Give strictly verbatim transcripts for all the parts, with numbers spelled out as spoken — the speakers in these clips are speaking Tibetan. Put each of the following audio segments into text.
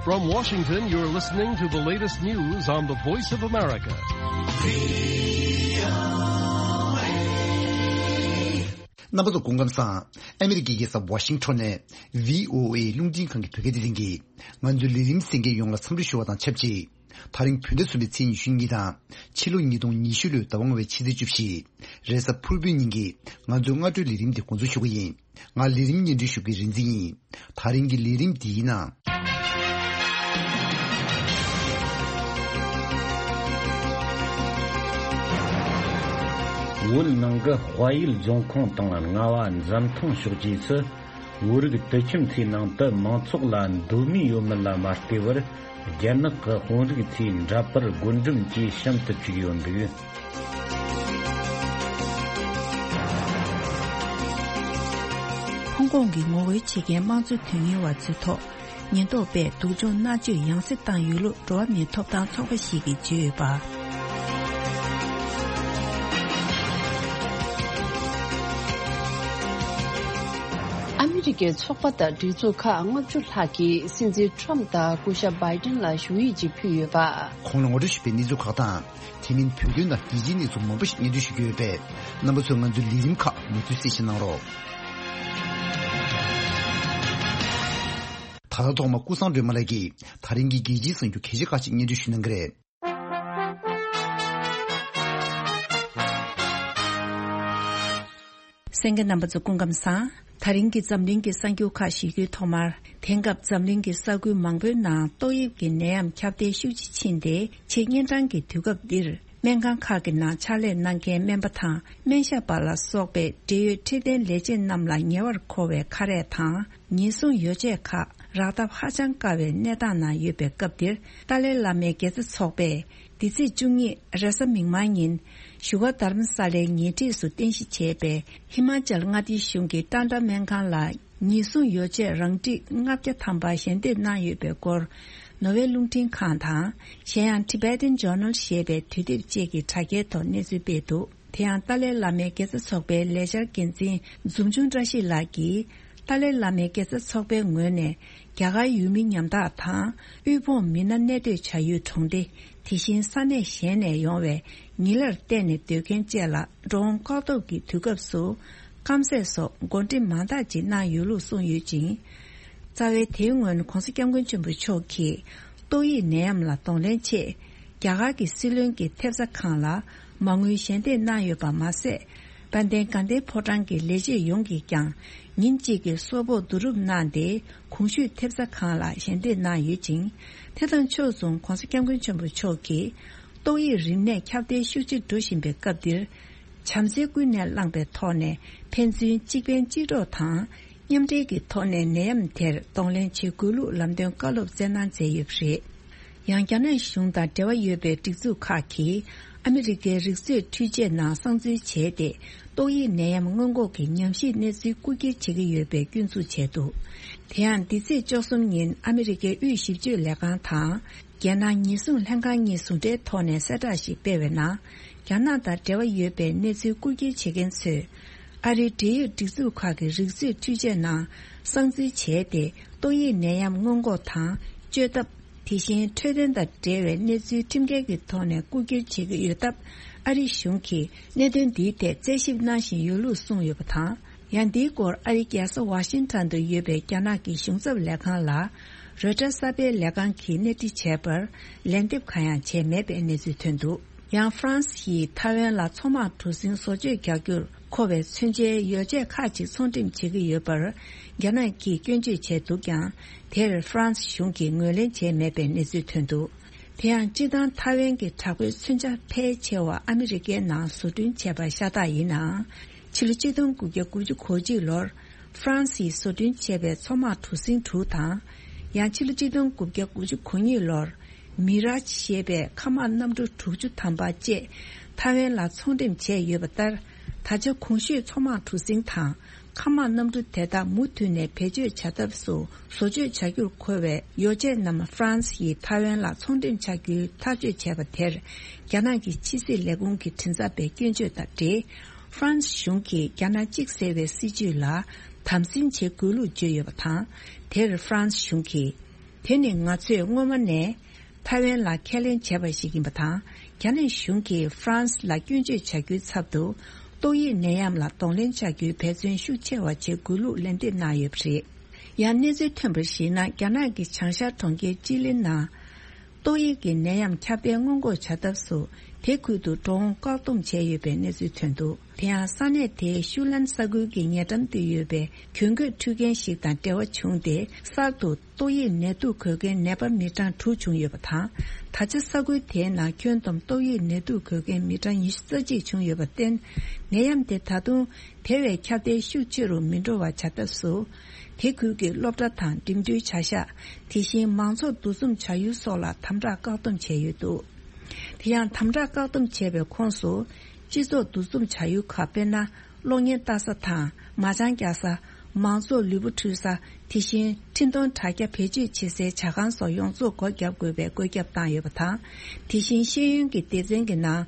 From Washington, you're listening to the latest news on the Voice of America. རྣམ་པ་ཚོ་སྐུ་ཁམས་བཟང་། ཨ་མི་རི་ཀའི་རྒྱལ་ས་ཝ་ཤིང་ཊོན་ནས་བྷི་ཨོ་ཨེ་རླུང་འཕྲིན་ཁང་གི་བོད་སྐད་སྡེ་ཚན་གྱིས་ང་ཚོའི་ལས་རིམ་གསན་མཁན་ཡོངས་ལ་འཚམས་འདྲི་ཞུ་བ་དང་ཆབས་ཅིག་དེ་རིང་བོད་ཟླ་གསུམ་པའི་ཚེས་ཉི་ཤུ་གཉིས་དང་ཕྱི་ལོ་ཉིས་སྟོང་ཉི་ཤུ་ལོའི་ཟླ་བ་ལྔ་པའི་ཕྱི་ཚེས་བཅུ་བཞི། རེས་གཟའ་ཕུར་བུའི་ཉིན་གྱི་ང་ཚོའི་སྔ་དྲོའི་ལས་རིམ་དེ་འགོ་འཛུགས་ཞུ་གི་ཡིན། ང་ལས་རིམ་སྙན་སྒྲོན་ཞུ་མཁན་རིག་འཛིན་ཡིན། དེ་རིང་གི་ལས་རིམ་འདིའི་ནང་། བོད་ནང་གི་དཔལ་ཡུལ་རྫོང་ཁོངས་དང་རྔ་བ་འཛམ་ཐང་ཕྱོགས་ཀྱི་སུ། བོད་རིགས་དུད་ཁྱིམ་ཚོའི་ནང་དུ་མང་ཚོགས་ལ་མདོ་མི་ཡོད་མེད་ལ་མ་ལྟོས་པར། རྒྱ་ནག་གི་དཔོན་རིགས་ཚོས་འདྲ་པར་བགོ་འགྲེམས་ཀྱིས་གཤམ་དུ་བཅུག་ཡོད་འདུག་ཧོང་ཀོང་གི་ངོ་རྒོལ་བྱེད་མཁན་དམངས་གཙོ་དོན་གཉེར་བ་ཚོའི་ཐོག་ཉེན་རྟོག་པས་སྡུག་སྦྱོང་མནར་གཅོད་ཡང་སེ་བཏང་ཡོད་ལུགས་འགྲོ་བ་མིའི་ཐོབ་ཐང་ཚོགས་པ་ཞིག་གིས་བརྗོད་ཡོད་པ། ཨ་མི་རི་ཀའི་ཚོགས་པ་དང་སྒྲིག་འཛུགས་ཁག་ལྔ་བཅུ་ལྷག་གིས་སྲིད་འཛིན་ཊམ་ཕི་དང་སྐུ་ཞབས་བྷའི་ཌེན་ལ་ཞུ་ཡིག་ཅིག་ཕུལ་ཡོད་པ། གོང་ལ་ངོ་སྤྲོད་ཞུས་པའི་གནས་ཚུལ་ཁག་དང་། དེ་མིན་བོད་དོན་དང་རྒྱལ་སྤྱིའི་གནས་ཚུལ་མང་པོ་ཞིག་སྙན་སྒྲོན་ཞུ་རྒྱུ་ཡོད་པས། རྣམ་པ་ཚོས་ང་ཚོའི་ལས་རིམ་ཁག་མུ་མཐུད་གསན་བཞེས་གནང་རོགས། ད་ལྟ་ཐོག་མར་ཀུན་བཟང་སྒྲོལ་མ་ལགས་ཀྱིས་དེ་རིང་གི་རྒྱལ་སྤྱིའི་གསར་འགྱུར་གལ་ཆེ་ཁག་ཅིག་སྙན་སྒྲོན་ཞུ་གནང་གི་རེད། གསན་མཁན་རྣམ་པ་ཚོ་སྐུ་ཁམས་བཟང་། དེ་རིང་གི་འཛམ་གླིང་གི་གསར་འགྱུར་ཁག་ཞུ་རྒྱུའི་ཐོག་མར། དེང་སྐབས་འཛམ་གླིང་གི་ས་ཁུལ་མང་པོའི་ནང་ཏོག་དབྱིབས་ཀྱི་ནད་ཡམས་ཁྱབ་གདལ་ཤུགས་ཆེ་ཕྱིན་ཏེ། ཆེས་གཉན་འཕྲང་གི་དུས་སྐབས་འདིར། སྨན་ཁང་ཁག་གི་ནང་ཕྱག་ལས་གནང་མཁན་སྨན་པ་དང་སྨན་ཞབས་པ་ལ་སོགས་པའི་འབྲེལ་ཡོད་འཕྲོད་བསྟེན་ལས་བྱེད་རྣམས་ལ་ཉེ་བར་མཁོ་བའི་ཁ་རས་དང་། ཉེན་སྲུང་ཡོ་བྱད་ཁག་རག་ཐབས་ཧ་ཅང་དཀའ་བའི་གནས་སྟངས་ནང་ཡོད་པའི་སྐབས་འདིར། ཏཱ་ལའི་བླ་མའི་དགེ་རྩ་ཚོགས་པས་འདི་ཚེས་བཅུ་གཉིས་རེས་གཟའ་མིག་དམར་ཉིན་བཞུགས་སྒར་རྡ་རམ་ས་ལའི་ཉེ་འཁྲིས་སུ་རྟེན་གཞི་བྱས་པའི་ཧི་མ་ཅལ་མངའ་སྡེའི་གཞུང་གི་ཏཱན་ཏྲ་སྨན་ཁང་ལ་ཉེན་སྲུང་ཡོ་བྱད་རང་འགྲིག་ལྔ་བརྒྱ་ཐམ་པ་ཞལ་འདེབས་གནང་ཡོད་པའི་སྐོར། ནོར་ཝེ་རླུང་འཕྲིན་ཁང་དང་། གཞན་ཡང་Tibetan Journal ཞེས་པའི་དུས་དེབ་བཅས་ཀྱི་དྲ་རྒྱའི་ཐོག་གནས་ཚུལ་སྤེལ་འདུག་དེ་ཡང་ཏཱ་ལའི་བླ་མའི་དགེ་རྩ་ཚོགས་པའི་ལས་འཆར་འགན་འཛིན་འཛུམ་ཆུང་བཀྲ་ཤིས་ལགས་ཀྱིས། ཏཱ་ལའི་བླ་མའི་དགེ་རྩ་ཚོགས་པའི་ངོས་ནས་རྒྱ་གར་ཡུལ་མི་ཉམ་ཐག་དང་། དབུལ་ཕོངས་མི་སྣ་གནས་སྡོད་བྱ་ཡུལ་གྲོང་སྡེ། དེ་བཞིན་ས་གནས་གཞན་ནས་ཡོང་བའི་ཉིན་གླར་བལྟས་ནས་སྡོད་མཁན་བཅས་ལ་འགྲོ་འོང་བཀག་སྡོམ་གྱི་དུས་སྐབས་སུ། སྐམ་ཟས་སོགས་བགོ་འགྲེམས་མང་དག་ཅིག་གནང་ཡོད་ལུགས་གསུངས་ཡོད་ཅིང་། རྩ་བའི་དེའི་སྔོན་༸གོང་ས་༸སྐྱབས་མགོན་ཆེན་པོ་མཆོག་གིས་ཏོག་དབྱིབས་ནད་ཡམས་ལ་གདོང་ལེན་ཆེད། རྒྱ་གར་གྱི་སྲིད་བློན་གྱི་ཐེབས་རྩ་ཁང་ལ་མ་དངུལ་ཞལ་འདེབས་གནང་ཡོད་པ་མ་ཟད། དཔལ་ལྡན་དགའ་ལྡན་ཕོ་བྲང་གི་ལས་བྱེད་ཡོངས་ཀྱིས་ཀྱང་ཉིན་གཅིག་གི་གསོལ་ཕོགས་བསྡུ་རུབ་གནང་སྟེ། གོང་ཞུས་ཐེབས་རྩ་ཁང་ལ་ཞལ་འདེབས་གནང་ཡོད་ཅིང་། དེ་དང་ཕྱོགས་མཚུངས་༸གོང་ས་༸སྐྱབས་མགོན་ཆེན་པོ་མཆོག་གིས། ཏོག་དབྱིབས་རིམས་ནད་ཁྱབ་གདལ་ཤུགས་ཆེ་འགྲོ་བཞིན་པའི་སྐབས་འདིར། བྱམས་བརྩེ་ཀུན་ནས་བསླངས་པའི་ཐོག་ནས་ཕན་ཚུན་གཅིག་ཕན་གཅིག་གྲོགས་དང་། མཉམ་འབྲེལ་གྱི་ཐོག་ནས་ནད་ཡམས་དེར་གདོང་ལེན་བྱེད་དགོས་ལུགས་ལམ་སྟོན་བཀའ་སློབ་སྩལ་གནང་མཛད་ཡོད་པ་རེད། ཡང་རྒྱ་ནག་གཞུང་དང་འབྲེལ་བ་ཡོད་པའི་སྒྲིག་འཛུགས་ཁག་གིས་ཨ་མི་རི་ཀའི་རིག་མཛོད་འཕྲུལ་ཆས་ནང་གསང་འཛུལ་བྱས་ཏེ། ཏོག་དབྱིབས་ནད་ཡམས་སྔོན་འགོག་གི་ཉམས་ཞིབ་གནས་ཚུལ་རྐུ་འཁྱེར་བྱེད་ཀྱི་ཡོད་པའི་སྐྱོན་འཛུགས་བྱས་འདུག་དེ་ཡང་འདི་ཚེས་བཅུ་གསུམ་ཉིན་ཨ་མི་རི་ཀའི་དབུས་ཞིབ་དཔྱོད་ལས་ཁང་དང་། རྒྱལ་ནང་ཉེན་སྲུང་ལྷན་ཁང་གཉིས་ཟུང་འབྲེལ་ཐོག་ནས་གསལ་བསྒྲགས་ཤིག་སྤེལ་བའི་ནང་། རྒྱ་ནག་དང་འབྲེལ་བ་ཡོད་པའི་གནས་ཚུལ་རྐུ་འཁྱེར་བྱེད་མཁན་ཚོས། ཨ་རིའི་འབྲེལ་ཡོད་སྒྲིག་འཛུགས་ཁག་གི་རིག་མཛོད་འཕྲུལ་ཆས་ནང་གསང་འཛུལ་བྱས་ཏེ། ཏོག་དབྱིབས་ནད་ཡམས་སྔོན་འགོག་དང་བཅོས་ཐབས། དེ་བཞིན་འཕྲོད་བསྟེན་དང་འབྲེལ་བའི་གནས་ཚུལ་ཁྲིམས་འགལ་གྱི་ཐོག་ནས་རྐུ་འཁྱེར་བྱེད་ཀྱི་ཡོད་སྟབས། ཨ་རི་གཞུང་གིས་གནད་དོན་འདིའི་ཐད་རྩད་ཞིབ་གནང་བཞིན་ཡོད་ལུགས་གསུངས་ཡོད་པ་དང་། ཡང་འདིའི་སྐོར་ཨ་རིའི་རྒྱལ་ས་ཝ་ཤིང་ཊོན་དུ་ཡོད་པའི་རྒྱ་ནག་གི་གཞུང་ཚབ་ལས་ཁང་ལ། རོའི་ཊར་གསར་སྤེལ་ལས་ཁང་གིས་གནས་འདྲི་བྱས་པར། ལན་འདེབས་གང་ཡང་བྱས་མེད་པའི་གནས་ཚུལ་ཐོན་འདུག་ཡང་ཧྥ་རན་སི་ཡིས་ཐའེ་ཝན་ལ་མཚོ་དམག་གྲུ་གཟིངས་བཟོ་བཅོས་རྒྱག་རྒྱུར་མཁོ་བའི་མཚོན་ཆའི་ཡོ་བྱད་ཁག་ཅིག་ཚོང་འགྲེམས་བྱེད་ཀྱི་ཡོད་པར། རྒྱ་ནག་གིས་སྐྱོན་བརྗོད་བྱས་འདུག་ཀྱང་། དེར་ཧྥ་རན་སི་གཞུང་གིས་ངོས་ལེན་བྱས་མེད་པའི་གནས་ཚུལ་ཐོན་འདུག་དེ་ཡང་སྤྱིར་བཏང་ཐའེ་ཝན་གྱི་དྲག་པོའི་མཚོན་ཆ་ཕལ་ཆེ་བ་ཨ་མི་རི་ཀའི་ནང་བཟོ་སྐྲུན་བྱས་པ་ཤ་སྟག་ཡིན་ནའང་། ཕྱི་ལོ་ཆིག་སྟོང་དགུ་བརྒྱ་དགུ་བཅུ་གོ་གཅིག་ལོར་ཧྥ་རན་སིས་བཟོ་སྐྲུན་བྱས་པའི་མཚོ་དམག་གྲུ་གཟིངས་དྲུག་དང་། ཡང་ཕྱི་ལོ་ཆིག་སྟོང་དགུ་བརྒྱ་དགུ་བཅུ་གོ་གཉིས་ལོར་མི་རཱཇ་ཞེས་པའི་མཁའ་དམག་གནམ་གྲུ་དྲུག་ཅུ་ཐམ་པ་བཅས་ཐའེ་ཝན་ལ་ཚོང་འགྲེམས་བྱས་ཡོད་པ་ལྟར། ད་ཆ་གོང་ཞུས་མཚོ་དམག་གྲུ་གཟིངས་དང་། མཁའ་དམག་གནམ་གྲུ་དེ་དག་མུ་མཐུད་ནས་བེད་སྤྱོད་བྱ་ཐབས་སུ་བཟོ་བཅོས་བྱ་རྒྱུར་མཁོ་བའི་ཡོ་བྱད་རྣམས་ཧྥ་རན་སི་ཡིས་ཐའེ་ཝན་ལ་ཚོང་འགྲེམས་བྱ་རྒྱུའི་ཐག་གཅོད་བྱས་པ་དེར། རྒྱ་ནག་གི་ཕྱི་སྲིད་ལས་ཁུངས་ཀྱི་མགྲིན་ཚབ་པས་སྐྱོན་བརྗོད་དང་འབྲེལ། ཧྥ་རན་སི་གཞུང་གིས་རྒྱ་ནག་གཅིག་ཟེར་བའི་སྲིད་བྱུས་ལ་དམ་འཛིན་བྱེད་དགོས་ལུགས་བརྗོད་ཡོད་པ་དང་། དེར་ཧྥ་རན་སི་གཞུང་གིས། དེ་ནི་ང་ཚོས་སྔོན་མ་ནས་ཐའེ་ཝན་ལ་ཁས་ལེན་བྱས་པ་ཞིག་ཡིན་པ་དང་། རྒྱ་ནག་གཞུང་གིས་ཧྥ་རན་སི་ལ་སྐྱོན་བརྗོད་བྱ་རྒྱུའི་ཚབ་ཏུ། ཏོག་དབྱིབས་ནད་ཡམས་ལ་གདོང་ལེན་བྱ་རྒྱུའི་འབད་བརྩོན་ཤུགས་ཆེ་བ་བྱེད་དགོས་ལུགས་ལན་འདེབས་གནང་ཡོད་པ་རེད། ཡང་གནས་ཚུལ་ཐོན་པར་གཞིགས་ན། རྒྱ་ནག་གི་བྱང་ཤར་གྲོང་ཁྱེར་ཅི་ལིན་ནང་ཏོག་དབྱིབས་ཀྱི་ནད་ཡམས་ཁྱབ་གདལ་སྔོན་འགོག་བྱ་ཐབས་སུ། དེ་ཁུལ་དུ་འགྲོ་འོང་བཀག་སྡོམ་བྱས་ཡོད་པའི་གནས་ཚུལ་ཐོན་འདུག་དེ་ཡང་ས་གནས་དེའི་ཤུ་ལན་ས་ཁུལ་གྱི་ཉེ་འགྲམ་དུ་ཡོད་པའི་གྱོན་གོས་འཁྲུད་མཁན་ཞིག་དང་འབྲེལ་བ་བྱུང་སྟེ། གསར་དུ་ཏོག་དབྱིབས་ནད་དུག་འགོས་མཁན་ནད་པ་མི་གྲངས་དྲུག་བྱུང་ཡོད་པ་དང་། ད་ཆ་ས་ཁུལ་དེའི་ནང་ཁྱོན་བསྡོམས་ཏོག་དབྱིབས་ནད་དུག་འགོས་མཁན་མི་གྲངས་ཉི་ཤུ་རྩ་གཅིག་བྱུང་ཡོད་པར་བརྟེན། ནད་ཡམས་དེ་ད་དུང་དེ་བས་ཁྱབ་གདལ་ཤུགས་ཆེ་རུ་མི་འགྲོ་བ་བྱ་ཐབས་སུ། དེ་ཁུལ་གྱི་སློབ་གྲྭ་དང་འགྲིམ་འགྲུལ་བྱ་གཞག་དེ་བཞིན་མང་ཚོགས་འདུ་འཛོམས་བྱ་ཡུལ་སོགས་ལ་དམ་དྲག་བཀག་སྡོམ་བྱས་ཡོད་འདུག་དེ་ཡང་དམ་དྲག་བཀག་སྡོམ་བྱས་པའི་ཁོངས་སུ། སྤྱི་ཚོགས་འདུ་འཛོམས་བྱ་ཡུལ་ཁག་དཔེར་ན། གློག་བརྙན་ལྟ་ས་དང་མ་ཅང་རྒྱག་ས། མང་ཚོགས་ལུས་པོ་འཁྲུད་ས། དེ་བཞིན་འཕྲིན་གཏོང་དྲ་རྒྱ་བེད་སྤྱོད་བྱེད་སའི་ཇ་ཁང་སོགས་ཡོངས་རྫོགས་སྒོ་བརྒྱབ་དགོས་པའི་བཀོད་ཁྱབ་བཏང་ཡོད་པ་དང་། དེ་བཞིན་ཤེས་ཡོན་གྱི་སྡེ་ཚན་གྱི་ནང་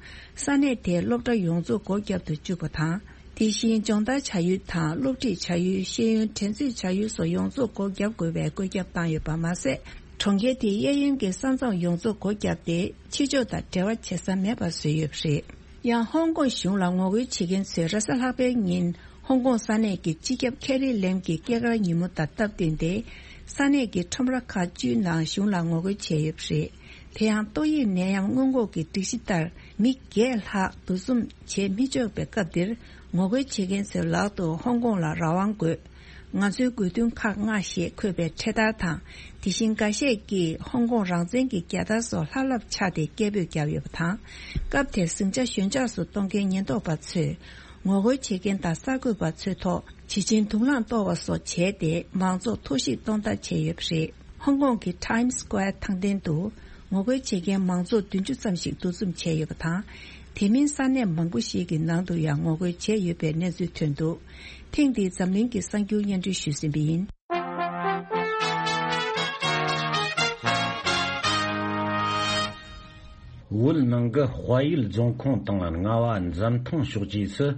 ས་གནས་དེའི་སློབ་གྲྭ་ཡོངས་རྫོགས་སྒོ་བརྒྱབ་ཏུ་བཅུག་པ་དང་། དེ་བཞིན་སྦྱོང་བརྡར་བྱ་ཡུལ་དང་སློབ་ཁྲིད་བྱ་ཡུལ། ཤེས་ཡོན་འགྲན་རྩོད་བྱ་ཡུལ་སོགས་ཡོངས་རྫོགས་སྒོ་བརྒྱབ་དགོས་པའི་བཀོད་ཁྱབ་བཏང་ཡོད་པ་མ་ཟད། གྲོང་ཁྱེར་དེའི་གཡས་གཡོན་གྱི་ས་མཚམས་ཡོངས་རྫོགས་སྒོ་བརྒྱབ་སྟེ། ཕྱི་ཕྱོགས་དང་འབྲེལ་བ་བྱེད་ས་མེད་པ་བཟོས་ཡོད་པ་རེད། ཡང་ཧོང་ཀོང་གཞུང་ལ་ངོ་རྒོལ་བྱེད་མཁན་ཚོས་རེས་གཟའ་ལྷག་པའི་ཉིན་ཧོང་ཀོང་ས་གནས་ཀྱི་སྤྱི་ཁྱབ་ཁེ་རི་ལེམ་གྱི་སྐྱེས་སྐར་ཉིན་མོ་དང་སྟབས་བསྟུན་ཏེ། ས་གནས་ཀྱི་ཁྲོམ་ར་ཁག་བཅུའི་ནང་གཞུང་ལ་ངོ་རྒོལ་བྱས་ཡོད་པ་རེད། དེ་ཡང་ཏོག་དབྱིབས་ནད་ཡམས་སྔོན་འགོག་གི་སྒྲིག་གཞི་ལྟར། མི་བརྒྱད་ལྷག་འདུ་འཛོམས་བྱེད་མི་ཆོག་པའི་སྐབས་འདིར། ངོ་རྒོལ་བྱེད་མཁན་ཚོའི་ལག་ཏུ་ཧོང་ཀོང་ལ་རང་དབང་དགོས། ང་ཚོའི་དགོས་འདུན་ཁག་ལྔ་ཞེས་འཁོད་པའི་འཕྲེད་དར་དང་། དེ་བཞིན་འགའ་ཤས་ཀྱིས་ཧོང་ཀོང་རང་བཙན་གྱི་རྒྱལ་དར་སོགས་ལྷབ་ལྷབ་འཕྱར་ཏེ་སྐད་འབོད་བརྒྱབ་ཡོད་པ་དང་། སྐབས་དེར་ཟིང་ཆ་ཞོད་འཇགས་སུ་གཏོང་མཁན་ཉེན་རྟོག་པ་ཚོས། ངོ་རྒོལ་བྱེད་མཁན་དང་གསར་འགོད་པ་ཚོའི་ཐོག་བྱི་ཆིན་དུག་རླངས་གཏོར་བ་སོགས་བྱས་ཏེ། མང་ཚོགས་ཐོར་ཞིག་གཏོང་ཐབས་བྱས་ཡོད་པ་རེད། ཧོང་ཀོང་གི་Times Square་ཐང་སྟེང་དུ། ངོ་རྒོལ་བྱེད་མཁན་མང་ཚོགས་བདུན་ཅུ་ཙམ་ཞིག་འདུ་འཛོམས་བྱས་ཡོད་པ་དང་། དེ་མིན་ས་གནས་མང་པོ་ཞིག་གི་ནང་དུ་ཡང་ངོ་རྒོལ་བྱས་ཡོད་པའི་གནས་ཚུལ་ཐོན་འདུག་ཐེངས་འདིའི་འཛམ་གླིང་གི་གསར་འགྱུར་སྙན་སྒྲོན་ཞུས་ཟིན་པ་ཡིན། བོད་ནང་གི་དཔལ་ཡུལ་རྫོང་ཁོངས་དང་རྔ་བ་འཛམ་ཐང་ཕྱོགས་བཅས་སུ།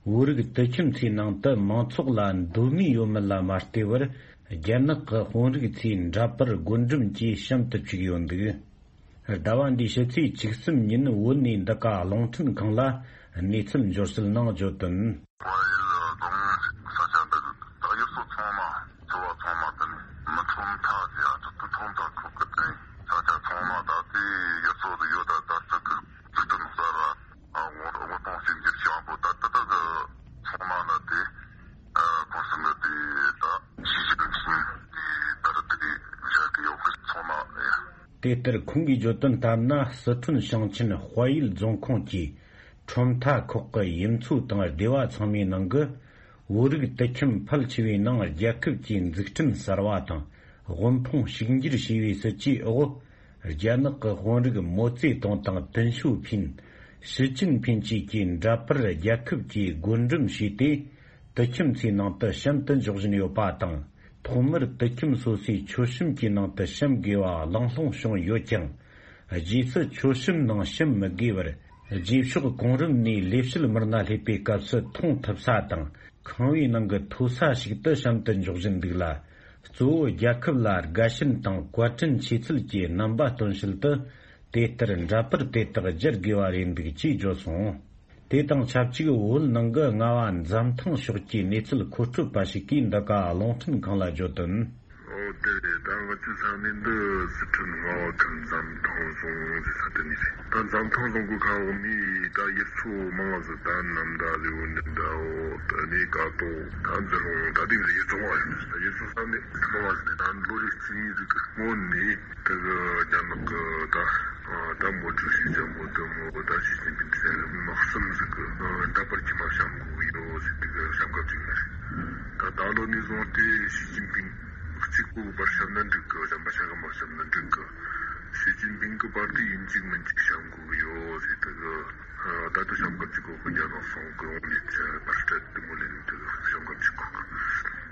བོད་རིགས་དུད་ཁྱིམ་ཚོའི་ནང་དུ་མང་ཚོགས་ལ་མདོ་མི་ཡོད་མེད་ལ་མ་ལྟོས་པར། རྒྱ་ནག་གི་དཔོན་རིགས་ཚོས་འདྲ་པར་བགོ་འགྲེམས་ཀྱིས་བཤམས་དུ་བཅུག་ཡོད་འདུག་ཟླ་བ་འདིའི་ཕྱི་ཚེས་བཅུ་གསུམ་ཉིན་བོད་ནས་འདི་ག་རླུང་འཕྲིན་ཁང་ལ་གནས་ཚུལ་འབྱོར་གསལ་ནང་བརྗོད་དོན། དཔལ་ཡུལ་རྫོང་ས་ཆ་འདི་ད་ཡུལ་སྲོལ་ཚང་མ་ཚོ་བ་ཚང་མ་དེ་ནས་མི་ཁྲོམ་ཐག་ཅེས་ཨ་ཐུ་ཐུ་ཁྲོམ་ཐག་ཁུག་གི་དེ་ས་ཆ་ཚང་མ་ད་ལྟའི་ཡུལ་སྲོལ་དུ་ཡོད། ད་ད་ལྟ་གི་འཛུགས་སྐྲུན་གསར་བ་དབུལ་ཕོངས་ཞིབ་འཇུག་བྱེད་པོ་ད་ལྟ་ད་གི་ཚང་མ་ལ་དེ་ཁོང་ཚོ་ལ་དེ་ད་ཞི་ཅིན་ཕིང་དེ་ད་རེད་དེ་བཞག་གི་ཡོད་གི་ཚང་མ་ཡ། དེ་ལྟར་ཁོང་གིས་བརྗོད་དོན་ལྟར་ན། སི་ཁྲོན་ཞིང་ཆེན་དཔལ་ཡུལ་རྫོང་ཁོངས་ཀྱི་ཁྲོམ་མཐའ་ཁོག་གི་ཡུལ་ཚོ་དང་སྡེ་བ་ཚང་མའི་ནང་གི་བོད་རིགས་དུད་ཁྱིམ་ཕལ་ཆེ་བའི་ནང་རྒྱལ་ཁབ་ཀྱི་འཛུགས་སྐྲུན་གསར་བ་དང་དབུལ་ཕོངས་ཕྱུག་འགྱུར་ཞེས་པའི་སྲིད་ཇུས་འོག་རྒྱ་ནག་གི་དཔོན་རིགས་མའོ་ཙེ་ཏུང་དང་ཏེང་ཞའོ་ཕིན། ཞི་ཅིན་ཕིན་བཅས་ཀྱིས་འདྲ་པར་རྒྱལ་ཁབ་ཀྱིས་བགོ་འགྲེམས་བྱས་ཏེ། དུད་ཁྱིམ་ཚོའི་ནང་དུ་བཤམས་ཏེ་འཇོག་བཞིན་ཡོད་པ་དང་། ཐོག་མར་དུད་ཁྱིམ་སོ་སོའི་མཆོད་གཤོམ་གྱི་ནང་དུ་བཤམས་དགོས་པ་གླེང་སློང་བྱུང་ཡོད་ཀྱང་། རྗེས་སུ་མཆོད་གཤོམ་ནང་བཤམས་མི་དགོས་པར། རྗེས་ཕྱོགས་གོང་རིམ་ནས་ལས་བྱེད་མི་སྣ་སླེབས་པའི་སྐབས་སུ་མཐོང་ཐུབ་ས་དང་། ཁང་བའི་ནང་གི་མཐོ་ས་ཞིག་ཏུ་བཤམས་ཏེ་འཇོག་བཞིན་འདུག་ལ། གཙོ་བོ་རྒྱལ་ཁབ་ལ་དགའ་ཞེན་དང་བཀའ་དྲིན་ཆེ་ཚུལ་གྱི་རྣམ་པ་སྟོན་ཞིན་དུ། དེ་ལྟར་འདྲ་པར་དེ་དག་སྦྱར་དགོས་པ་རེད་འདུག་ཅེས་བརྗོད་སོང་། དེ་དང་ཆབས་ཅིག་བོད་ནང་གི་རྔ་བ་འཛམ་ཐང་ཕྱོགས་ཀྱི་གནས་ཚུལ་མཁོ་སྤྲོད་པ་ཞིག་གིས་འདི་ག་རླུང་འཕྲིན་ཁང་ལ་བརྗོད་དོན། ཨོ་དེ་རེད། ད་ང་ཚོའི་ས་གནས་འདི་སི་ཁྲོན་རྔ་བ་ཁུལ་འཛམ་ཐང་རྫོང་ཟེར་ས་དེ་ནས་རེད། ད་འཛམ་ཐང་རྫོང་གི་ཁ་འོག་ནས་ད་ཡུལ་ཚོ་མང་ང་ཟིག་ད་ནམ་ཟླ་ལེའུ་འདི་འདྲ་འོ་ད་ནས་ཀ་ཏོ་ད་འཛི་ལོང་ད་དེ་འདྲ་ཡུལ་ཚོ་མང་ང་ཡོད། ད་ཡུལ་ཚོ་ས་གནས་མང་ང་ཟིག་ད་ལོ་རེ་བཅུ་གཉིས་ཟིག་གི་སྔོན་ནས། དེ་གི་རྒྱ་ནག་གི་ད་ད་མའོ་ཀྲུའུ་ཞི་ཅང་མོ་དེ་མོ་གི་ད་ཞི་ཅིན་ཕིང་དེ་ནས་མི་གསུམ་ཟིག་གི་འདྲ་པར་ཁྱིམ་མ་བཤམས་དགོས་ཡོད་ཟེར། དེ་གི་བཤམས་སྐབས་ཅིག་ནས་ད་ད་ལོ་ནས་བཟུང་སྟེ་ཞི་ཅིན་ཕིང་གཅིག་པུ་པར་བཤམས་ན་འགྲིག་གི། གཞན་པ་ཆ་ག་མ་བཤམས་ན་འགྲིག་གི། ཞི་ཅིན་ཕིང་གི་པར་དེ་ཡིན་གཅིག་མིན་གཅིག་བཤམས་དགོས་ཡོད་ཟེར། དེ་གི་ད་དུང་བཤམས་སྐབས་ཅིག་གོ་གི་རྒྱ་ནག་སོང་གི་འོང་ནས་ཆ་པར་སྤྲད་དེ་མོ་ལེན་དེ་གི་བཤམས་སྐབས་ཅིག་གོ་གི།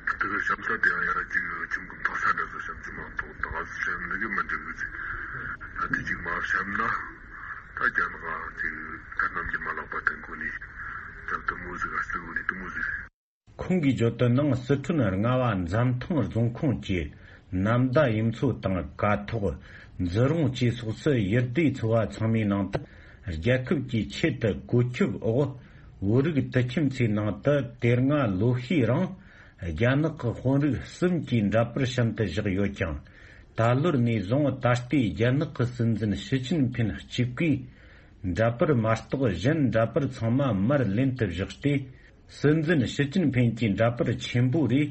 དེ་གི་བཤམས་ས་དེ་ཡང་ཡར་ཅིག་ཁྱིམ་གི་མཐོ་ས་འདྲ་ཟིག་བཤམས་ཅིག་མ་གཏོགས་ད་ག་ཟིག་བཤམས་ནི་གི་མི་འགྲིག་གི་ཟེར། ད་དེ་ཅིག་མ་བཤམས་ན་ད་རྒྱ་ནག་ཅིག་ད་ནམ་རྒྱུན་མ་ལག་པ་དེ་གོ་ནས་ད་དེ་མོ་ཟིག་ག་སྟེ་གོ་ནས་དེ་མོ་ཟིག་ཁོང་གིས་བརྗོད་དོན་ནང་། སི་ཁྲོན་རྔ་བ་འཛམ་ཐང་རྫོང་ཁོངས་ཀྱི་ ནམ་ཟླ་གཡུ་མཚོ་དང་ཀ་ཐོག་འཛི་རོང་བཅས་སོགས་སུ་ཡུལ་སྡེ་ཚོ་བ་ཚང་མའི་ནང་དུ་རྒྱལ་ཁབ་ཀྱི་ཆེད་དུ་བཀོད་ཁྱབ་འོག་བོད་རིགས་དུད་ཁྱིམ་ཚོའི་ནང་དུ་དེ་སྔ་ལོ་ཤས་རིང་རྒྱ་ནག་གི་དཔོན་རིགས་གསུམ་གྱི་འདྲ་པར་བཤམས་ཏེ་བཞག་ཡོད་ཀྱང་། ད་ལོར་ནས་བཟུང་ད་ལྟའི་རྒྱ་ནག་གི་སྲིད་འཛིན་ཞི་ཅིན་ཕིན་གཅིག་པུས་འདྲ་པར་མ་གཏོགས་གཞན་འདྲ་པར་ཚང་མ་མར་ལེན་དུ་བཞག་སྟེ། སྲིད་འཛིན་ཞི་ཅིན་ཕིན་གྱི་འདྲ་པར་ཆེན་པོ་རེ་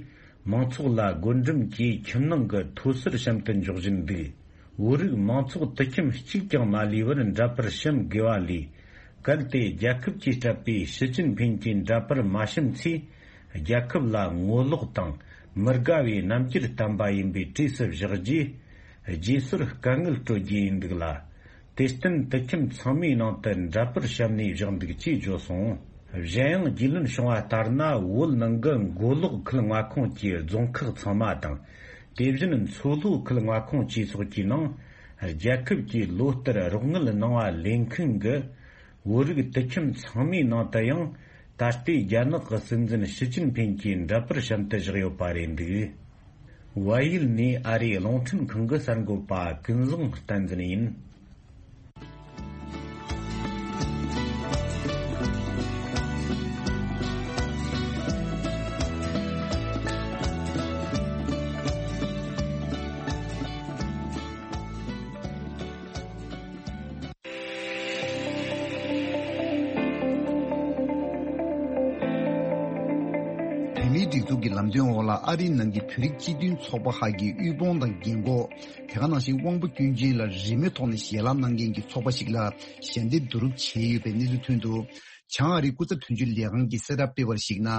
མང་ཚོགས་ལ་བགོ་འགྲེམས་ཀྱིས་ཁྱིམ་ནང་གི་མཐོ་སར་བཤམས་ཏུ་འཇོག་བཞིན་འདུག་བོད་རིགས་མང་ཚོགས་དུད་ཁྱིམ་གཅིག་ཀྱང་མ་ལུས་པར་འདྲ་པར་བཤམས་དགོས་པ་ལས། གལ་ཏེ་རྒྱལ་ཁབ་ཀྱིས་སྤྲད་པའི་ཞི་ཅིན་ཕིན་གྱི་འདྲ་པར་མ་བཤམས་ཚེ། རྒྱལ་ཁབ་ལ་ངོ་ལོག་དང་མི་དགའ་བའི་རྣམ་འགྱུར་བསྟན་པ་ཡིན་པའི་གྲས་སུ་བཞག་རྗེས། རྗེས་སོར་དཀའ་ངལ་སྤྲོད་རྒྱུ་ཡིན་འདུག་ལ། དེར་བརྟེན་དུད་ཁྱིམ་ཚང་མའི་ནང་དུ་འདྲ་པར་བཤམས་ནས་བཞག་འདུག་ཅེས་བརྗོད་སོང་། གཞན་ཡང་རྒྱུས་ལོན་བྱུང་བ་ལྟར་ན། བོད་ནང་གི་མགོ་ལོག་ཁུལ་མངའ་ཁོངས་ཀྱི་རྫོང་ཁག་ཚང་མ་དང་། དེ་བཞིན་མཚོ་ལྷོ་ཁུལ་མངའ་ཁོངས་བཅས་སོགས་ཀྱི་ནང་རྒྱལ་ཁབ་ཀྱིས་ལོ་ལྟར་རོགས་དངུལ་གནང་བ་ལེན་མཁན་གྱི་བོད་རིགས་དུད་ཁྱིམ་ཚང་མའི་ནང་དུ་ཡང་ད་ལྟའི་རྒྱ་ནག་གི་སྲིད་འཛིན་ཞི་ཅིན་ཕིན་གྱི་འདྲ་པར་བཤམས་ཏེ་བཞག་ཡོད་པ་རེད་འདུག་བལ་ཡུལ་ནས་ཨ་རིའི་རླུང་འཕྲིན་ཁང་གི་གསར་འགོད་པ་ཀུན་བཟང་བསྟན་འཛིན་ཡིན། བོད་མིའི་སྒྲིག་འཛུགས་ཀྱི་ལམ་སྟོན་འོག་ལ་ཨ་རིའི་ནང་གི་བོད་རིགས་སྤྱི་མཐུན་ཚོགས་པ་ཁག་གི་དབུལ་ཕོངས་དང་རྒན་འཁོགས། དེ་ག་ནང་བཞིན་དབང་པོ་སྐྱོན་ཅན་ལ་རིན་མེད་ཐོག་ནས་ཞལ་ལག་གནང་མཁན་གྱི་ཚོགས་པ་ཞིག་ལ་ཞལ་འདེབས་བསྡུ་རུབ་བྱས་ཡོད་པའི་གནས་ཚུལ་ཐོན་འདུག་བྱང་ཨ་རིའི་སྐུ་ཚབ་དོན་གཅོད་ལས་ཁང་གིས་གསལ་བསྒྲགས་སྤེལ་བར་གཞིགས་ན།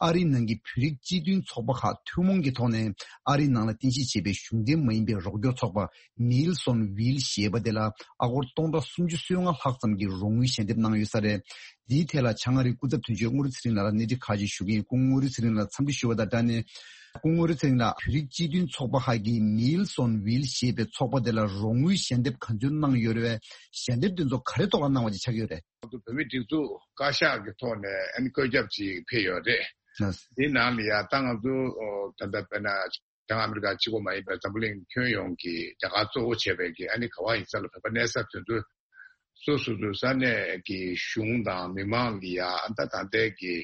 ཨ་རིའི་ནང་གི་བོད་རིགས་སྤྱི་མཐུན་ཚོགས་པ་ཁག་ཐུན་མོང་གི་ཐོག་ནས་ཨ་རིའི་ནང་ལ་རྟེན་གཞི་བྱས་པའི་གཞུང་འབྲེལ་མ་ཡིན་པའི་རོགས་སྐྱོར་ཚོགས་པ་Meals on Wheels ཞེས་པ་དེ་ལ་ཨ་སྒོར་སྟོང་ཕྲག་སུམ་ཅུ་སོ་ལྔ་ལྷག་ཙམ་གྱི་རོགས་དངུལ་ཞལ་འདེབས་གནང་ཡོད་ས་རེད། འདིའི་ཐད་ལ་བྱང་ཨ་རིའི་སྐུ་ཚབ་དོན་གཅོད་དངོས་རིགས་ཚེ་རིང་ལགས་ལ་སྣེ་ཁྲིད་ཁག་ཅིག་ཞུ་གི་ཡིན། སྐུ་ངོ་དངོས་རིགས་ཚེ་རིང་ལགས་འཚམས་འདྲི་ཞུ་བ་དང་སྦྲགས་ནས། སྐུ་ངོ་དངོས་རིགས་ཚེ་རིང་ལགས། བོད་རིགས་སྤྱི་མཐུན་ཚོགས་པ་ཁག་གིས་Meals on Wheels ཞེས་པའི་ཚོགས་པ་དེ་ལ་རོགས་དངུལ་ཞལ་འདེབས་ག་ཚོད་གནང་ཡོད་རེད་པས། ཞལ་འདེབས་དེ་ཚོ་ག་རེ་ཐོག་ལ་གནང་བ་ཅིག་ཆགས་ཀྱི་ཡོད་རེད། ང་ཚོ་བོད་མིའི་སྒྲིག་འཛུགས་བཀའ་ཤག་གི་ཐོག་ནས་ཨ་ནི་བཀོད་ཁྱབ་ཅིག་ཕེབས་ཡོད་རེད། ལགས། དེའི་ནང་ལ་ཡ་ད་ང་ཚོ་ད་ལྟ་དཔེར་ན་བྱང་ཨ་མི་རི་ཀ་གཅིག་པོ་མ་ཡིན་པར་འཛམ་བུ་གླིང་ཁྱོན་ཡོངས་ཀྱི་རྒྱ་གར་གཙོ་བོ་བྱས་པའི་གི་ཨ་ནི་ག་བ་ཡིན་ས་ལ་བོད་པ་གནས་ས་དེ་ཚོ་སོ་སོ་སོ་ས་གནས་ཀྱི་གཞུང་དང་མི་མང་གི་ཡ་ཨ་ད་ད་ལྟའི་གི་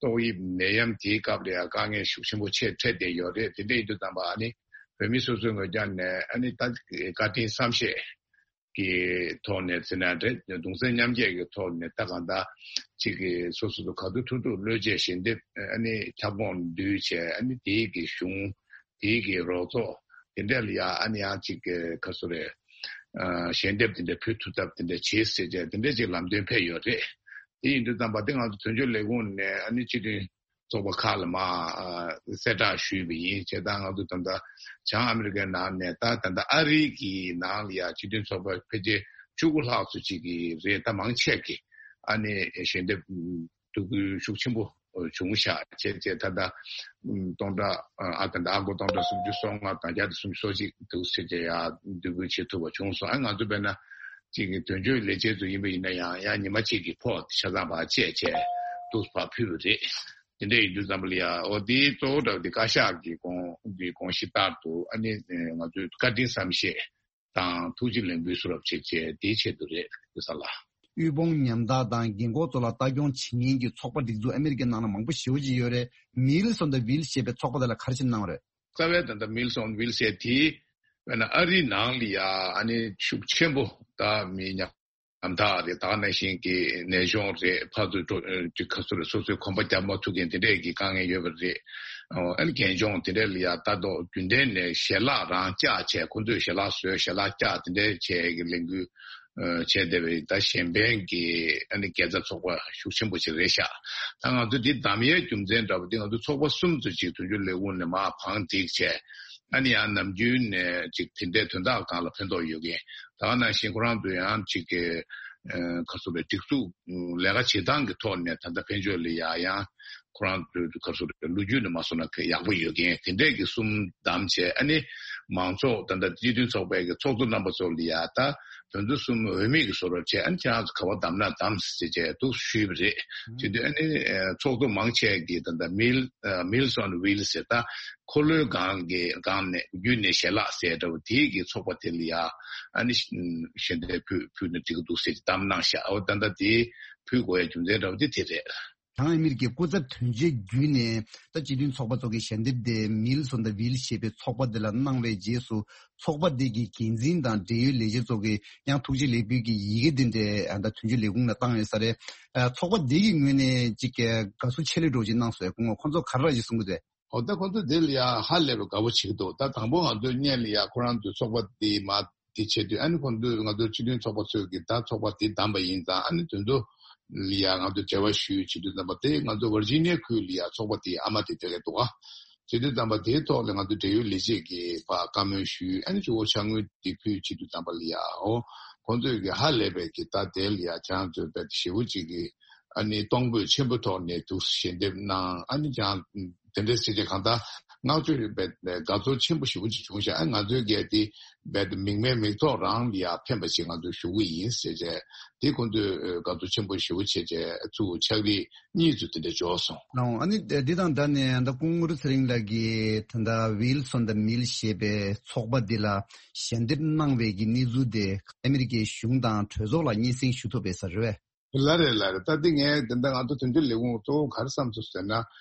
ཏོག་དབྱིབས་ནད་ཡམས་དེའི་སྐབས་ལ་ཡ་དཀའ་ངལ་ཤུགས་ཆེན་པོ་ཆེ་འཕྲད་བསྡད་ཡོད་རེད། དེ་འདྲ་ཡིན་དུས་ཙམ་པ་ཨ་ནི་བོད་མི་སོ་སོའི་ངོས་ཀྱང་ནས་ཨ་ནི་ད་བཀའ་དྲིན་བསམ་ཤེས་ཀྱི་ཐོག་ནས་ཟེར་ན་རེད། གདུང་སེམས་མཉམ་སྐྱེད་ཀྱི་ཐོག་ནས་ད་གང་ལྟར་གཅིག་གི་སོ་སོ་སོ་ག་དུས་ཐུབ་ཐུབ་བློས་བཅད་ཞལ་འདེབས་ཨ་ནི་ཁྱབ་ཁོངས་བསྡུས་བྱས། ཨ་ནི་དེའི་གི་གཞུང་དེའི་གི་རོགས་ཚོགས་དེ་འདྲ་ལ་ཡ་ཨ་ནི་ཡང་གཅིག་གི་ག་སོ་རེད། ཨ་ཞལ་འདེབས་དེ་འདྲ་ཕུལ་ཐུབ་ཐབས་དེ་འདྲ་བྱེད་ཟེར་བྱས་དེ་འདྲ་ཅིག་ལམ་སྟོན་ཕེབས་ཡོད་རེད། དེ་ཡིན་དུས་ཙམ་པ་དེ་ང་ཚོ་དོན་གཅོད་ལས་ཁུངས་ནས་ཨ་ནི་སྤྱི་མཐུན་ཚོགས་པ་ཁག་ལ་མ་ཨ་གསལ་བསྒྲགས་ཞུས་པ་ཡིན། བྱས་ཙང་ང་ཚོ་ད་ལྟ་བྱང་ཨ་མི་རི་ཀའི་ནང་ནས་ད་ད་ལྟ་ཨ་རི་གི་ནང་ལ་ཡ་སྤྱི་མཐུན་ཚོགས་པ་ཕལ་ཆེར་བཅུ་དགུ་ལྷག་ཙམ་ཅིག་གི་རེད། ད་མང་ཆེ་གི་ཨ་ནི་ཞལ་འདེབས་བསྡུ་སྐུལ་ཤུགས་ཆེན་པོ་བྱུང་ཤག་བྱས་བྱས་ད་ལྟ་སྟོང་ཕྲག་ཨ་ད་ལྟ་ཨ་སྒོར་སྟོང་ཕྲག་སུམ་ཅུ་སོ་ལྔ་དང་བརྒྱ་དང་སུམ་ཅུ་སོ་གཅིག་འདུག་ཟེར་བྱས་ཡ་བསྡུ་སྐུལ་བྱེད་ཐུབ་པ་བྱུང་སོང་། ཨ་ང་ཚོ་དཔེར་ན་གཅིག་གི་དོན་གཅོད་ལས་བྱེད་ཚོ་ཡིན་པ་ཡིན་ན་ཡང་ཡང་ཉི་མ་གཅིག་གི་ཕོགས་ཆ་ཚང་ཕར་བཅད་བྱས་འདུག་ཕར་ཕུལ་བ་རེད། དེ་འདྲ་ཡིན་དུས་ཙམ་པ་ལ་ཡ་འོ་དེའི་གཙོ་བོ་འདྲ་བ་དེ་བཀའ་ཤག་གི་དགོངས་དགོངས་གཞི་ལྟར་དུ་ཨ་ནི་ང་ཚོས་བཀའ་དྲིན་བསམ་ཤེས་དང་ཐུགས་རྗེ་ལེགས་འབུལ་གསོལ་རབ་བྱེད་ཅེས་དེའི་ཆེད་དུ་རེད་དེ་ས་ལ། དབུལ་ཕོངས་ཉམ་ཐག་དང་རྒན་འཁོགས་ཚོ་ལ་ལྟ་སྐྱོང་བྱེད་མཁན་གྱི་ཚོགས་པ་སྒྲིག་འཛུགས་ཨ་མི་རི་ཀའི་ནང་ལ་མང་པོ་ཞེ་པོ་ཅིག་ཡོད་རེད། Meals on the Wheels ཞེས་པའི་ཚོགས་པ་དེ་ལ་ག་རེ་བྱས་གནང་བ་རེད། རྩ་བའི་ད་ལྟ་Meals on Wheels ཞེས་དེ་དཔེར་ན་ཨ་རིའི་ནང་ལ་ཡ་ཨ་ནི་ཤུགས་ཆེན་པོ་ད་མི་ཉམ་ཐག་རེད། ད་ག་ནང་བཞིན་གྱི་ནད་གཞུང་རེད། ཕར་ཚུར་འགྲོ་ཅིག་ཁ་སོ་རེད། སོ་སོའི་གོམ་པ་རྒྱག་མ་ཐུབ་མཁན་དེ་འདྲས་ཀྱི་དཀའ་ངལ་ཡོད་པ་རེད། ཨ་ནི་རྒན་གཞོན་དེ་འདྲས་ལ་ཡ་ལྟ་རྟོག་རྒྱུན་ལྡན་ནས་ཞལ་ལག་རང་བཅག་བྱས། ཁོ་ཚོས་ཞལ་ལག་བཟོས་ཞལ་ལག་བཅག་དེ་འདྲས་བྱས་ཀྱི་ལས་འགུལ་བྱས་བསྡད་པའི་ད་གཞན་ཕན་གྱི་ཨ་ནི་དགེ་རྩ་ཚོགས་པ་ཤུགས་ཆེན་པོ་ཅིག་རེད་ཤག་ད་ང་ཚོ་འདི་བདམས་ཡས་རྒྱུ་མཚན་འདྲ་པོ་འདི་ང་ཚོ་ཚོགས་པ་གསུམ་ཙམ་ཅིག་དོན་གཅོད་ལས་ཁུངས་ནས་མར་བང་བསྒྲིགས་བྱས། ཨ་ནི་ཡང་ནམ་རྒྱུན་ནས་ཅིག་དེ་འདྲའི་དོན་དག་སྒང་ལ་ཕན་ཐོགས་ཡོད་མཁན། ད་ག་ནང་བཞིན་ཁོ་རང་ཚོ་ཡང་ཅིག་གི་ཁ་སོ་རེ་སྒྲིག་འཛུགས་ལས་ཀ་བྱེད་སྟངས་ཀྱི་ཐོག་ནས་ད་ལྟ་ཕན་ཆོད་ལ་ཡ་ཡང་ཁོ་རང་ཚོའི་ཁ་སོ་རེ་ལོ་རྒྱུས་ནས་མ་སོང་ན་ཡག་པོ་ཡོད་མཁན་དེ་འདྲས་ཀྱི་གསུམ་བདམས་བྱས། ཨ་ནི་ མང་ཚོགས་ད་ལྟ་སྤྱི་མཐུན་ཚོགས་པའི་གི་ཚོགས་གཙོ་རྣམ་པ་ཚོ་ལ་ཡ་ད་དོན་ཚན་གསུམ་འོས་མི་གི་བཟོ་འདྲ་བྱས། ཨ་ནི་ཁྱེད་རང་ཚོ་ག་པར་བདམས་ན་བདམས་ཟེར་བྱས་འདུག་ཞུས་པ་རེད། བྱེད་དུས་ཨ་ནི་ཚོགས་གཙོ་མང་ཆེ་གིས་ད་ལྟ་མིལ་མིལ་སོན་ཝིལ་ཟེར་ད། འཁོར་ལོའི་སྒང་གི་སྒང་ནས་བརྒྱུད་ནས་ཞལ་ལག་ཟེར་འདྲ་བོ་དེའི་གི་ཚོགས་པ་དེ་ལ་ཡ་ཨ་ནི་ཞལ་འདེབས་ཕུལ་ཕུལ་ན་འགྲིག་གི་འདུག་ཟེར་གྱི་བདམས་གནང་ཤག་འོ་ད་ལྟ་དེ་ཕུལ་དགོས་ཡ་རྒྱུ་མཚན་འདྲ་བོ་དེ་དེ་རེད། བྱང་ཨ་མི་རི་ཀའི་སྐུ་ཚབ་དོན་གཅོད་བརྒྱུད་ནས་ད་སྤྱི་མཐུན་ཚོགས་པ་ཚོ་གི་ཞལ་འདེབས་དེ་མིལ་སོན་ད་ཝིལ་ཞེས་པའི་ཚོགས་པ་དེ་ལ་གནང་བའི་རྗེས་སུ་ཚོགས་པ་དེ་གི་འགན་འཛིན་དང་འབྲེལ་ཡོད་ལས་བྱེད་ཚོ་གིས་ཡང་ཐུགས་རྗེ་ལེགས་འབུལ་གྱི་ཡི་གེ་དེ་འདྲ་ད་དོན་གཅོད་ལས་ཁུངས་ལ་བཏང་ཡོད་ས་རེད། ཚོགས་པ་དེ་གི་ངོས་ནས་ཅིག་དགའ་བསུ་ཆེ་ལེགས་འདྲ་བོ་ཅིག་གནང་སོང་། ཁོང་ཁོང་ཚོ་ག་རེ་ར་ཅིག་གསུང་གི་འདུག་འོ་ད་ཁོང་ཚོ་དེ་ལ་ཡ་ཧ་ལས་པའི་དགའ་པོ་བྱེད་ཀྱི་འདུག་ད་དང་པོ་ང་ཚོའི་སྔོན་ལ་ཡ་ཁོ་རང་ཚོའི་ཚོགས་པ་དེ་མ་དེ་བྱེད་དུས། ཨ་ནི་ཁོང་ཚོས་ང་ཚོའི་སྤྱི་མཐུན་ཚོགས་པ་ཚོས་ཀྱི་ད་ཚོགས་པ་དེ་བདམས་པ་ཡིན་ཙང་། ཨ་ནི་དོན་དུ་ལ་ཡ་ང་ཚོས་འབྲེལ་བ་ཞུས་བྱེད་དུས་ཙམ་པ་དེ་ང་ཚོ་ཝར་ཇི་ནི་ཡ་ཁུལ་ལ་ཡ་ཚོགས་པ་དེའི་ཨ་མ་དེ་ཐད་ཀ་འདུག་ག་བྱེད་དུས་ཙམ་པ་དེའི་ཐོག་ལ་ང་ཚོ་འབྲེལ་ཡོད་ལས་བྱེད་ཀྱིས་ཕར་བཀའ་མོལ་ཞུས། ཨ་ནི་གཙོ་བོ་ཕྱག་དངུལ་དེ་ཕུལ་བྱེད་དུས་ཙམ་པ་ལ་ཡ་འོ་ཁོང་ཚོས་ཀྱི་ཧ་ལས་པའི་གི་ད་དེ་ལ་ཡ་ཁྱེད་རང་ཚོས་དཔེ་ཞེ་པོ་ཅིག་གི་ཨ་ནི་གཏོང་ཕོད་ཆེན་པོ་ཐོག་ནས་འདུག་ཞལ་འདེབས་གནང་། ཨ་ནི་ཀྱང་དེ་འདྲའི་ཟེར་བྱས་གང་ལྟར་བསྔགས་བརྗོད་རེད་པས། དགའ་ཚོར་ཆེན་པོ་ཞེ་པོ་ཅིག་བྱུང་ཤག་ཨ་ང་ཚོའི་གལ་ཏེ་རྦད་དེ་མིག་སྨན་མིག་ཐོག་རང་ལ་ཡ་ཕན་པ་ཞིག་ང་ཚོས་ཞུ་གི་ཡིན་ཟེར་བྱས། དེ་ཁོང་ཚོས་དགའ་ཚོར་ཆེན་པོ་ཞེ་པོ་བྱས་བྱས་ཚུར་ཕྱག་བྲིས་གཉིས་ཚུར་དེ་འདྲ་འབྱོར་སོང་། ལགས་འོང་། ཨ་ནི་འདི་དང་འདྲ་ནས་ད་སྐུ་ངོ་ཚེ་རིང་ལགས་ཀྱིས་ད་ལྟ་ཝིལ་སོན་དང་མིལ་ཞེས་པའི་ཚོགས་པ་འདི་ལ་ཞལ་འདེབས་གནང་བའི་གི་གནས་ཚུལ་དེ་ཨ་མི་རི་ཀའི་གཞུང་དང་གྲོས་ཚོགས་ལ་སྙན་སེང་ཞུ་ཐུབ་པ་རེད་ཟེར་བས། ལགས་རེད། ལགས་རེད། ད་འདི་ངས་དེ་འདྲ་ང་ཚོ་དོན་གཅོད་ལས་ཁུངས་གཙོ་བོ་ག་རེ་བསམ་སོང་ཟེར་ན།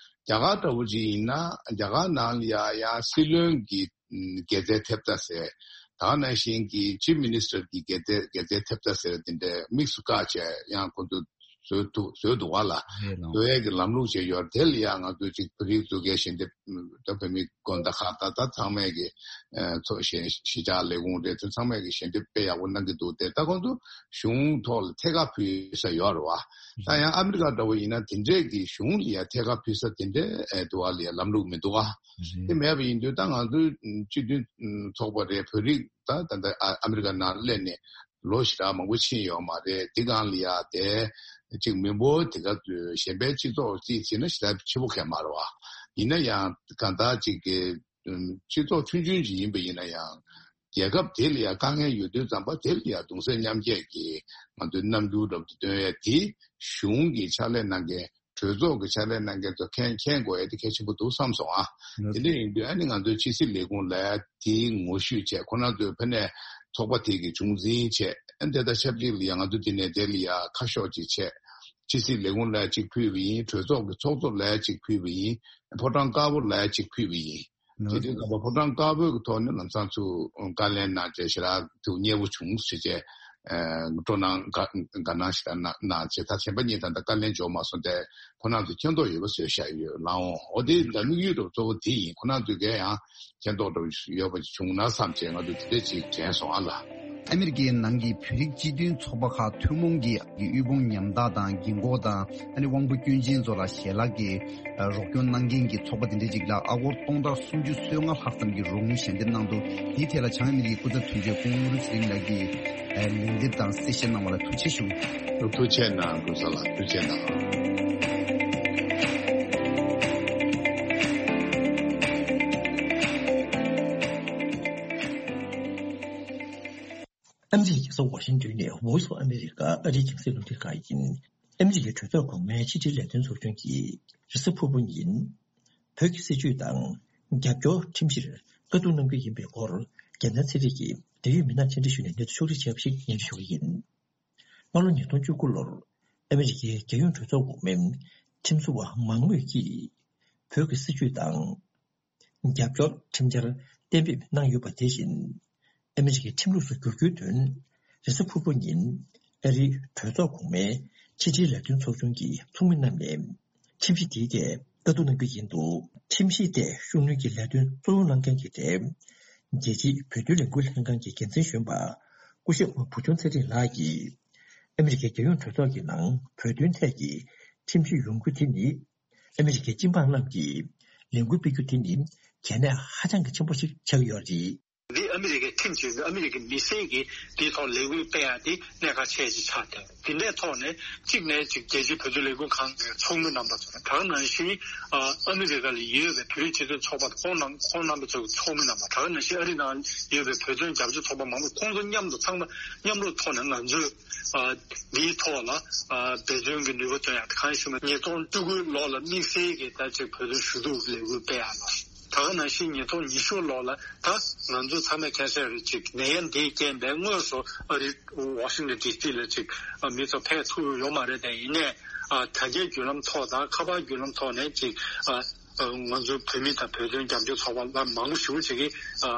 རྒྱ་གར་འདྲ་བོ་ཅིག་ཡིན་ན་རྒྱ་གར་ནང་ལ་ཡ་ཡང་སྲིད་བློན་གྱི་ཨམ་དགེ་རྩའི་ཐེབས་རྩ་ཟེར། ད་ག་ནང་བཞིན་གྱི་ཆིབ་མི་ནི་སི་ཊར་གྱི་དགེ་རྩའི་དགེ་རྩའི་ཐེབས་རྩ་ཟེར་དེ་འདྲ་དམིགས་སུ་བཀར་བྱས་ཡང་ཁོང་ཚོ་བཟོས་འདུག་བཟོས་འདུག་བ་ལ། རེད་ལགས། བཟོ་ཡས་ཀྱི་ལམ་ལུགས་ཅིག་ཡོད། དེ་ལ་ཡང་ང་ཚོས་ཅིག་བོད་རིགས་ཚོ་གས་ཞལ་འདེབས་ད་བོད་མི་དགོན་བདག་ཁག་ད་ད་ཚང་མས་ཀྱི་ཨ་ཚོགས་གཞིས་གཞིས་ཆགས་ལས་ཁུངས་རེད། དེ་ཚང་མས་ཀྱི་ཞལ་འདེབས་དཔེ་ཡག་པོ་གནང་གི་འདུག་དེ་ད་ཁོང་ཚོ་གཞུང་ཐོག་ལ་ཐད་ཀར་ཕུལ་ས་ཡོད་རེད་བ། ད་ཡང་ཨ་མི་རི་ཀ་འདྲ་བོ་ཡིན་ན་དེ་འདྲས་ཀྱི་གཞུང་ལ་ཡང་ཐད་ཀར་ཕུལ་ས་དེ་འདྲས་ཨེ་འདུག་བ་ལ་ཡང་ལམ་ལུགས་མི་འདུག་བ། དེ་མེད་པ་ཡིན་དུས་ད་ང་ཚོའི་སྤྱི་མཐུན་ཚོགས་པ་རེད། བོད་རིགས་ད་ད་ལྟ་ཨ་ཨ་མི་རི་ཀ་ནང་སླེབས་ནས་ལོ་ཞེ་དྲག་མང་པོ་ཕྱིན་ཡོད་མ་རེད། དེ་སྒང་ལ་ཡ་དེ་གཅིག་མི་འབོར་དེ་ག་ཚོད་གཞན་པའི་སྤྱི་ཚོགས་རྩིས་བྱས་ན་ཞེ་དྲག་ཆེ་པོ་གང་མ་རེད་བ། ཡིན་ན་ཡང་གང་ལྟར་གཅིག་གི་སྤྱི་ཚོགས་ཆུང་ཆུང་ཅིག་ཡིན་པ་ཡིན་ན་ཡང་རྒྱལ་ཁབ་དེ་ལ་ཡ་དཀའ་ངལ་ཡོད་དུས་ཙམ་པ་དེ་ལ་ཡ་གདུང་སེམས་མཉམ་སྐྱེད་ཀྱི་ང་ཚོའི་རྣམ་འགྱུར་འདྲ་པོ་དེ་སྟོན་ཡ་དེ་གཞུང་གི་ཕྱག་ལས་གནང་མཁན། གྲོས་ཚོགས་ཀྱི་ཕྱག་ལས་གནང་མཁན་ཚོ་མཁྱེན་མཁྱེན་དགོས་ཡ་དེ་གལ་ཆེན་པོ་འདུག་བསམ་སོང་ཨ། དེ་འདྲ་ཡིན་དུས་ཨ་ནི་ང་ཚོའི་ཕྱི་སྲིད་ལས་ཁུངས་ལ་དེའི་ངོ་བཤུས་བྱས། ཁོ་རང་ཚོའི་ཕ་ནས་ཚོགས་པ་དེ་གི་གཞུང་འཛིན་བྱས། ཨ་ནི་དེ་དང་ཆབས་ཅིག་ལ་ཡ་ང་ཚོ་འདི་ནས་དེ་ལ་ཡ་ཁ་ཤོག་ཅིག་བྱས། ཕྱི་སྲིད་ལས་ཁུངས་ལ་གཅིག་ཕུལ་བ་ཡིན། གྲོས་ཚོགས་ཀྱི་ཚོགས་གཙོ་ལ་གཅིག་ཕུལ་བ་ཡིན། ཕོ་བྲང་དཀར་པོ་ལ་གཅིག་ཕུལ་བ་ཡིན། དེ་དུས་ཙམ་པ་ཕོ་བྲང་དཀར་པོའི་གི་ཐོག་ནས་ལམ་སང་ཚུར་བཀའ་ལན་གནང་བྱས་ཞེ་དྲག་ཏུ་མཉེས་པོ་བྱུང་ཟེར་བྱས། ཨ་སྤྲོ་སྣང་དགའ་དགའ་སྣང་ཞེ་དྲག་གནང་གནང་བྱས། ད་གཞན་པ་གཉིས་ད་ལྟ་བཀའ་ལན་འབྱོར་མ་སོང་སྟེ་ཁོ་རང་ཚོ་མཁྱེན་རྟོགས་ཡོད་པ་བཟོས་བཞག་ཡོད་ལགས་འོང་། འོ་དེ་ད་དམིགས་ཡུལ་འདྲ་པོ་གཙོ་བོ་དེ་ཡིན། ཁོ་རང་ཚོས་གས་ཡང་མཁྱེན་རྟོགས་འདྲ་པོ་ཡོད་པ་བྱུང་ན་བསམ་བྱས་ང་ཚོ་དེ་འདྲ་ཅིག་དྲན་སོང་ཨ་ལགས། ཨ་མི་རི་ཀའི་ནང་གི་བོད་རིགས་སྤྱི་མཐུན་ཚོགས་པ་ཁག་ཐུན་མོང་གི་དབུལ་ཕོངས་ཉམ་ཐག་དང་རྒན་འཁོགས་དང་ཨ་ནི་དབང་པོ་སྐྱོན་ཅན་ཚོ་ལ་ཞལ་ལག་གི་རོགས་སྐྱོར་གནང་མཁན་གྱི་ཚོགས་པ་དེ་འདྲ་ཅིག་ལ་ཨ་སྒོར་སྟོང་ཕྲག་སུམ་ཅུ་སོ་ལྔ་ལྷག་ཙམ་གྱི་རོགས་དངུལ་ཞལ་འདེབས་གནང་འདུག་དེའི་ཐད་ལ་བྱང་ཨ་མི་རི་ཀའི་སྐུ་ཚབ་དོན་གཅོད་སྐུ་ངོ་ཚེ་རིང་ལགས་ཀྱིས་ལན་འདེབས་དང་གསལ་བཤད་གནང་བ་ལ་ཐུགས་རྗེ་ཆེ་ཞུ། ཐུགས་རྗེ་གནང་། ཀུན་བཟང་ལགས་ཐུགས་རྗེ་གནང་། ཨ་མི་རི་ཀའི་རྒྱལ་ས་ཝ་ཤིང་ཏོན་ནས་Voice of America ཨ་རིའི་རྒྱང་སྲིང་རླུང་འཕྲིན་ཁང་ཡིན། ཨ་མི་རི་ཀའི་གྲོས་ཚོགས་གོང་མའི་ཕྱི་དྲིལ་ལས་དོན་ཚོགས་ཆུང་གིས་རེས་གཟའ་ཕུར་བུ་ཉིན། བོད་ཀྱི་སྲིད་བྱུས་དང་རྒྱབ་སྐྱོར་ཁྲིམས་གཞིར་བཀའ་བསྡུར་གནང་རྒྱུ་ཡིན་པའི་སྐོར་རྒྱལ་མཚན་ཚེ་རིང་གིས་འབྲེལ་ཡོད་མི་སྣར་མཆན་འགྲེལ་ཞུས་ནས་གནས་ཚུལ་ཕྱོགས་སྒྲིག་བྱས་པ་ཞིག་སྙན་ཞུ་ཞུ་གི་ཡིན། སྔ་ལོ་ཉིས་སྟོང་བཅུ་དགུ་ལོར་ཨ་མི་རི་ཀའི་རྒྱལ་ཡོངས་གྲོས་ཚོགས་འོག་མའི་ཁྲིམས་བཟོ་བ་མང་མོས་ཀྱིས་བོད་ཀྱི་སྲིད་བྱུས་དང་། རྒྱབ་སྐྱོར་ཁྲིམས་འཆར་གཏན་འབེབས་གནང་ཡོད་པ་དེ་བཞིན། ཨ་མི་རི་ཀའི་ཁྲིམས་ལུགས་སུ་བསྒྱུར་རྒྱུའི་དོན། རེས་གཟའ་ཕུར་བུ་ཉིན་ཨ་རིའི་གྲོས་ཚོགས་གོང་མའི་ཕྱི་དྲིལ་ལས་དོན་ཚོགས་ཆུང་གི་ཚོགས་མི་རྣམས་ནས་ཁྲིམས་གཞི་དེའི་ཐད་བཀའ་བསྡུར་གནང་རྒྱུ་ཡིན་འདུག་ཁྲིམས་གཞི་དེ་ཤུགས་སྣོན་གྱིས་ལས་དོན་གཙོ་བོ་གནང་མཁན་གྱི་གྲས། རྒྱལ་སྤྱིའི་བོད་དོན་ལས་འགུལ་ལྷན་ཁང་གི་འགན་འཛིན་གཞོན་པ་སྐུ་ཞབས་བུ་ཆུང་ཚེ་རིང་ལགས་ཀྱིས། ཨ་མི་རི་ཀའི་རྒྱལ་ཡོངས་གྲོས་ཚོགས་ཀྱི་ནང་བོད་དོན་ཐད་ཀྱི་ཁྲིམས་གཞི་ཡོང་རྒྱུ་དེ་ནི། ཨ་མི་རི་ཀའི་སྤྱི་འབངས་རྣམས་ཀྱིས་ལས་འགུལ་སྤེལ་རྒྱུ་དེ་ནི་གལ་གནད་ཧ་ཅང་གི་ཆེན་པོ་ཞིག་ཆགས་ཀྱི་ཡོད་རེད། འདི་ཨ་མི་རི་ཀའི་ཁྲིམས་བྱས་ཏེ་ཨ་མི་རི་ཀའི་མི་སེར་གྱིས་འདིའི་ཐོག་ལས་འགུལ་སྤེལ་ཡ་དེ་གནད་འགག་ཆེ་ཅིག་ཆགས་ཏེ། དེ་འདྲའི་ཐོག་ནས་གཅིག་ནས་ཅིག་རྒྱལ་སྤྱིའི་བོད་དོན་ལས་འགུལ་ཁང་གི་ཚོགས་མི་རྣམ་པ་ཚོ་ད་ག་ནང་བཞིན་ཨ་ཨ་མི་རི་ཀ་ལ་ཡོད་པའི་བོད་རིགས་སྤྱི་མཐུན་ཚོགས་པ་ཁོང་རྣམ་ཁོང་རྣམ་པ་ཚོའི་ཚོགས་མི་རྣམ་པ་ད་ག་ནང་བཞིན་ཨ་རི་ནང་ཡོད་པའི་བོད་དོན་རྒྱབ་སྐྱོར་ཚོགས་པ་མང་པོ་ཁོང་ཚོ་མཉམ་དུ་ཚང་མ་མཉམ་རུབ་ཐོག་ནས་ང་ཚོས་ཨ་འདིའི་ཐོག་ལ་ཨ་འབད་བརྩོན་གྱི་ནུས་པ་བཏོན་ཡ་དང་གང་ཞུ་མ་ཉིས་སྟོང་བཅུ་དགུ་ལོ་ལ་དམིགས་བསལ་གྱི་ད་ཅིག་བོད་དོན་ཞུ་གཏུག་ལས་འགུལ་སྤེལ་ཡ་ལ། ད་ག་ནང་བཞིན་ཉིས་སྟོང་ཉི་ཤུ་ལོ་ལ་ད་ང་ཚོ་ཚང་མས་མཁྱེན་གསལ་རེད། ཅིག་ནད་ཡམས་འདིའི་རྐྱེན་པས་དངོས་སུ་ཨ་རི་ཝ་ཤིང་ཊོན་ཌི་སི་ལ་ཅིག་ཨ་མི་ཚོ་ཕེབས་ཐུབ་ཡོད་མ་རེད་དེ། ཡིན་ནའི་ཨ་དྲ་རྒྱའི་བརྒྱུད་ལམ་ཐོག་དང་ཁ་པར་བརྒྱུད་ལམ་ཐོག་ནས་ཅིག་ཨ་ཨ་ང་ཚོ་བོད་མི་དང་བོད་དོན་རྒྱབ་སྐྱོར་ཚོགས་པ་ལ་མང་པོ་ཞེ་པོ་ཅིག་གིས་ཨ་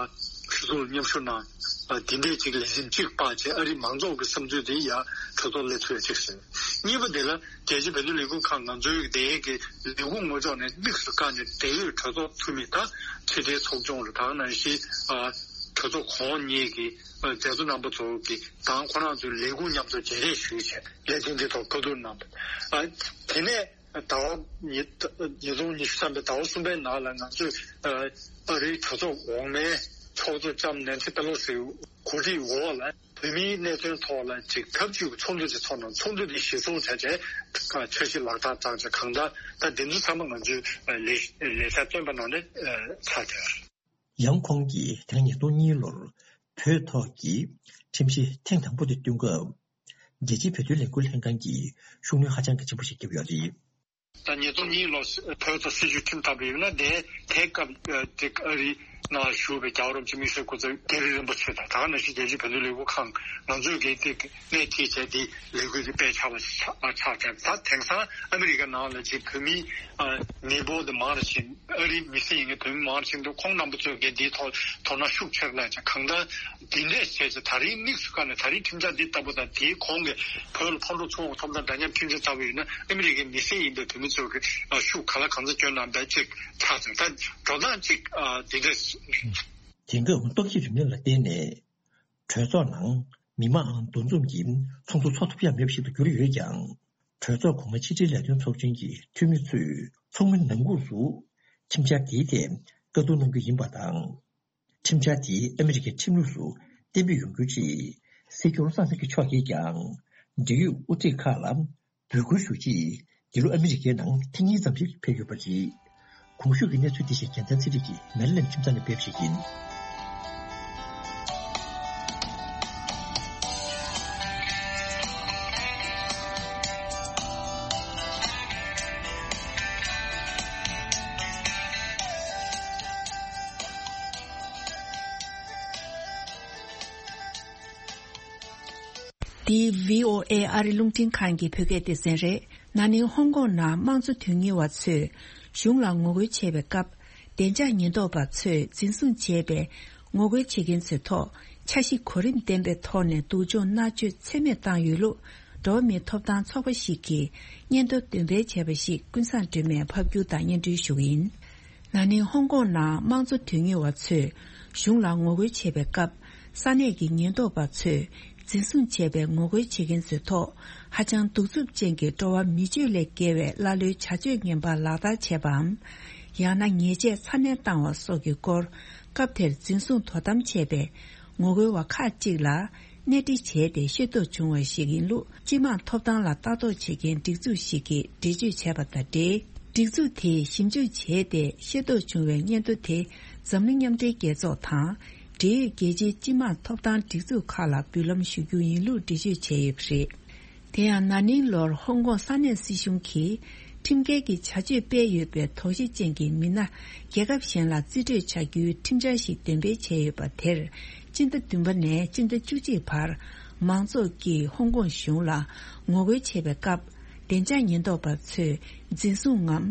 ཆོས་ཚོགས་མཉམ་ཞུགས་གནང་། ཨ་འདི་འདྲའི་ཅིག་ལས་རིམ་གཅིག་སྤར་བྱས་ཨ་རི་མང་ཚོགས་ཀྱི་བསམ་ཚུལ་དེ་ཡར་གྲོས་ཚོགས་སླེབས་ཐུབ་ཡ་གཅིག་བྱས། གཉིས་པ་དེ་ལ་རྒྱལ་སྤྱིའི་བོད་དོན་ལས་འགུལ་ཁང་ང་ཚོའི་འདས་ཀྱི་ལས་ཁུངས་ངོ་ཕྱོགས་ནས་དམིགས་སུ་བཀར་ནས་འབྲེལ་ཡོད་གྲོས་ཚོགས་འཐུས་མི་དང་ཕྱི་དྲིལ་ཚོགས་ཆུང་རུ་དང་ནང་བཞིན་ཨ་གྲོས་ཚོགས་གོང་གཉིས་ཀྱི་ཨ་མཛད་གཙོ་རྣམ་པ་ཚོ་གི་དང་ཁོ་རང་ཚོའི་ལས་ཁུངས་མཉམ་དུ་མཇལ་འཕྲད་ཞུས་བྱས་ལས་དོན་འདི་ཐོག་བཀའ་བསྡུར་གནང་བ། ཨ་དེ་ནས་ཟླ་བ་ཉིས་ཉིས་སྟོང་ཉི་ཤུ་རྩ་བཞིའི་ཟླ་བ་གསུམ་པའི་ནང་ལ་ང་ཚོས་ཨ་ཨ་རིའི་གྲོས་ཚོགས་འོག་མའི་ཚོགས་གཙོ་ལྕམ་ནན་སི་པེ་ལོ་སིའི་གོ་སྒྲིག་འོག་ལ། བོད་མིའི་གནད་དོན་ཐོག་ལ་ཅིག་ཐབས་ཇུས་ཀྱི་ཚོགས་འདུ་ཅིག་ཚོགས་གནང་། ཚོགས་འདུ་འདི་གཞིར་བཟུང་བྱས་བྱས་འཆར་གཞི་ལག་བསྟར་བཏང་བྱས་གང་ལྟར་ད་འདི་ཚོ་ཚང་མ་ང་ཚོའི་ལས་ལས་འཆར་བཏོན་པ་ནང་ནས་ཆགས་བསྡད་ཡོད། ཡང་ཁོང་གིས་དེ་རིང་ཉིས་སྟོང་གཉིས་ལོར་བོད་ཐོག་གི་ཁྲིམས་གཞི་ཐེངས་དང་པོ་དེ་བཏོན་སྐབས། རྒྱལ་སྤྱིའི་བོད་དོན་ལས་འགུལ་ལྷན་ཁང་གིས་ཤུགས་སྣོན་ཧ་ཅང་གི་ཆེན་པོ་ཞིག་བརྒྱབ་ཡོད་རེད། ད་ཉིས་སྟོང་གཉིས་ལོ་བོད་ཐོག་སྲིད་བྱུས་ཁྲིམས་བཏང་བ་ཡིན་ན་དེ་དེ་སྐབས་ཨ་དེ་ཨ་རི་ནང་བཞུགས་པའི་རྒྱལ་བ་རིན་པོ་ཆེ་དམིགས་བསལ་སྐུ་ཚབ་རྒན་རིགས་རིན་པོ་ཆེ་དང་ད་ག་ནང་བཞིན་རྒྱལ་སྤྱིའི་བོད་དོན་ལས་འགུལ་ཁང་ང་ཚོས་གལ་ཏེ་སྣེ་ཁྲིད་བྱས་དེ་ལས་འགུལ་དེ་སྤེལ་ཆགས་པ་ཆགས་ཆགས་བྱས། ད་དེང་སང་ཨ་མི་རི་ཀ་ནང་ལ་ཅིག་བོད་མི་ཨ་མི་འབོར་དེ་མང་རུ་ཕྱིན། ཨ་རིའི་མི་སེར་ཡིན་མཁན་བོད་མི་མང་རུ་ཕྱིན་འདུག་ཁོང་རྣམ་པ་ཚོས་གལ་འདིའི་ཐོག་དོ་སྣང་ཤུགས་ཆེ་རུ་བསླེབས་བྱས་གང་ལྟར་འདི་འདྲས་བྱས་ཚེ་ད་རིང་དམིགས་སུ་བཀར་ནས་ད་རིང་ཁྲིམས་འཆར་འདི་ལྟ་བུ་དང་དེའི་གོང་གི་བོད་ལ་ཕར་འགྲོ་ཚུར་འོང་ཐོབ་ཐང་འདྲ་མཉམ་ཁྲིམས་འཆར་ལྟ་བུ་ཡིན་ན་ཨ་མི་རི་ཀའི་མི་སེར་ཡིན་པའི་བོད་མི་ཚོ་གི་ཤུགས་ག་ལ་གང་འཚམ་བསྐྱོན་གནང་བའི་ཅིག་ཆགས་ཚར། ད་འགྲོ་སྟངས་གཅིག་འདི་འདྲས། དེང་སྐབས་ཏོག་དབྱིབས་རིམས་ནད་ལ་བརྟེན་ནས་གྲོས་ཚོགས་ནང་མི་མང་འདུ་འཛོམས་ཀྱིས་ཚོགས་འདུ་འཚོགས་ཐུབ་ཡ་མེད་པ་ཞིག་ཏུ་གྱུར་ཡོད་ཀྱང་། གྲོས་ཚོགས་གོང་མའི་ཕྱི་དྲིལ་ལས་དོན་ཚོགས་ཆེན་གྱི་འཐུས་མི་ཚོས་ཚོགས་མི་ནང་ཁུལ་དུ་ཁྲིམས་འཆར་དེའི་ཐད་བཀའ་བསྡུར་གནང་རྒྱུ་ཡིན་པ་དང་། ཁྲིམས་འཆར་དེ་ཨ་མི་རི་ཀའི་ཁྲིམས་ལུགས་སུ་གཏན་འབེབས་ཡོང་རྒྱུའི་ཆེད་སྲིད་སྐྱོང་སྲིད་ཚོགས་ཀྱི་ཕྱོགས་ཀྱིས་ཀྱང་འབྲེལ་ཡོད་དབུ་ཁྲིད་ཁག་ལ་འབོད་སྐུལ་ཞུ་ཆེད་འདི་ལོ་ཨ་མི་རི་ཀའི་ནང་ཐེངས་གཉིས་ཙམ་ཞིག་ཕེབས་ཡོད་པ་རེད། གོང་ཞུས་ཀྱི་གནས་ཚུལ་དེ་བཞིན་རྒྱལ་མཚན་ཚེ་རིང་གིས་མེ་རི་ལེན་ཁྱིམ་ཚང་ནས་སྤེལ་བ་ཞིག་ཡིན། འདི་བྷི་ཨོ་ཨེ་ཨ་རི་རླུང་འཕྲིན་ཁང་གི་བོད་སྐད་སྡེ་ཚན་རེད། ན་ནིང་ཧོང་ཀོང་ནང་དམངས་གཙོ་དོན་གཉེར་བ་ཚོས་གཞུང་ལ་ངོ་རྒོལ་བྱས་པའི་སྐབས། བདེ་འཇགས་ཉེན་རྟོག་པ་ཚོས་འཛིན་བཟུང་བྱས་པའི་ངོ་རྒོལ་བྱེད་མཁན་ཚོའི་ཐོག་འཆར་གཞི་གོ་རིམ་ལྡན་པའི་ཐོག་ནས་སྡུག་སྦྱོང་མནར་གཅོད་ཚད་མེད་བཏང་ཡོད་ལུགས་འགྲོ་བ་མིའི་ཐོབ་ཐང་ཚོགས་པ་ཞིག་གིས་སྙན་ཐོ་འདོན་སྤེལ་བྱས་པ་ཞིག་ཀུན་བཟང་སྒྲོལ་མས་ཕབ་སྒྱུར་དང་སྙན་སྒྲོན་ཞུ་གི་ཡིན། ན་ནིང་ཧོང་ཀོང་ནང་དམངས་གཙོ་དོན་གཉེར་བ་ཚོས་གཞུང་ལ་ངོ་རྒོལ་བྱེད་པའི་སྐབས། ས་གནས་ཀྱི་ཉེན་རྟོག་པ་ཚོས་འཛིན་བཟུང་བྱས་པའི་ངོ་རྒོལ་བྱེད་མཁན་ཚོའི་ཐོག་ཧ་ཅང་གདུག་རྩུབ་ཅན་གྱི་འགྲོ་བ་མི་སྤྱོད་ལས་བརྒལ་བའི་ཀླ་ཀློའི་བྱ་སྤྱོད་ངན་པ་ལག་བསྟར་བྱས་པའམ། ཡང་ན་ཉེས་ཆད་ཚ་ནན་བཏང་བ་སོགས་ཀྱི་སྐོར། སྐབས་དེར་འཛིན་བཟུང་དོ་དམ་བྱས་པའི་ངོ་རྒོལ་བ་ཁག་ཅིག་ལ། གནས་འདྲི་བྱས་ཏེ་ཤེས་རྟོགས་བྱུང་བ་ཞིག་ཡིན་ལུགས་སྤྱི་དམངས་ཐོབ་ཐང་ལ་ལྟ་རྟོག་བྱེད་མཁན་སྒྲིག་འཛུགས་ཤིག་གིས་འགྲེལ་བརྗོད་བྱས་པ་དང་འབྲེལ། སྒྲིག་འཛུགས་དེས་ཞིབ་འཇུག་བྱས་ཏེ་ཤེས་རྟོགས་བྱུང་བའི་སྙན་ཐོ་དེ་འཛམ་གླིང་མཉམ་འབྲེལ་རྒྱལ་ཚོགས་དང་འབྲེལ་ཡོད་རྒྱལ་སྤྱིའི་སྤྱི་དམངས་ཐོབ་ཐང་སྒྲིག་འཛུགས་ཁག་ལ་འབུལ་ལམ་ཞུ་རྒྱུ་ཡིན་ལུགས་འགྲེལ་བརྗོད་བྱས་ཡོད་པ་རེད། དེ་ཡང་ན་ནིང་ལོར་ཧོང་ཀོང་ས་གནས་སྲིད་གཞུང་གིས་ཁྲིམས་འགལ་གྱི་བྱ་སྤྱོད་སྤེལ་ཡོད་པའི་དོགས་གཞི་ཅན་གྱི་མི་སྣ་རྒྱལ་ཁབ་གཞན་ལ་རྩིས་སྤྲོད་བྱ་རྒྱུའི་ཁྲིམས་འཆར་ཞིག་འདོན་སྤེལ་བྱས་ཡོད་པ་དེར། སྤྱི་ཟླ་བདུན་པ་ནས་སྤྱི་ཟླ་བཅུ་གཅིག་བར་མང་ཚོགས་ཀྱིས་ཧོང་ཀོང་གཞུང་ལ་ངོ་རྒོལ་བྱེད་པའི་སྐབས། བདེ་འཇགས་ཉེན་རྟོག་པ་ཚོས་འཛིན་བཟུང་ངམ།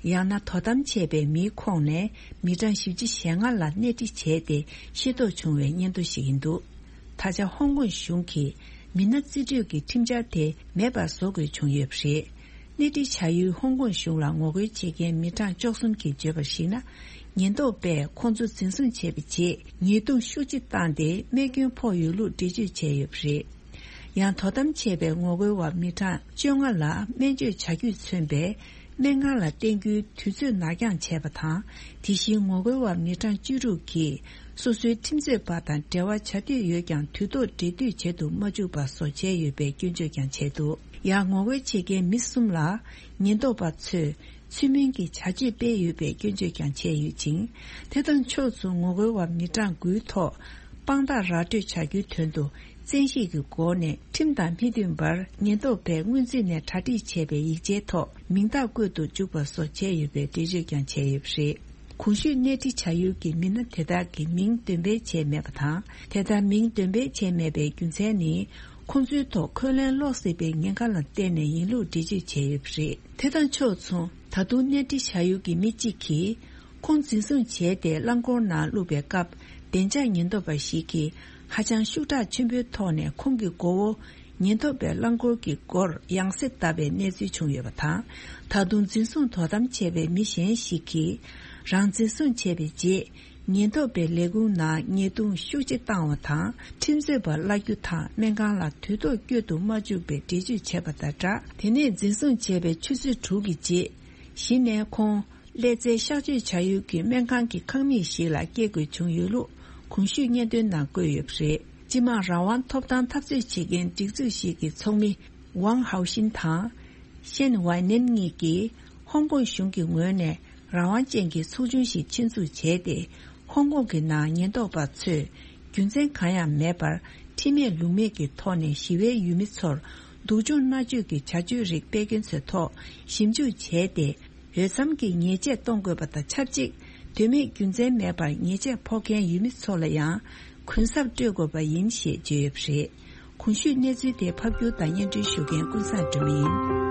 ཡང་ན་དོ་དམ་བྱས་པའི་མིའི་ཁོངས་ནས་མི་གྲངས་བཞི་བཅུ་ཞེ་ལྔ་ལ་གནས་འདྲི་བྱས་ཏེ་ཤེས་རྟོགས་བྱུང་བའི་སྙན་ཐོ་ཞིག་ཡིན་འདུག་ད་ཆ་ཧོང་ཀོང་གཞུང་གིས་མི་སྣ་རྩིས་སྤྲོད་ཀྱི་ཁྲིམས་འཆར་དེ་མེད་པར་བཟོ་དགོས་བྱུང་ཡོད་པ་རེད། གནས་འདྲི་བྱ་ཡུལ་ཧོང་ཀོང་གཞུང་ལ་ངོ་རྒོལ་བྱེད་མཁན་མི་གྲངས་བཅུ་གསུམ་གྱིས་བརྗོད་པར་གཞིགས་ན། ཉེན་རྟོག་པས་ཁོང་ཚོ་འཛིན་བཟུང་བྱས་པའི་རྗེས་ཉེས་རྡུང་ཤུགས་ཆེ་བཏང་སྟེ་རྨས་སྐྱོན་ཕོག་ཡོད་ལུགས་འགྲེལ་བརྗོད་བྱས་ཡོད་པ་རེད། ཡང་དོ་དམ་བྱས་པའི་ངོ་རྒོལ་བ་མི་གྲངས་བཅོ་ལྔ་ལ་སྨན་བཅོས་བྱ་རྒྱུས་མཚོན་པའི་ སྨན་ཁང་ལ་བསྟན་རྒྱུའི་དུས་ཚོད་ནར་འགྱངས་བྱས་པ་དང་། དེ་བཞིན་ངོ་རྒོལ་བ་མི་གྲངས་བཅུ་དྲུག་གིས་སོ་སོའི་ཁྲིམས་རྩོད་པ་དང་འབྲེལ་བ་བྱ་འདོད་ཡོད་ཀྱང་དུས་ཐོག་འབྲེལ་མཐུད་བྱེད་དུ་མ་བཅུག་པ་སོགས་བྱས་ཡོད་པའི་སྐྱོན་བརྗོད་ཀྱང་བྱས་འདུག་ཡང་ངོ་རྒོལ་བྱེད་མཁན་མི་གསུམ་ལ་ཉེན་རྟོག་པ་ཚོས་ཚུལ་མིན་གྱི་བྱ་སྤྱོད་སྤེལ་ཡོད་པའི་སྐྱོན་བརྗོད་ཀྱང་བྱས་ཡོད་ཅིང་། དེ་དང་ཕྱོགས་མཚུངས་ངོ་རྒོལ་བ་མི་གྲངས་དགུའི་ཐོག་དཔང་རྟགས་ར་སྤྲོད་བྱ་རྒྱུའི་དོན་དུ། བཙན་ཤེད་ཀྱི་སྒོ་ནས་ཁྲིམས་དང་མི་མཐུན་པར་ཉེན་རྟོག་པས་སྔོན་རྩིས་ནས་གྲ་སྒྲིག་བྱས་པའི་ཡིག་ཆའི་ཐོག་མིང་རྟགས་བཀོད་དུ་བཅུག་པ་སོགས་བྱས་ཡོད་པའི་འགྲེལ་བརྗོད་ཀྱང་བྱས་ཡོད་པ་རེད། གོང་ཞུས་གནས་འདྲི་བྱ་ཡུལ་གྱི་མི་སྣ་དེ་དག་གི་མིང་འདོན་སྤེལ་བྱས་མེད་པ་དང་། དེ་ལྟར་མིང་འདོན་སྤེལ་བྱས་མེད་པའི་རྒྱུ་མཚན་ནི། ཁོང་ཚོའི་ཐོག་འཁོན་ལན་སློག་སྲིད་པའི་ཉེན་ཁ་ལ་བརྟེན་ནས་ཡིན་ལུགས་འགྲེལ་བརྗོད་བྱས་ཡོད་པ་རེད། དེ་དང་ཕྱོགས་མཚུངས། ད་དུང་གནས་འདྲི་བྱ་ཡུལ་གྱི་མི་གཅིག་གིས། ཁོང་འཛིན་བཟུང་བྱས་ཏེ་རླངས་འཁོར་ནང་བླུགས་པའི་སྐབས། བདེ་འཇགས་ཉེན་རྟོག་པ་ཞིག་གིས་ཧ་ཅང་ཤུགས་དྲག་ཆེན་པོའི་ཐོག་ནས་ཁོང་གི་མགོ་བོ་ཉེན་རྟོག་པའི་རླངས་འཁོར་གྱི་སྒོར་ཡང་སེ་བརྡབས་པའི་གནས་ཚུལ་བྱུང་ཡོད་པ་དང་། ད་དུང་འཛིན་བཟུང་དོ་དམ་བྱས་པའི་མི་གཞན་ཞིག་གིས། རང་འཛིན་བཟུང་བྱས་པའི་རྗེས། ཉེན་རྟོག་པའི་ལས་ཁུངས་ནང་ཉེས་རྡུང་ཤུགས་ཆེ་བཏང་བ་དང་། ཁྲིམས་རྩོད་པ་གླ་རྒྱུ་དང་སྨན་ཁང་ལ་དུས་ཐོག་བསྐྱོད་དུ་མ་བཅུག་པའི་འགྲེལ་བརྗོད་བྱས་པ་དང་སྦྲགས། དེ་ནས་འཛིན་བཟུང་བྱས་པའི་ཆུ་ཚོད་དྲུག་གི་རྗེས། གཞི་ནས་ཁོང་། ཀླད་རྩའི་གཤག་བཅོས་བྱ་ཡུལ་གྱི་སྨན་ཁང་གི་ཁང་མིག་ཞིག་ལ་སྐྱེལ་དགོས་བྱུང་ཡོད་ལུགས་གོང་ཞུས་སྙན་ཐོའི་ནང་བཀོད་ཡོད་པ་རེད། སྤྱི་དམངས་རང་དབང་ཐོབ་ཐང་འཐབ་རྩོད་བྱེད་མཁན་སྒྲིག་འཛུགས་ཤིག་གི་ཚོགས་མི་ཝང་ཧའོ་ཤིན་དང་། ཤེན་ཝའེ་ནན་གཉིས་ཀྱིས་ཧོང་ཀོང་གཞུང་གི་ངོས་ནས་རང་དབང་ཅན་གྱི་ཚོགས་ཆུང་ཞིག་ཆེད་འཛུགས་བྱས་ཏེ། ཧོང་ཀོང་གི་ནང་ཉེན་རྟོག་པ་ཚོས་རྒྱུ་མཚན་གང་ཡང་མེད་པར་ཁྲིམས་མེད་ལུགས་མེད་ཀྱི་ཐོག་ནས་ཞི་བའི་ཡུལ་མི་ཚོར་སྡུག་སྦྱོང་མནར་གཅོད་ཀྱི་བྱ་སྤྱོད་རིགས་སྤེལ་མཁན་ཚོའི་ཐོག་ཞིབ་འཇུག་བྱས་ཏེ། འོས་འཚམ་གྱི་ཉེས་ཆད་གཏོང་དགོས་པ་དང་ཆབས་ཅིག་དོན་མེད་རྒྱུ་མཚན་མེད་པར་ཉེས་ཆད་ཕོག་མཁན་ཡུལ་མི་ཚོ་ལ་ཡང་གུན་གསབ་སྤྲོད་དགོས་པ་ཡིན་ཞེས་བརྗོད་ཡོད་པ་རེད། གོང་ཞུས་གནས་ཚུལ་དེ་ཕབ་སྒྱུར་དང་སྙན་སྒྲོན་ཞུ་མཁན་ཀུན་བཟང་སྒྲོལ་མ་ཡིན།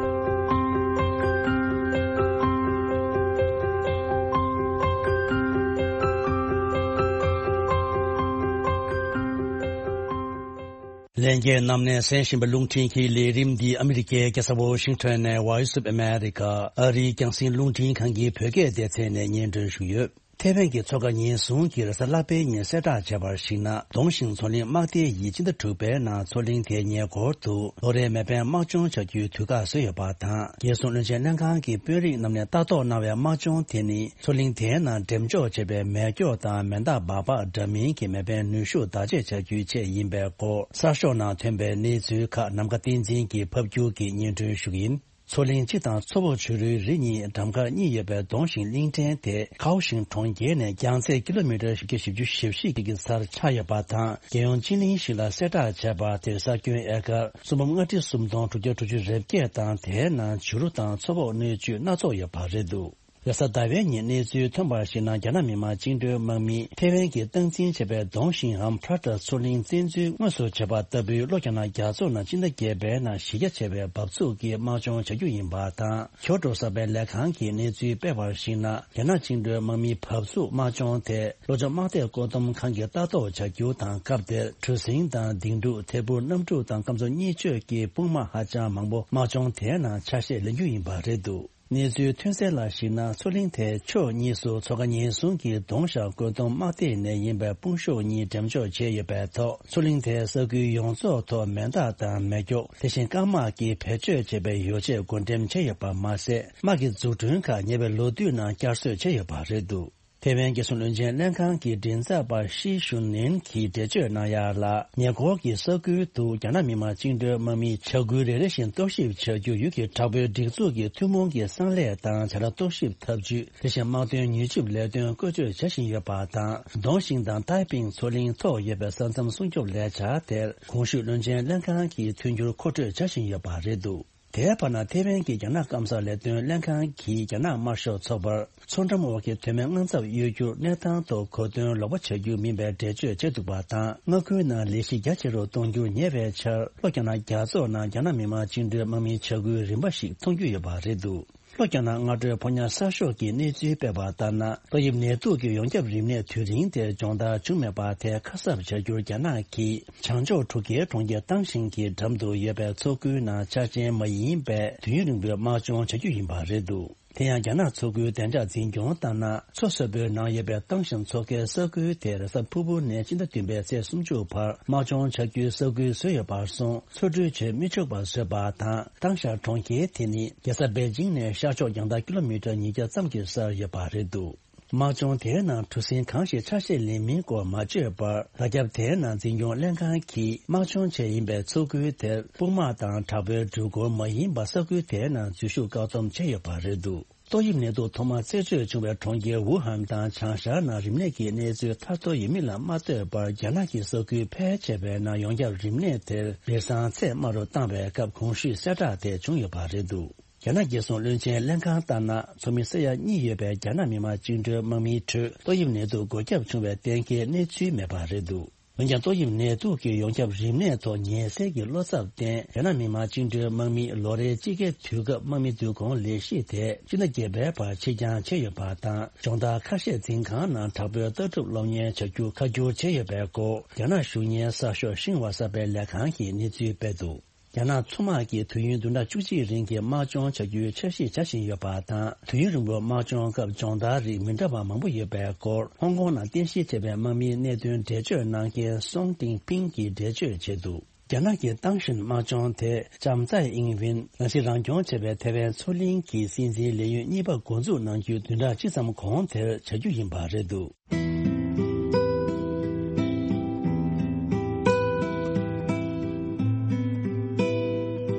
ལྷན་རྒྱས་རྣམས་ནས་གསན་བཞིན་པའི་རླུང་འཕྲིན་གྱི་ལས་རིམ་འདི་ཨ་མི་རི་ཀའི་རྒྱལ་ས་ཝོ་ཤིང་ཊོན་ནས་Voice of America ཨ་རིའི་རྒྱང་སྲིང་རླུང་འཕྲིན་ཁང་གི་བོད་སྐད་སྡེ་ཚན་ནས་སྙན་སྒྲོན་ཞུས་ཡོད། ཐེ་ཝན་གྱི་མཚོ་ཁ་ཉེན་སྲུང་གིས་རེས་གཟའ་ལྷག་པའི་ཉིན་གསལ་བསྒྲགས་བྱས་པར་གཞིགས་ན། རྫོང་ཞིང་མཚོ་གླིང་དམག་སྡེ་ཡིས་སྤྱི་ཟླ་དྲུག་པའི་ནང་མཚོ་གླིང་དེའི་ཉེ་འཁོར་དུ་ལོ་རེའི་མེ་འཕེན་དམག་སྦྱོང་བྱ་རྒྱུའི་དུས་བཀག་བཟོས་ཡོད་པ་དང་། རྒྱལ་སྲུང་བློན་ཆེན་ལྷན་ཁང་གི་དཔོན་རིགས་རྣམས་ནས་ལྟ་རྟོག་གནང་བའི་དམག་སྦྱོང་དེ་ནི། མཚོ་གླིང་དེའི་ནང་འགྲེམས་འཇོག་བྱས་པའི་མེ་སྒྱོགས་དང་མེ་མདག་སྦག་སྦག་འདྲ་མིན་གྱི་མེ་འཕེན་ནུས་ཤུགས་བརྡ་ཆད་བྱ་རྒྱུའི་ཆེད་ཡིན་པའི་སྐོར་གསར་ཤོག་ནང་ཐོན་པའི་གནས་ཚུལ་ཁག་ནམ་མཁའ་བསྟན་འཛིན་གྱིས་ཕབ་སྒྱུར་གྱིས་སྙན་སྒྲོན་ཞུ་གི་ཡིན། མཚོ་གླིང་སྤྱི་དང་མཚོ་བོད་བྱུ་རུའི་རི་གཉིས་འགྲམ་ཁར་གཉིས་ཡོད་པའི་རྫོང་ཞིང་གླིང་ཕྲན་དེ་ཁའོ་ཞིང་གྲོང་ཁྱེར་ནས་རྒྱང་ཚད་ཀི་ལོ་མི་ཊར་བཞི་བརྒྱ་བཞི་བཅུ་ཞེ་བཞི་གི་སར་ཆགས་ཡོད་པ་དང་། རྒྱལ་ཡོངས་སྤྱི་གླིང་ཞིག་ལ་གསལ་བསྒྲགས་བྱས་པ་དེར་ས་ཁྱོན་ཨེ་ཀར་སུམ་འབུམ་ལྔ་ཁྲི་སུམ་སྟོང་དྲུག་བརྒྱ་དྲུག་ཅུ་རེ་བརྒྱད་དང་། དེའི་ནང་བྱུ་རུ་དང་མཚོ་བོད་སྣོད་བཅུད་སྣ་ཚོགས་ཡོད་པ་རེད་འདུག་རེས་གཟའ་ཟླ་བའི་ཉིན་གནས་ཚུལ་ཐོན་པར་གཞིགས་ན། རྒྱ་ནག་མི་དམངས་བཅིངས་འགྲོལ་དམག་མིས་ཐེ་ཝན་གྱིས་སྟངས་འཛིན་བྱས་པའི་རྫོང་ཞིང་ངམ་བྷ་ར་ཏ་མཚོ་གླིང་བཙན་འཛུལ་དངོས་སུ་བྱས་པ་ལྟ་བུའི་ལྷོ་རྒྱ་ནག་རྒྱ་མཚོ་ནང་སྤྱི་ཟླ་བརྒྱད་པའི་ནང་གཞི་རྒྱ་ཆེ་བའི་འབབ་ཚུགས་ཀྱི་དམག་སྦྱོང་བྱ་རྒྱུ་ཡིན་པ་དང་། གྱོད་བསྒྲགས་གསར་པའི་ལས་ཁང་གིས་གནས་ཚུལ་སྤེལ་བར་གཞིགས་ན། རྒྱ་ནག་བཅིངས་འགྲོལ་དམག་མིའི་འབབ་ཚུགས་དམག་སྦྱོང་དེ་ལྷོ་ཕྱོགས་དམག་སྡེ་བཀོད་འདོམས་ཁང་གིས་ལྟ་རྟོག་བྱ་རྒྱུ་དང་། སྐབས་དེར་གྲུ་གཟིངས་དང་ལྡིང་ཕྲུག་ཐད་འཕུར་གནམ་གྲུ་དང་སྐམ་མཚོ་གཉིས་སྤྱོད་ཀྱི་དཔུང་དམག་ཧ་ཅང་མང་པོ་དམག་སྦྱོང་དེའི་ནང་ཆ་ཤས་ལེན་རྒྱུ་ཡིན་པ་རེད་འདུག་གནས་ཚུལ་ཐོན་གསལ་ལ་གཞིགས་ན། མཚོ་གླིང་དེའི་ཕྱོགས་གཉིས་སུ་མཚོ་ཁ་ཉེན་སྲུང་གི་གདོང་བཞག་བཀོད་འདོམས་དམག་སྡེ་ནས་ཡིན་པའི་དཔུང་ཤུགས་གཉིས་འགྲེམས་འཇོག་བྱས་ཡོད་པའི་ཐོག་མཚོ་གླིང་དེའི་ས་ཁུལ་ཡོངས་རྫོགས་ཐོག་མེ་མདག་དང་མེ་སྒྱོགས། དེ་བཞིན་སྐམ་དམག་གིས་བེད་སྤྱོད་བྱས་པའི་ཡོ་བྱད་བགོ་འགྲེམས་བྱས་ཡོད་པ་མ་ཟད། དམག་གི་འཛུགས་སྐྲུན་ཁག་ཉེ་བའི་ལོ་དུས་ནང་བསྐྱར་གསོ་བྱས་ཡོད་པ་རེད་འདུག་ཐེ་ཝན་རྒྱལ་སྲུང་བློན་ཆེན་ལྷན་ཁང་གི་མགྲིན་ཚབ་པ་ཤི་ཞུན་ནན་གྱིས་འགྲེལ་བརྗོད་གནང་ཡག་ལ། ཉེ་འཁོར་གྱི་ས་ཁུལ་དུ་རྒྱ་ནག་མི་དམངས་བཅིངས་འགྲོལ་དམག་མིའི་བྱ་འགུལ་རེ་རེ་བཞིན་རྟོག་ཞིབ་བྱ་རྒྱུ་ཡུལ་གྱི་དྲག་པོའི་སྒྲིག་འཛུགས་ཀྱི་ཐུན་མོང་གི་གསང་ལས་དང་བྱ་ལས་རྟོག་ཞིབ་ཐབས་ཇུས། དེ་བཞིན་དམག་དོན་མྱུལ་ཞིབ་ལས་དོན་བཀོལ་སྤྱོད་བྱ་བཞིན་ཡོད་པ་དང་། རྫོང་ཞིང་དང་ཏའེ་པིང་མཚོ་གླིང་ཐོག་ཡོད་པའི་ས་མཚམས་སྲུང་སྐྱོབ་ལས་འཆར་དེར་གོང་ཞུས་བློན་ཆེན་ལྷན་ཁང་གིས་མཐུན་འགྱུར་མཁོ་སྤྲོད་བྱ་བཞིན་ཡོད་པ་རེད་འདུག་དེའི་བར་ན། ཐེ་ཝན་གྱི་རྒྱ་ནག་སྐམ་ས་ལས་དོན་ལྷན་ཁང་གིས་རྒྱ་ནག་དམར་ཤོག་ཚོགས་པར་མཚོ་འགྲམ་འོག་གི་དོན་མེད་དངངས་འཚབ་གཡོ་སྒྱུར་གནས་སྟངས་ཐོག་གོ་དོན་ལོག་པ་བྱ་རྒྱུ་མིན་པའི་འགྲེལ་བརྗོད་བྱས་འདུག་པ་དང་། མངའ་ཁུལ་ནང་ལས་གཞི་རྒྱ་ཆེ་རུ་གཏོང་རྒྱུར་ཉེ་བའི་ཆར། ལྷོ་རྒྱ་ནག་རྒྱ་མཚོ་ནང་རྒྱ་ནག་མི་དམངས་བཅིངས་འགྲོལ་དམག་མིའི་བྱ་འགུལ་རིམ་པ་ཞིག་མཐོང་རྒྱུ་ཡོད་པ་རེད་འདུག་ལྷོ་རྒྱ་ནག་སྔ་དྲོའི་ཕོ་ཉ་གསར་ཤོག་གིས་གནས་ཚུལ་སྤེལ་བ་ལྟར་ན། ཏོག་དབྱིབས་ནད་དུག་གི་ཡོངས་ཁྱབ་རིམས་ནད་དུས་རིང་དེ་སྦྱོང་བརྡར་བྱུང་མེད་པ་དེ་ཁ་གསབ་བྱ་རྒྱུར་རྒྱ་ནག་གིས་བྱང་ཕྱོགས་གྲུ་ཁའི་གྲོང་ཁྱེར་ཏང་ཞིང་གི་འགྲམ་དུ་ཡོད་པའི་མཚོ་ཁུལ་ནང་འཆར་ཅན་མ་ཡིན་པའི་དུས་ཡུན་རིང་པོའི་དམག་སྦྱོང་བྱ་རྒྱུ་ཡིན་པ་རེད་འདུག་དེ་ཡང་རྒྱ་ནག་མཚོ་ཁུལ་བདེ་འཇགས་འཛིན་སྐྱོང་ལྟར་ན། མཚོ་གསར་པའི་ནང་ཡོད་པའི་ཏང་ཞན་མཚོ་ཁའི་ས་ཁུལ་དེར་གཟའ་ཕུར་བུ་ནས་སྤྱི་ཟླ་བདུན་པའི་ཚེས་སུམ་ཅུ་བར་དམག་སྦྱོང་བྱ་རྒྱུའི་ས་ཁུལ་བཟོས་ཡོད་པར་སོང་། མཚོ་གྲུ་བྱེད་མི་ཆོག་པ་བཟོས་པ་དང་། ཏང་ཞན་གྲོང་ཁྱེར་དེ་ནི་རྒྱལ་ས་པེ་ཅིང་ནས་ཤར་ཕྱོགས་རྒྱང་ཐག་ཀི་ལོ་མི་ཊར་ཉིས་བརྒྱ་ཙམ་གྱི་སར་ཡོད་པ་རེད་འདུག་དམག་སྦྱོང་དེའི་ནང་གྲུ་གཟིངས་གང་ཞིག་ཆ་ཤས་ལེན་མིན་སྐོར་མ་བརྗོད་པར། ལ་རྒྱབ་དེའི་ནང་འཛིན་སྐྱོང་ལྷན་ཁང་གིས་དམག་སྦྱོང་བྱས་ཡིན་པའི་མཚོ་ཁུལ་དེར་དཔུང་དམག་དང་དྲག་པོའི་འགྲུལ་འཁོར་མ་ཡིན་པ་ས་ཁུལ་དེའི་ནང་འཛུལ་ཞུགས་བཀག་སྡོམ་བྱས་ཡོད་པ་རེད་འདུག་ཏོག་དབྱིབས་ནད་དུག་ཐོག་མ་རྩད་གཅོད་བྱུང་བའི་གྲོང་ཁྱེར་ཝུ་ཧན་དང་བྱང་ཤར་ནང་རིམས་ནད་ཀྱི་གནས་ཚུལ་ཐར་ཐོར་ཡོད་མིན་ལ་མ་ལྟོས་པར། རྒྱ་ནག་གི་ས་ཁུལ་ཕལ་ཆེ་བའི་ནང་ཡོངས་ཁྱབ་རིམས་ནད་དེར་སྦིར་སང་ཚད་དམའ་རུ་བཏང་བའི་སྐབས་གོང་ཞུས་གསལ་བསྒྲགས་དེ་བྱུང་ཡོད་པ་རེད་འདུག་རྒྱ་ནག་རྒྱལ་སྲུང་བློན་ཆེན་ལྷན་ཁང་ལྟར་ན། ཚོགས་མི་ས་ཡ་གཉིས་ཡོད་པའི་རྒྱ་ནག་མི་དམངས་བཅིངས་འགྲོལ་དམག་མིའི་ཁྲོད་ཏོག་དབྱིབས་ནད་དུག་འགོས་ཁྱབ་བྱུང་བའི་གཏན་འཁེལ་གནས་ཚུལ་མེད་པ་རེད་འདུག་འོན་ཀྱང་ཏོག་དབྱིབས་ནད་དུག་གི་ཡོངས་ཁྱབ་རིམས་ནད་ཐོག་ཉེན་སེལ་གྱི་བློ་འཚབ་བརྟེན། རྒྱ་ནག་མི་དམངས་བཅིངས་འགྲོལ་དམག་མིའི་ལོ་རེའི་དཔྱིད་ཀའི་དུས་སྐབས་དམག་མི་བསྡུ་སྐོང་ལས་གཞི་དེ་སྤྱི་ཟླ་བརྒྱད་པའི་བར་ཕྱིར་འགྱངས་བྱས་ཡོད་པ་དང་། སྦྱོང་བརྡར་ཁ་ཤས་འཛིན་ཁང་ནང་དྲག་པོའི་ལྟ་གྲུབ་སློབ་གཉེར་བྱ་རྒྱུ་ཁ་བསྒྱུར་བྱས་ཡོད་པའི་སྐོར། རྒྱ་ནག་གཞུང་གཉེར་གསར་ཤོག་ཤིན་ཧྭ་གསར་པའི་ལས་ཁང་གིས་གནས་ཚུལ་སྤེལ་འདུག་རྒྱ་ནག་མཚོ་དམག་གིས་དུས་ཡུན་བདུན་ཕྲག་བཅུ་གཅིག་རིང་གི་དམག་སྦྱོང་བྱ་རྒྱུའི་འཆར་གཞི་བྱ་བཞིན་ཡོད་པ་དང་། དུས་ཡུན་རིང་པོའི་དམག་སྦྱོང་སྐབས་སྦྱོང་བརྡར་རིགས་མི་འདྲ་བ་མང་པོ་ཡོད་པའི་སྐོར། ཧོང་ཀོང་ནང་རྟེན་གཞི་བྱས་པའི་དམག་མིའི་གནད་དོན་འགྲེལ་བརྗོད་གནང་མཁན་སོང་ཏིང་ཕིང་གིས་འགྲེལ་བརྗོད་བྱས་འདུག་རྒྱ་ནག་གི་ཏང་ཞིན་དམག་སྦྱོང་དེ་ལྕམ་ཙའེ་ཨིང་ཝིན་ནང་སྲིད་རང་སྐྱོང་བྱས་པའི་ཐེ་ཝན་མཚོ་གླིང་གི་སྲིད་འཛིན་ལས་ཡུན་གཉིས་པ་འགོ་འཛུགས་གནང་རྒྱུའི་བདུན་ཕྲག་གཅིག་ཙམ་གོང་དེར་བྱ་རྒྱུ་ཡིན་པ་རེད་འདུག་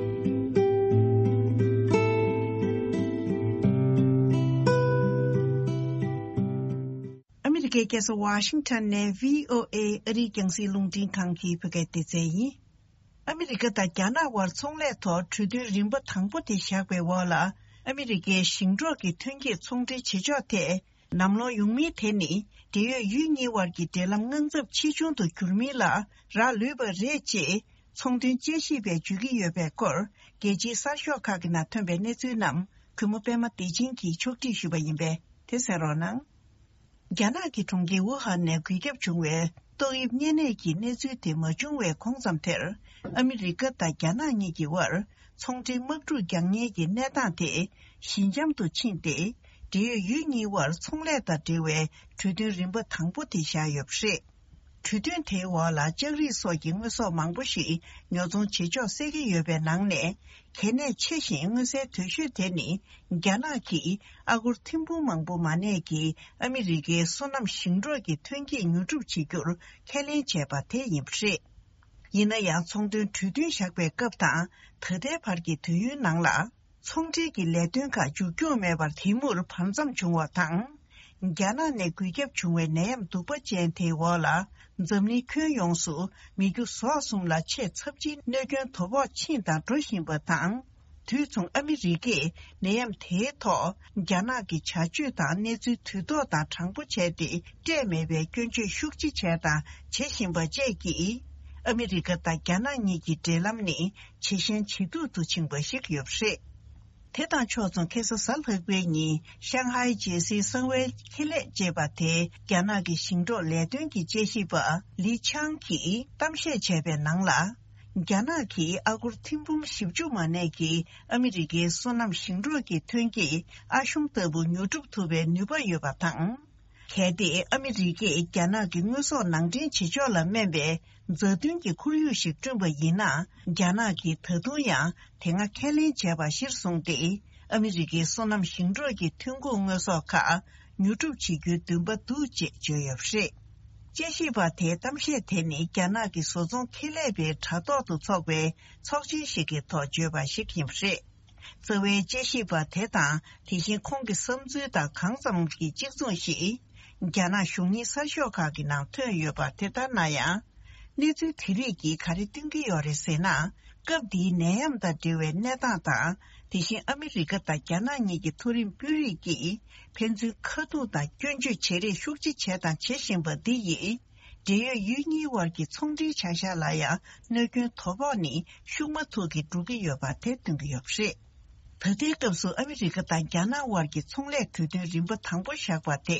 ཨ་མི་རི་ཀའི་རྒྱལ་ས་ཝ་ཤིང་ཊོན་ནས་བྷི་ཨོ་ཨེ་ཨ་རིའི་རྒྱང་སྲིང་རླུང་འཕྲིན་ཁང་གི་བོད་སྐད་སྡེ་ཚན་ཡིན། ཨ་མི་རི་ཀ་དང་རྒྱ་ནག་དབར་ཚོང་ལས་ཐོག་གྲོས་མཐུན་རིམ་པ་དང་པོ་དེ་བཞག་པའི་འོག་ལ། ཨ་མི་རི་ཀའི་ཞིང་འབྲོག་གི་ཐོན་སྐྱེད་ཚོང་འབྲེལ་བྱེད་ཕྱོགས་ཐད། ནམ་ལོང་ཡོང་མིན་དེ་ནི། འབྲེལ་ཡོད་ཡུལ་གཉིས་དབར་གྱི་འབྲེལ་ལམ་དངངས་འཚབ་ཆེ་ཆུང་དུ་གྱུར་མིན་ལ་རག་ལུས་པ་རེད། ཅེས་ཚོང་དོན་དཔྱད་ཞིབ་པས་བརྗོད་ཀྱི་ཡོད་པའི་སྐོར། རྒྱལ་སྤྱིའི་གསར་ཤོག་ཁག་གི་ནང་ཐོན་པའི་གནས་ཚུལ་རྣམས། གུས་མོ་པད་མ་བདེ་ཆེན་གྱིས་ཕྱོགས་སྒྲིག་ཞུས་པ་ཡིན་པས། དེ་གསན་རོགས་གནང་། རྒྱ་ནག་གི་གྲོང་ཁྱེར་ཝུ་ཧན་ནས་འགོས་ཁྱབ་བྱུང་བའི་ཏོག་དབྱིབས་གཉན་ནད་ཀྱི་གནས་ཚུལ་དེ་མ་བྱུང་བའི་གོང་ཙམ་དེར། ཨ་མི་རི་ཀ་དང་རྒྱ་ནག་གཉིས་ཀྱི་དབར་ཚོང་འབྲེལ་དམག་འཁྲུག་རྒྱག་ཉེན་གྱི་གནས་སྟངས་དེ་ཞི་འཇམ་དུ་ཕྱིན་ཏེ། འབྲེལ་ཡོད་ཡུལ་གཉིས་དབར་ཚོང་ལས་དང་འབྲེལ་བའི་གྲོས་མཐུན་རིམ་པ་དང་པོ་དེ་བཞག་ཡོད་པ་རེད། གྲོས་མཐུན་དེའི་འོག་ལ་ལྕགས་རིགས་སོགས་ཀྱི་དངོས་ཟོག་མང་པོ་ཞིག་ཉོ་ཚོང་བྱེད་ཕྱོགས་སེལ་གྱི་ཡོད་པའི་ནང་ནས། གལ་གནད་ཆེ་ཞིང་མངོན་གསལ་དོད་ཤོས་དེ་ནི། རྒྱ་ནག་གིས་ཨ་སྒོར་ཐེར་འབུམ་མང་པོ་མ་གནས་ཀྱི་ཨ་མི་རི་ཀའི་སོ་ནམ་ཞིང་འབྲོག་གི་ཐོན་སྐྱེད་ཉོ་སྒྲུབ་བྱེད་རྒྱུར་ཁས་ལེན་བྱས་པ་དེ་ཡིན་པ་རེད། ཡིན་ན་ཡང་། ཚོང་དོན་གྲོས་མཐུན་བཞག་པའི་སྐབས་དང་། ད་ལྟའི་བར་གྱི་དུས་ཡུན་ནང་ལ། ཚོང་འབྲེལ་གྱི་ལས་དོན་ཁག་མཇུག་སྐྱོང་མེད་པར་དེ་མུར་བར་མཚམས་བྱུང་བ་དང་། རྒྱ་ནག་ནས་འགོས་ཁྱབ་བྱུང་བའི་ནད་ཡམས་གདུག་པ་ཅན་དེའི་འོག་ལ། འཛམ་གླིང་ཁྱོན་ཡོངས་སུ་མི་རྒྱུ་ཟོག་གསུམ་ལ་ཆེས་ཚབས་ཆེའི་གནོད་སྐྱོན་དོ་ཕོག་ཕྱིན་དང་འགྲོ་བཞིན་པ་དང་། དུས་མཚུངས་ཨ་མི་རི་ཀས་ནད་ཡམས་དེའི་ཐོག་རྒྱ་ནག་གི་བྱ་སྤྱོད་དང་གནས་ཚུལ་དུས་ཐོག་དང་དྲང་པོ་བྱས་ཏེ། སྤྲད་མེད་པའི་སྐྱོན་བརྗོད་ཤུགས་ཆེ་བྱས་དང་བྱེད་བཞིན་པ་བཅས་ཀྱིས། ཨ་མི་རི་ཀ་དང་རྒྱ་ནག་གཉིས་ཀྱི་འབྲེལ་ལམ་ནི་ཇེ་ཞན་ཇེ་སྡུག་ཏུ་ཕྱིན་པ་ཞིག་ཡོད་པ་རེད། དེ་དང་ཕྱོགས་མཚུངས། ཁ་སང་གཟའ་ལྷག་པའི་ཉིན་ཤང་ཧའེ་རྒྱལ་སའི་གསང་བའི་ཁེ་ལས་ཅེས་པ་དེ། རྒྱ་ནག་གི་ཞིང་འབྲོག་ལས་དོན་གྱི་དཔྱད་ཞིབ་པ་ལི་ཆང་གིས་གཏམ་བཤད་བྱས་པའི་ནང་ལ། རྒྱ་ནག་གིས་ཨ་སྒོར་ཐེར་འབུམ་བཞི་བཅུ་མ་གནས་ཀྱི་ཨ་མི་རི་ཀའི་སོ་ནམ་ཞིང་འབྲོག་གི་ཐོན་སྐྱེད་ཨ་ཤུམ་ལྟ་བུ་ཉོ་སྒྲུབ་ཐུབ་པའི་ནུས་པ་ཡོད་པ་དང་། གལ་ཏེ་ཨ་མི་རི་ཀས་རྒྱ་ནག་གི་དངོས་ཟོག་ནང་འདྲེན་བྱེད་ཕྱོགས་ལ་སྨན་པའི་མཛའ་མཐུན་གྱི་ཁོར་ཡུག་ཞིག་བསྐྲུན་པ་ཡིན་ན། རྒྱ་ནག་གིས་ད་དུང་ཡང་དེ་སྔ་ཁས་ལེན་བྱས་པ་གཞིར་བཟུང་སྟེ། ཨ་མི་རི་ཀའི་སོ་ནམ་ཞིང་འབྲོག་གི་ཐོན་ཁུངས་དངོས་ཟོག་ཁག་ཉོ་སྒྲུབ་བྱེད་རྒྱུའི་འདུན་པ་འདུག་ཅེས་བརྗོད་ཡོད་པ་རེད། དཔྱད་ཞིབ་པ་དེའི་གཏམ་བཤད་དེ་ནི། རྒྱ་ནག་གི་བཟོ་ཚོང་ཁེ་ལས་པའི་དྲ་ཐོག་ཏུ་འཚོགས་པའི་ཚོགས་ཆེན་ཞིག་གི་ཐོག་བརྗོད་པ་ཞིག་ཡིན་པ་རེད། རྩ་བའི་དཔྱད་ཞིབ་པ་དེ་དང་། དེ་བཞིན་ཁོང་གི་བསམ་ཚུལ་དང་གང་ཙམ་གྱི་གཅིག་མཚུངས་ཤིག་རྒྱ་ནག་གཞུང་གཉེར་གསར་ཤོག་ཁག་གི་ནང་ཐོན་ཡོད་པ་དེ་ལྟར་ན་ཡང་། གནས་ཚུལ་དེ་རིགས་ཀྱིས་ག་རེ་སྟོན་གྱི་ཡོད་རེད་ཟེར་ན། སྐབས་འདིའི་ནད་ཡམས་དང་འབྲེལ་བའི་གནས་སྟངས་དང་། དེ་བཞིན་ཨ་མི་རི་ཀ་དང་རྒྱ་ནག་གཉིས་ཀྱི་མཐོ་རིམ་དཔོན་རིགས་ཀྱིས་ཕན་ཚུན་ཁ་ཐུག་དང་སྐྱོན་བརྗོད་བྱེད་རེས་ཤུགས་ཆེ་བྱས་དང་བྱེད་བཞིན་པ་འདི་ཡིས། འབྲེལ་ཡོད་ཡུལ་གཉིས་དབར་གྱི་ཚོང་འབྲེལ་བྱ་གཞག་ལ་ཡང་གནོད་སྐྱོན་དོ་ཕོག་ནི་ཤུགས་མ་ཐུག་གིས་འགྲོ་གི་ཡོད་པ་དེ་སྟོན་གྱི་ཡོད་པ་རེད། ད་ལྟའི་སྐབས་སུ་ཨ་མི་རི་ཀ་དང་རྒྱ་ནག་དབར་གྱི་ཚོང་ལས་གྲོས་མཐུན་རིམ་པ་དང་པོ་བཞག་པ་དེ་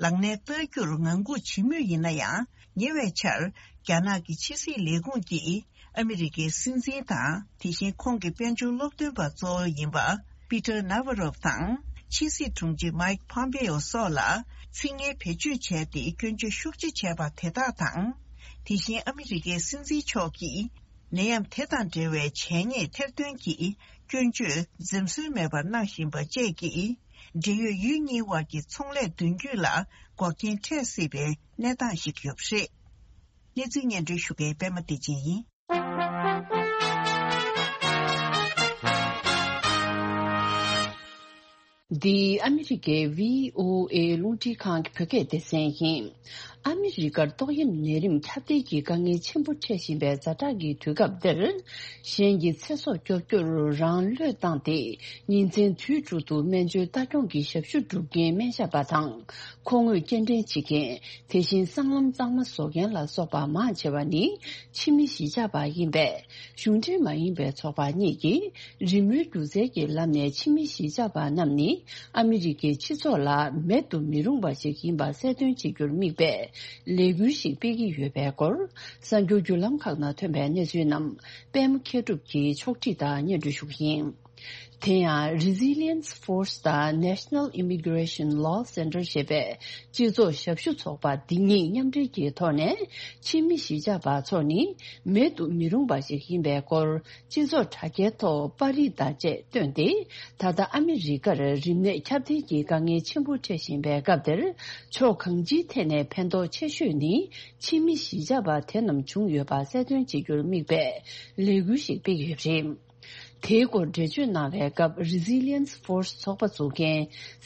ལག་ལེན་བསྟར་རྒྱུར་ངང་སྒུག་བྱེད་མུས་ཡིན་ན་ཡང་། ཉེ་བའི་ཆར་རྒྱ་ནག་གི་ཕྱི་སྲིད་ལས་ཁུངས་ཀྱིས་ཨ་མི་རི་ཀའི་སྲིད་འཛིན་དང་། དེ་བཞིན་ཁོང་གི་དཔལ་འབྱོར་སློབ་སྟོན་པ་གཙོ་བོ་ཡིན་པ་པི་ཏར་ནཱ་ཝ་རོབ་དང་། ཕྱི་སྲིད་དྲུང་ཆེ་མཱིག་ཕོམ་པེ་ཨོ་སོགས་ལ་ཚིག་ངན་བེད་སྤྱོད་བྱས་ཏེ་སྐྱོན་བརྗོད་ཤུགས་ཆེ་བྱས་པ་དེ་དག་དང་། དེ་བཞིན་ཨ་མི་རི་ཀའི་སྲིད་འཛིན་མཆོག་གིས་ནད་ཡམས་དེ་དང་འབྲེལ་བའི་བྱས་ཉེས་ཐེར་འདོན་གྱི་སྐྱོན་བརྗོད་འཛེམ་ཟོན་མེད་པར་གནང་བཞིན་པ་བཅས་ཀྱིས། འབྲེལ་ཡོད་ཡུལ་གཉིས་དབར་གྱི་ཚོང་ལས་མདུན་སྐྱོད་ལ་འགོག་རྐྱེན་འཕྲད་སྲིད་པའི་གནས་སྟངས་ཤིག་ཡོད་པ་རེད། གནས་ཚུལ་སྙན་སྒྲོན་ཞུ་མཁན་པད་མ་བདེ་ཆེན་ཡིན། འདི་ཨ་མི་རི་ཀའི་བྷི་ཨོ་ཨེ་རླུང་འཕྲིན་ཁང་གི་བོད་སྐད་སྡེ་ཚན་ཡིན། ཨ་མི་རི་ཀར་ཏོག་དབྱིབས་ནད་རིམས་ཁྱབ་གདལ་གྱི་དཀའ་ངལ་ཆེན་པོ་འཕྲད་བཞིན་པའི་ཛ་དྲག་གི་དུས་སྐབས་འདིར། གཞན་གྱི་ཚེ་སྲོག་སྐྱོབ་རྒྱུར་རང་བློས་བཏང་སྟེ། ཉིན་མཚན་དུས་དྲུག་ཏུ་སྨན་བཅོས་ལྟ་སྐྱོང་གི་ཞབས་ཞུ་སྒྲུབ་མཁན་སྨན་ཞབས་པ་དང་། མཁོ་དངོས་སྐྱེལ་འདྲེན་བྱེད་མཁན། དེ་བཞིན་སྲང་ལམ་གཙང་མ་བཟོ་མཁན་ལ་སོགས་པ་མང་ཆེ་བ་ནི་ཕྱི་མི་གཞིས་ཆགས་པ་ཡིན་པས། གཞུང་འབྲེལ་མ་ཡིན་པའི་ཚོགས་པ་གཉིས་ཀྱིས་རི་མོའི་སྒྱུ་རྩལ་གྱི་ལམ་ནས་ཕྱི་མི་གཞིས་ཆགས་པ་རྣམས་ནི་ཨ་མི་རི་ཀའི་སྤྱི་ཚོགས་ལ་མེད་དུ་མི་རུང་བ་ཞིག་ཡིན་པ་གསལ་སྟོན་བྱེད་རྒྱུར་དམིགས་པའི་ལས་འགུལ་ཞིག་སྤེལ་གྱི་ཡོད་པའི་སྐོར། གསར་འགྱུར་བརྒྱུད་ལམ་ཁག་ནང་ཐོན་པའི་གནས་ཚུལ་རྣམས་པད་མ་མཁས་གྲུབ་ཀྱིས་ཕྱོགས་སྒྲིག་དང་སྙན་སྒྲོན་ཞུ་གི་ཡིན། དེ་ཡང་Resilience Force དང་National Immigration Law Center ཞེས་པའི་སྤྱི་ཚོགས་ཞབས་ཞུ་ཚོགས་པ་འདི་གཉིས་མཉམ་འབྲེལ་གྱི་ཐོག་ནས་ཕྱི་མི་གཞིས་ཆགས་པ་ཚོ་ནི་མེད་དུ་མི་རུང་བ་ཞིག་ཡིན་པའི་སྐོར་སྤྱི་ཚོགས་དྲ་རྒྱའི་ཐོག་པར་རིས་དང་བཅས་བཏོན་ཏེ། ད་ལྟ་ཨ་མི་རི་ཀར་རིམས་ནད་ཁྱབ་གདལ་གྱི་དཀའ་ངལ་ཆེན་པོ་འཕྲད་བཞིན་པའི་སྐབས་འདིར་ཕྱོགས་གང་ཅིའི་ཐད་ནས་ཕན་ཐོགས་ཆེ་ཤོས་ནི་ཕྱི་མི་གཞིས་ཆགས་པ་དེ་རྣམས་བྱུང་ཡོད་པ་གསལ་སྟོན་བྱེད་རྒྱུར་དམིགས་པའི་ལས་འགུལ་ཞིག་སྤེལ་གྱི་ཡོད་པ་རེད། དེའི་སྐོར་འགྲེལ་བརྗོད་གནང་བའི་སྐབས་Resilience Force ཚོགས་པ་འཛུགས་མཁན་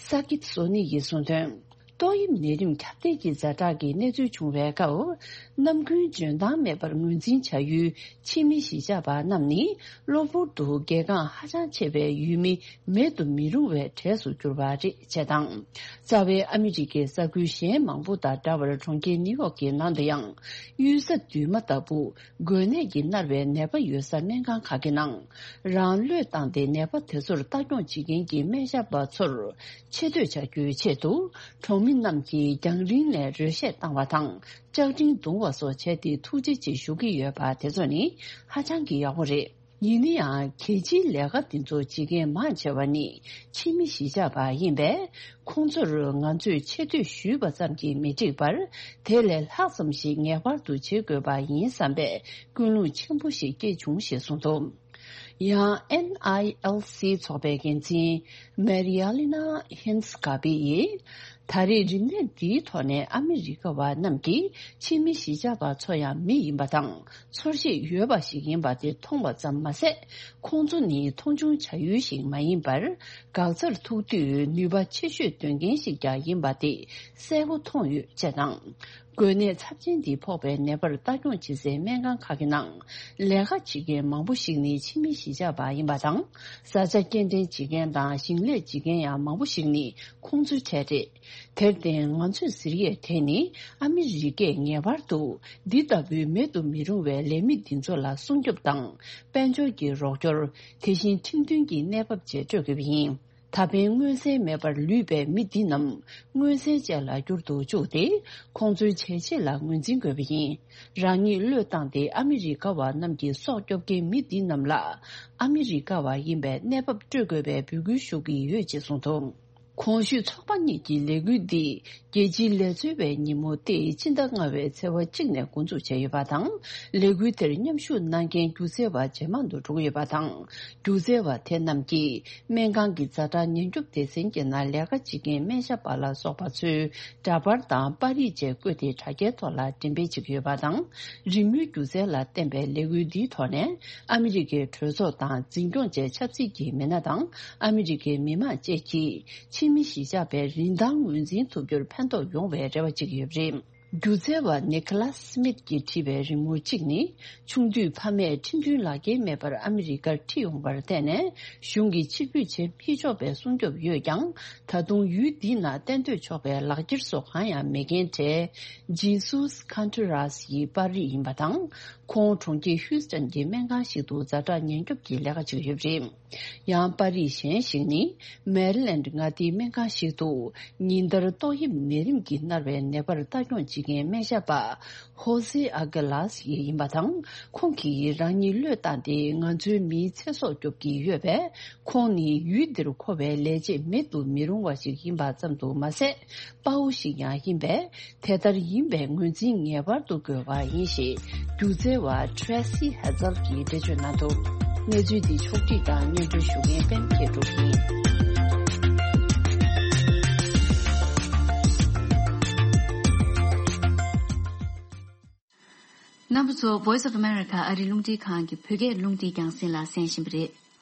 ས་ཀིབ་སོ་ནི་ཡིས་གསུངས་དོན། ཏོག་དབྱིབས་ནད་རིམས་ཁྱབ་གདལ་གྱི་ཛ་དྲག་གི་གནས་ཚུལ་བྱུང་བའི་སྐབས། ནམ་རྒྱུན་འཇོན་ཐང་མེད་པར་ངོས་འཛིན་བྱ་ཡུལ་ཕྱི་མི་གཞིས་ཆགས་པ་རྣམས་ནི་གློ་བུར་དུ་གལ་འགངས་ཧ་ཅང་ཆེ་བའི་ཡུལ་མི་མེད་དུ་མི་རུང་བའི་གྲས་སུ་གྱུར་པ་རེད་ཅེས་དང་། རྩ་བའི་ཨ་མི་རི་ཀའི་ས་ཁུལ་གཞན་མང་པོ་དང་འདྲ་བར་གྲོང་ཁྱེར་ནིའུ་ཡོག་གི་ནང་དུ་ཡང་གཡུལ་ས་རྡུལ་མ་ལྟ་བུ། འགོས་ནད་ཀྱིས་མནར་བའི་ནད་པ་ཡོད་ས་སྨན་ཁང་ཁག་གི་ནང་རང་བློས་བཏང་སྟེ་ནད་པ་དེ་ཚོར་ལྟ་སྐྱོང་བྱེད་མཁན་གྱི་སྨན་ཞབས་པ་ཚོར་ཆེ་བསྟོད་བྱ་རྒྱུའི་ཆེད་དུ་གྲོང་མི་རྣམས་ཀྱིས་རྒྱང་རིང་ནས་རོལ་གཞས་བཏང་བ་དང་། ལྕགས་ཀྲིན་བརྡུང་བ་སོགས་བྱས་ཏེ་ཐུགས་རྗེ་ཆེ་ཞུ་གི་ཡོད་པ་དེ་ཚོ་ནི་ཧ་ཅང་གི་ཡག་པོ་རེད། ཡིན་ན་ཡང་གལ་ཆེའི་ལས་ཀ་འདི་ཚོ་བྱེད་མཁན་མང་ཆེ་བ་ནི་ཕྱི་མི་གཞིས་ཆགས་པ་ཡིན་པས། ཁོང་ཚོར་ང་ཚོས་ཆེ་བསྟོད་ཞུས་པ་ཙམ་གྱིས་མི་འགྲིག་པར། དེ་ལས་ལྷག་ཙམ་ཞིག་ངེས་པར་དུ་བྱེད་དགོས་པ་ཡིན་བསམ་པའི་ཀུན་སློང་ཆེན་པོ་ཞིག་སྐྱེས་བྱུང་ཞེས་གསུངས་འདུག། ཡང་NILC ཚོགས་པའི་འགན་འཛིན་Marialina Hinskappi ཡིས། ད་རེས་རིམས་ནད་འདིའི་ཐོག་ནས་ཨ་མི་རི་ཀ་བ་རྣམས་ཀྱིས་ཕྱི་མི་གཞིས་ཆགས་པ་ཚོ་ཡང་མི་ཡིན་པ་དང་། ཚོར་ཤེས་ཡོད་པ་ཞིག་ཡིན་པ་དེ་མཐོང་བ་ཙམ་མ་ཟད། ཁོང་ཚོ་ནི་མཐོང་ཆུང་བྱ་ཡུལ་ཞིག་མ་ཡིན་པར། འགག་རྩར་ཐུག་དུས་ནུས་པ་ཆེ་ཤོས་འདོན་མཁན་ཞིག་ཀྱང་ཡིན་པ་དེ་གསལ་པོ་མཐོང་ཡོད་ཅེས་དང་། འགོས་ནད་ཚབས་ཆེན་འདི་ཕོག་པའི་ནད་པར་ལྟ་སྐྱོང་བྱེད་སའི་སྨན་ཁང་ཁག་གི་ནང་ལས་ཀ་བྱེད་མཁན་མང་པོ་ཞིག་ནི་ཕྱི་མི་གཞིས་ཆགས་པ་ཡིན་པ་དང་། བཟའ་བཅའ་སྐྱེལ་འདྲེན་བྱེད་མཁན་དང་ཞིང་ལས་བྱེད་མཁན་ཡང་མང་པོ་ཞིག་ནི་ཁོང་ཚོའི་གྲས་རེད། དེར་བརྟེན་ང་ཚོས་ཟེར་ཡས་དེ་ནི་ཨ་མི་རི་ཀས་ངེས་པར་དུ་འདི་ལྟ་བུའི་མེད་དུ་མི་རུང་བའི་ལས་མི་འདི་ཚོ་ལ་སྲུང་སྐྱོབ་དང་དཔལ་འབྱོར་གྱི་རོགས་སྐྱོར། དེ་བཞིན་ཁྲིམས་མཐུན་གྱི་གནས་བབ་བཅས་སྤྲོད་དགོས་པ་ཡིན། ད་ཕན་མངོན་གསལ་མེད་པར་ལུས་པའི་མི་འདི་རྣམས་མངོན་གསལ་ཅན་ལ་འགྱུར་དུ་བཅུག་སྟེ། ཁོང་ཚོའི་བྱས་རྗེས་ལ་ངོས་འཛིན་དགོས་པ་ཡིན། རང་ཉིད་བློས་བཏང་སྟེ་ཨ་མི་རི་ཀ་བ་རྣམས་ཀྱི་སྲོག་སྐྱོབ་མཁན་མི་འདི་རྣམས་ལ་ཨ་མི་རི་ཀ་བ་ཡིན་པའི་གནས་བབ་སྤྲོད་དགོས་པའི་འབོད་སྐུལ་ཞུ་གི་ཡོད་ཅེས་གསུངས་འདུག། གོང་ཞུས་ཚོགས་པ་གཉིས་ཀྱི་ལས་འགུལ་འདི་རྒྱལ་སྤྱིའི་ལས་རྩོལ་བའི་ཉིན་མོ་སྟེ་ཕྱི་ཟླ་ལྔ་བའི་ཚེས་པ་གཅིག་ནས་འགོ་འཛུགས་བྱས་ཡོད་པ་དང་། ལས་འགུལ་དེར་མཉམ་ཞུགས་གནང་མཁན་སྒྱུ་རྩལ་བ་ཇེ་མང་དུ་འགྲོ་གི་ཡོད་པ་དང་། སྒྱུ་རྩལ་བ་དེ་རྣམས་ཀྱིས་སྨན་ཁང་གི་ཛ་དྲག་ཉེན་སྐྱོབ་སྡེ་ཚན་གྱི་ནང་ལས་ཀ་བྱེད་མཁན་སྨན་ཞབས་པ་ལ་སོགས་པ་ཚོའི་འདྲ་པར་དང་པར་རིས་བཅས་བཀོད་དེ་དྲ་རྒྱའི་ཐོག་ལ་འགྲེམས་སྤེལ་བྱེད་ཀྱི་ཡོད་པ་དང་། རི་མོའི་སྒྱུ་རྩལ་ལ་བརྟེན་པའི་ལས་འགུལ་འདིའི་ཐོག་ནས་ཨ་མི་རི་ཀའི་གྲོས་ཚོགས་དང་འཛིན་སྐྱོང་བཅས་ཆབ་སྲིད་ཀྱི་མི་སྣ་དང་ཨ་མི་རི་ཀའི་མི་མང་བཅས་ཀྱིས་ཕྱི་མི་གཞིས་ཆགས་པའི་རིན་ཐང་ངོས་འཛིན་ཐུབ་རྒྱུར་ཕན་ཐོགས་ཡོང་བའི་རེ་བ་བྱེད་ཀྱི་ཡོད་པ་རེད། སྒྱུ་རྩལ་བ་ནི་ཁ་ལཱས་སི་མིད་ཀྱིས་བྲིས་པའི་རི་མོ་གཅིག་ནི། ཆུང་དུས་ཕ་མས་ཁྲིམས་མཐུན་ལག་འཁྱེར་མེད་པར་ཨ་མི་རི་ཀར་ཁྲིད་ཡོང་བར་བརྟེན་ནས། གཞུང་གིས་ཕྱིར་འབུད་བྱེད་མི་ཆོག་པའི་སྲུང་སྐྱོབ་ཡོད་ཀྱང་། ད་དུང་ཡུལ་འདི་ན་གཏན་སྡོད་ཆོག་པའི་ལག་འཁྱེར་སོགས་གང་ཡང་མེད་མཁན་གྲས། ཇི་སུས་ཁན་ཏུ་རཱས་ཡི་པར་རིས་ཡིན་པ་དང་། ཁོང་གྲོང་ཁྱེར་ཧུའུ་སྟན་གྱི་སྨན་ཁང་ཞིག་ཏུ་ཛ་དྲག་ཉེན་སྐྱོབ་ཀྱི་ལས་ཀ་བྱེད་ཀྱི་ཡོད་པ་རེད། ཡང་པར་རིས་གཞན་ཞིག་ནི། མེ་རི་ལེན་ཌི་མངའ་སྡེའི་སྨན་ཁང་ཞིག་ཏུ། ཉིན་ལྟར་ཏོག་དབྱིབས་ནད་རིམས་ཀྱིས་མནར་བའི་ནད་པར་ལྟ་སྐྱོང་བྱེད་མཁན་སྨན་ཞབས་པ། ཧོ་སེ་ཨ་ག་ལཱས་ཡིན་པ་དང་། ཁོང་གིས་རང་ཉིད་བློས་བཏང་སྟེ། ང་ཚོའི་མིའི་ཚེ་སྲོག་སྐྱོབ་ཀྱི་ཡོད་པས། ཁོང་ནི་ཡུལ་འདིར་མཁོ་བའི་ལས་བྱེད་མེད་དུ་མི་རུང་བ་ཞིག་ཡིན་པ་ཙམ་དུ་མ་ཟད། དཔའ་བོ་ཞིག་ཡང་ཡིན་པས། དེ་ལྟར་ཡིན་པའི་ངོས་འཛིན་ངེས་པར་དུ་དགོས་པ་ཡིན་ཞེས། སྒྱུ་རྩལ་བ་Tracy Hazel གྱིས་འགྲེལ་བརྗོད་གནང་འདུག་གནས་ཚུལ་འདི་ཕྱོགས་བསྒྲིགས་དང་སྙན་སྒྲོན་ཞུ་མཁན་པད་མ་མཁས་གྲུབ་ཡིན། རྣམ་པ་ཚོ། Voice of America ཨ་རིའི་རླུང་འཕྲིན་ཁང་གི་བོད་སྐད་རླུང་འཕྲིན་རྒྱང་སྲིང་ལ་གསན་བཞིན་པ་རེད།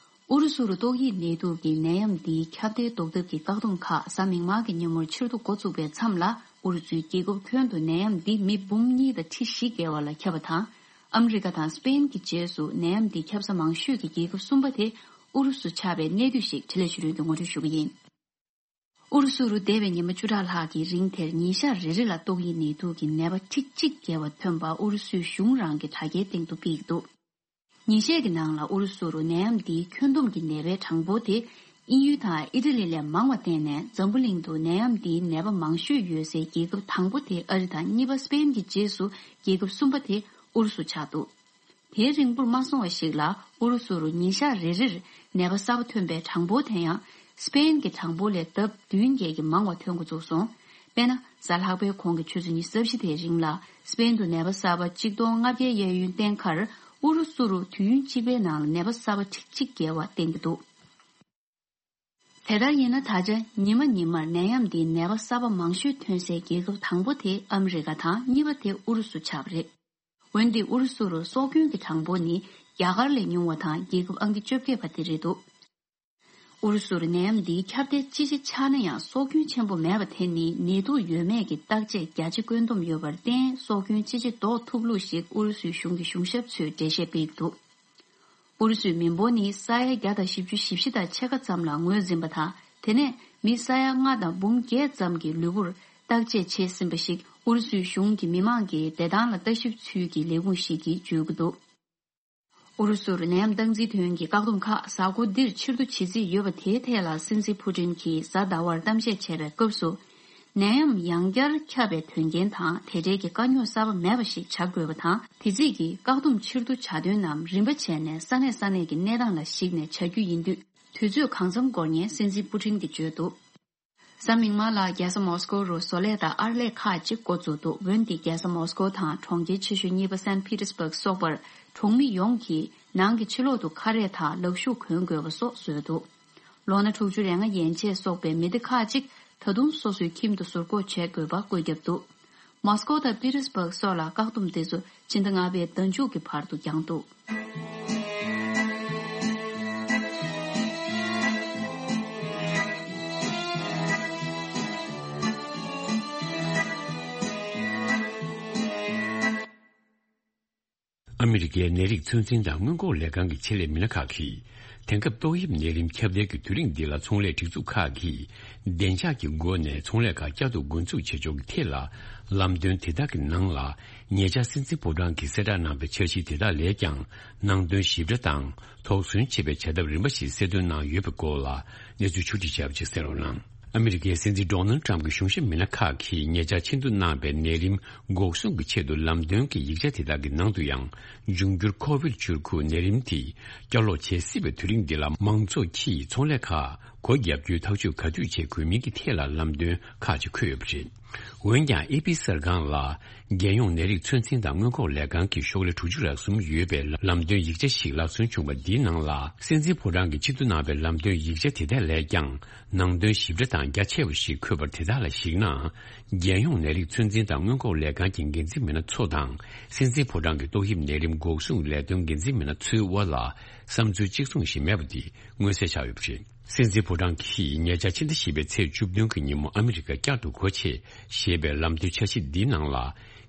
ཨུ་རུ་སུ་རུ་ཏོག་དབྱིབས་ནད་དུག་གི་ནད་ཡམས་འདིའི་ཁྱབ་གདལ་ཟློག་ཐབས་ཀྱི་བཀག་སྡོམ་ཁག་གཟའ་མིག་དམར་གྱི་ཉིན་མོར་ཕྱིར་བསྡུ་འགོ་བཙུགས་པའི་མཚམས་ལ། ཨུ་རུ་སུའི་རྒྱལ་ཁབ་ཁྱོན་དུ་ནད་ཡམས་འདི་མི་འབུམ་གཉིས་དང་ཁྲི་བཞི་བརྒལ་བ་ལ་ཁྱབ་པ་དང་། ཨ་མི་རི་ཀ་དང་སི་པེན་གྱི་རྗེས་སུ་ནད་ཡམས་འདི་ཁྱབ་ས་མང་ཤོས་ཀྱི་རྒྱལ་ཁབ་གསུམ་པ་དེ་ཨུ་རུ་སུ་ཆགས་པའི་གནས་སྡུད་ཞིག་བྲེལ་ལ་ཆུ་རུན་གྱིས་ངོ་སྤྲོད་ཞུ་གི་ཡིན། ཨུ་རུ་སུ་རུ་འདས་པའི་ཉི་མ་བཅུ་ཕྲག་ལྷག་གི་རིང་དེར་ཉིན་ཞག་རེ་རེ་ལ་ཏོག་དབྱིབས་ནད་དུག་གི་ནད་པ་ཁྲི་གཅིག་བརྒལ་བ་ཐོན་པ་ཨུ་རུ་སུའི་གཞུང་རང་གི་དྲ་རྒྱའི་སྟེང་དུ་སྤེལ་གྱི་འདུག་ཉིན་ཤས་ཀྱི་ནང་ལ་ཨུ་རུ་སུ་རུ་ནད་ཡམས་འདིའི་ཁྱོན་བསྡོམས་ཀྱི་ནད་པའི་གྲངས་འབོར་དེ་དབྱིན་ཡུལ་དང་ཨི་ཏྲ་ལི་ལས་མང་བ་བསྟན་ནས། འཛམ་བུ་གླིང་དུ་ནད་ཡམས་འདིའི་ནད་པ་མང་ཤོས་ཡོད་སའི་རྒྱལ་ཁབ་དང་པོ་དེ་ཨ་རི་དང་། གཉིས་པ་སི་པེན་གྱི་རྗེས་སུ་རྒྱལ་ཁབ་གསུམ་པ་དེ་ཨུ་རུ་སུ་ཆགས་འདུག་དེའི་རིང་པོར་མ་སོང་བ་ཞིག་ལ། ཨུ་རུ་སུ་རུ་ཉིན་ཞག་རེ་རེར་ནད་པ་གསར་པ་ཐོན་པའི་གྲངས་འབོར་དེ་ཡང་སི་པེན་གྱི་གྲངས་འབོར་ལས་ལྡབ་བདུན་བརྒྱད་ཀྱིས་མང་བ་ཐོན་འགོ་བཙུགས་སོང་། དཔེར་ན། གཟའ་ལྷག་པའི་གོང་གི་ཆུ་ཚོད་ཉི་ཤུ་རྩ་བཞི་དེའི་རིང་ལ། སི་པེན་དུ་ནད་པ་གསར་པ་གཅིག་སྟོང་ལྔ་བརྒྱའི་གཡས་གཡོན་བསྟན་ཁར། ཨུ་རུ་སུ་རུ་དུས་ཡུན་གཅིག་པའི་ནང་ལ་ནད་པ་གསར་པ་ཁྲི་གཅིག་བརྒལ་བ་བསྟན་གྱི་འདུག་དེ་ལྟར་ཡིན་ན། ད་ཆ་ཉི་མ་ཉི་མར་ནད་ཡམས་འདིའི་ནད་པ་གསར་པ་མང་ཤོས་ཐོན་སའི་རྒྱལ་ཁབ་དང་པོ་དེ་ཨ་མི་རི་ཀ་དང་། གཉིས་པ་དེ་ཨུ་རུ་སུ་ཆགས་པ་རེད། འོན་ཏེ་ཨུ་རུ་སུ་རུ་སྲོག་སྐྱོན་གྱི་གྲངས་འབོར་ནི་རྒྱ་གར་ལས་ཉུང་བ་དང་། རྒྱལ་ཁབ་ཨང་ཀི་བཅོ་བརྒྱད་པ་དེ་རེད་འདུག་ཨུ་རུ་སུར་ནད་ཡམས་འདིའི་ཁྱབ་གདལ་ཅི་ཆེ་ཆགས་ན་ཡང་། སྲོག་སྐྱོན་ཆེན་པོ་མེད་པ་དེ་ནི་ནད་དུག་ཡོད་མེད་ཀྱི་བརྟག་དཔྱད་རྒྱ་ཆེ་བཀོད་འདོམས་ཡོད་པར་བརྟེན། སྲོག་སྐྱོན་ཅི་ཆེ་ཟློག་ཐུབ་ལུགས་ཤིག་ཨུ་རུ་སུའི་གཞུང་གི་གཞུང་ཞབས་ཚོས་འགྲེལ་བཤད་སྤེལ་གྱི་འདུག་ཨུ་རུ་སུའི་མི་འབོར་ནི་ས་ཡ་བརྒྱ་དང་བཞི་བཅུ་ཞེ་བཞི་དང་ཕྱེད་ཀ་ཙམ་ལ་ངོས་འཛིན་པ་དང་། དེ་ནས་མི་ས་ཡ་ལྔ་དང་འབུམ་བརྒྱད་ཙམ་གྱི་ལུས་པོར་བརྟག་དཔྱད་བྱས་ཟིན་པ་ཞིག་ཨུ་རུ་སུའི་གཞུང་གི་མི་མང་གི་བདེ་ཐང་ལ་ལྟ་ཞིབ་ཚུལ་གྱི་ལས་ཁུངས་ཤིག་གིས་བརྗོད་ཀྱི་འདུག་ཨུ་རུ་སུར་ནད་ཡམས་སྟངས་འཛིན་དོན་གྱི་བཀག་སྡོམ་ཁག་གཟའ་འཁོར་འདིར་ཕྱིར་བསྡུ་བྱེད་རྩིས་ཡོད་པ་དེའི་ཐད་ལ། སྲིད་འཛིན་ཕུ་ཏིན་གྱིས་གཟའ་ཟླ་བར་གཏམ་བཤད་བྱས་པའི་སྐབས་སུ། ནད་ཡམས་ཡང་བསྐྱར་ཁྱབ་པའི་དོན་རྐྱེན་དང་། དེ་འབྲེལ་གྱི་དཀའ་རྙོག་གསར་པ་མེད་པ་ཞིག་བྱ་དགོས་པ་དང་། དེ་རྩིས་ཀྱིས་བཀག་སྡོམ་ཕྱིར་བསྡུ་བྱ་དོན་རྣམས་རིམ་པ་བྱས་ནས་ས་གནས་ས་གནས་ཀྱི་གནས་སྟངས་ལ་གཞིགས་ནས་བྱ་རྒྱུ་ཡིན་དུས། དུས་ཚོད་གང་འཚམ་འགོར་ཉེན་སྲིད་འཛིན་ཕུ་ཏིན་གྱིས་བརྗོད་འདུག་གཟའ་མིག་དམར་ལ་རྒྱལ་ས་མོ་སི་ཀོ་རུ་བཟོ་ལས་དང་ཨར་ལས་ཁག་ཅིག་འགོ་བཙུགས་འདུག་འོན་ཏེ་རྒྱལ་ས་མོ་སི་ཀོ་དང་གྲོང་ཁྱེར་ཆེ་ཤོས་གཉིས་པ་སན་པི་ཏེར་སྦུག་སོགས་པར་གྲོང་མི་ཡོངས་ཀྱིས་ནང་གི་ཕྱི་ལོག་ཏུ་ཁ་རས་དང་ལག་ཤུབས་གོན་དགོས་པ་སོགས་བཟོས་འདུག་ལོ་ན་དྲུག་ཅུ་རེ་ལྔ་ཡན་ཆད་སོགས་པའི་མི་སྡེ་ཁག་ཅིག་ད་དུང་སོ་སོའི་ཁྱིམ་དུ་ཟུར་འགོག་བྱེད་དགོས་པ་བཀོད་ཁྱབ་འདུག་མོ་སི་ཀོ་དང་པི་ཏེར་སྦུག་སོགས་ལ་བཀག་སྡོམ་དེ་ཚོ་ཕྱི་ཟླ་ལྔ་པའི་ཟླ་མཇུག་གི་བར་དུ་འགྱངས་འདུག་ཨ་མི་རི་ཀའི་ནད་རིགས་ཚོད་འཛིན་དང་སྔོན་འགོག་ལས་ཁང་གི་ཆེད་ལས་མི་སྣ་ཁག་གིས། དེང་སྐབས་ཏོག་དབྱིབས་ནད་རིམས་ཁྱབ་གདལ་གྱི་དུས་རིང་འདི་ལ་ཚོང་ལས་སྒྲིག་འཛུགས་ཁག་གིས་བདེ་འཇགས་ཀྱི་སྒོ་ནས་ཚོང་ལས་ཁག་བསྐྱར་དུ་འགོ་འཛུགས་བྱེད་ཕྱོགས་ཀྱི་ཐད་ལ་ལམ་སྟོན་དེ་དག་གི་ནང་ལ། ཉེ་ཆར་སྲིད་འཛིན་ཕོ་བྲང་གིས་གསལ་བསྒྲགས་གནང་པའི་འཆར་གཞི་དེ་དག་ལས་ཀྱང་ནང་དོན་ཞིབ་ཕྲ་དང་། དོགས་ཟོན་བྱེད་པའི་བྱ་ཐབས་རིམ་པ་ཞིག་གསལ་སྟོན་གནང་ཡོད་པའི་སྐོར་ལ་གནས་ཚུལ་ཕྱོགས་སྒྲིག་བྱས་པ་ཅིག་གསན་རོགས་གནང་། ཨ་མི་རི་ཀའི་སྲིད་འཛིན་ཌོ་ནལ་ཏྲམ་གྱི་གཞུང་ཞབས་མི་སྣ་ཁག་གིས་ཉེ་ཆར་ཆེད་འཛུགས་གནང་པའི་ནད་རིམས་འགོག་སྲུང་གི་ཆེད་དུ་ལམ་སྟོན་གྱི་ཡིག་ཆ་དེ་དག་གི་ནང་དུ་ཡང་། འབྱུང་འགྱུར་ཁོ་བིད་བཅུ་དགུ་ནད་རིམས་དེ་བསྐྱར་ལོག་བྱེད་སྲིད་པའི་དུས་རིང་འདི་ལ་མང་ཚོགས་ཀྱིས་ཚོང་ལས་ཁག་སྒོ་བརྒྱབ་རྒྱུའི་ཐག་གཅོད་ག་དུས་བྱེད་དགོས་མིན་གྱི་ཐད་ལ་ལམ་སྟོན་ཁག་ཅིག་འཁོད་ཡོད་པ་རེད། འོན་ཀྱང་། ཨེ་པི་གསར་ཁང་ལ་རྒྱལ་ཡོངས་ནད་རིགས་ཚོད་འཛིན་དང་སྔོན་འགོག་ལས་ཁང་གི་ཤོག་ལྷེ་དྲུག་ཅུ་རེ་གསུམ་ཡོད་པའི་ལམ་སྟོན་ཡིག་ཆ་ཞིག་ལག་སོན་བྱུང་བ་འདིའི་ནང་ལ། སྲིད་འཛིན་ཕོ་བྲང་གིས་ཆེད་དུ་གནང་བའི་ལམ་སྟོན་ཡིག་ཆ་དེ་དག་ལས་ཀྱང་ནང་དོན་ཞིབ་ཕྲ་དང་རྒྱ་ཆེ་བ་ཞིག་འཁོད་པར། དེ་དག་ལ་གཞིགས་ན། རྒྱལ་ཡོངས་ནད་རིགས་ཚོད་འཛིན་དང་སྔོན་འགོག་ལས་ཁང་གི་འགན་འཛིན་མི་སྣ་ཚོ་དང་། སྲིད་འཛིན་ཕོ་བྲང་གི་ཏོག་དབྱིབས་ནད་རིམས་འགོག་སྲུང་ལས་དོན་འགན་འཛིན་མི་སྣ་ཚོའི་དབར་ལ་བསམ་ཚུལ་གཅིག་མཚུངས་ཤིག་མེད་པ་འདི་མངོན་གསལ་ཆགས་ཡོད་པ་རེད། སྲིད་འཛིན་ཕོ་བྲང་གིས་ཉེ་ཆར་ཕྱི་ཟླ་བཞི་པའི་ཚེས་བཅུ་བདུན་གྱི་ཉིན་མོ་ཨ་མི་རི་ཀ་བསྐྱར་དུ་སྒོ་ཕྱེ་ཞེས་པའི་ལམ་སྟོན་འཆར་གཞི་འདིའི་ནང་ལ།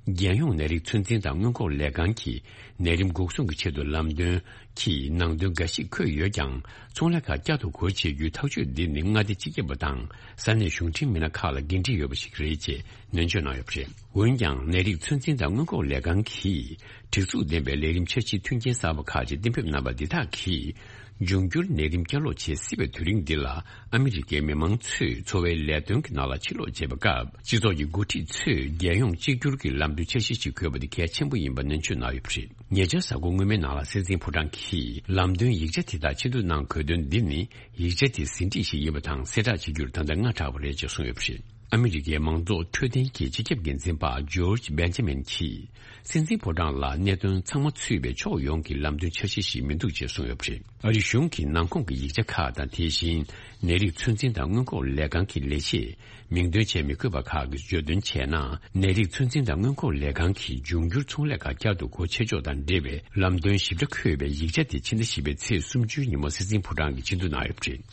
རྒྱལ་ཡོངས་ནད་རིགས་ཚོད་འཛིན་དང་སྔོན་འགོག་ལས་ཁང་གི་ནད་རིམས་འགོག་སྲུང་གི་ཆེད་དུ་ལམ་སྟོན་གྱི་ནང་དོན་འགའ་ཞིག་འཁོད་ཡོད་ཀྱང་། ཚོང་ལས་ཁག་བསྐྱར་དུ་སྒོ་ཕྱེ་རྒྱུའི་ཐག་གཅོད་འདི་ནི་མངའ་སྡེ་སྤྱི་ཁྱབ་པ་དང་ས་གནས་གཞུང་འབྲེལ་མི་སྣ་ཁག་ལ་འགན་འཁྲི་ཡོད་པ་ཞིག་རེད་ཅེས་ནན་བརྗོད་གནང་ཡོད་པ་རེད། འོན་ཀྱང་། ནད་རིགས་ཚོད་འཛིན་དང་སྔོན་འགོག་ལས་ཁང་གིས་སྒྲིག་འཛུགས་ལྡན་པའི་ལས་རིམ་འཆར་གཞིའི་མཐུན་རྐྱེན་གསར་པ་ཁག་ཅིག་གཏན་འབེབས་གནང་པ་འདི་དག་གིས། འབྱུང་འགྱུར་ནད་རིམས་བསྐྱར་ལོག་བྱེད་སྲིད་པའི་དུས་རིང་འདི་ལ། ཨ་མི་རི་ཀའི་མི་མང་ཚོས་འཚོ་བའི་ལས་དོན་གྱི་ནང་ལ་ཕྱིར་ལོག་བྱེད་པའི་སྐབས། སྤྱི་ཚོགས་ཀྱི་འགོ་ཁྲིད་ཚོས་རྒྱལ་ཡོངས་གཅིག་གྱུར་གྱི་ལམ་སྟོན་འཆར་གཞི་ཞིག་དགོས་པ་དེ་གལ་ཆེན་པོ་ཡིན་པ་ནན་བརྗོད་གནང་ཡོད་པ་རེད། ཉེ་ཆར་གཟའ་འཁོར་སྔོན་མའི་ནང་ལ་སྲིད་འཛིན་ཕོ་བྲང་གིས་ལམ་སྟོན་ཡིག་ཆ་དེ་དག་ཕྱིར་བསྡུ་གནང་དགོས་དོན་འདི་ནི། ཡིག་ཆ་དེ་ཟིན་བྲིས་ཤིག་ཡིན་པ་དང་གསལ་བསྒྲགས་བྱེད་རྒྱུར་ད་ལྟ་སྔ་དྲགས་པ་རེད་ཅེས་གསུངས་ཡོད་པ་རེད། ཨ་མི་རི་ཀའི་མང་གཙོ་འཕྲོད་བསྟེན་གྱི་སྤྱི་ཁྱབ་འགན་འཛིན་པ་ཇོརྗ་བེན་ཇ་མིན་གྱིས། སྲིད་འཛིན་ཕོ་བྲང་ལ་གནད་དོན་ཚང་མ་ཚུད་པའི་ཕྱོགས་ཡོངས་ཀྱི་ལམ་སྟོན་འཆར་གཞི་ཞིག་མི་འདུག་ཅེས་གསུངས་ཡོད་པ་རེད། ཨ་རིའི་གཞུང་གི་ནང་ཁོངས་ཀྱི་ཡིག་ཆ་ཁག་དང་། དེ་བཞིན་ནད་རིགས་ཚོད་འཛིན་དང་སྔོན་འགོག་ལས་ཁང་གི་ལས་བྱེད། མིང་འདོན་བྱས་མི་དགོས་པ་ཁག་གིས་བརྗོད་དོན་བྱས་ན། ནད་རིགས་ཚོད་འཛིན་དང་སྔོན་འགོག་ལས་ཁང་གིས་འབྱུང་འགྱུར་ཚོང་ལས་ཁག་བསྐྱར་དུ་སྒོ་ཕྱེ་ཕྱོགས་དང་འབྲེལ་བའི་ལམ་སྟོན་ཞིབ་ཕྲ་འཁོད་པའི་ཡིག་ཆ་དེ་ཕྱི་ཟླ་བཞི་པའི་ཚེས་སུམ་ཅུའི་ཉིན་མོ་སྲིད་འཛིན་ཕོ་བྲང་གིས་ཕྱིར་བསྡུ་གནང་ཡོད་པ་རེད།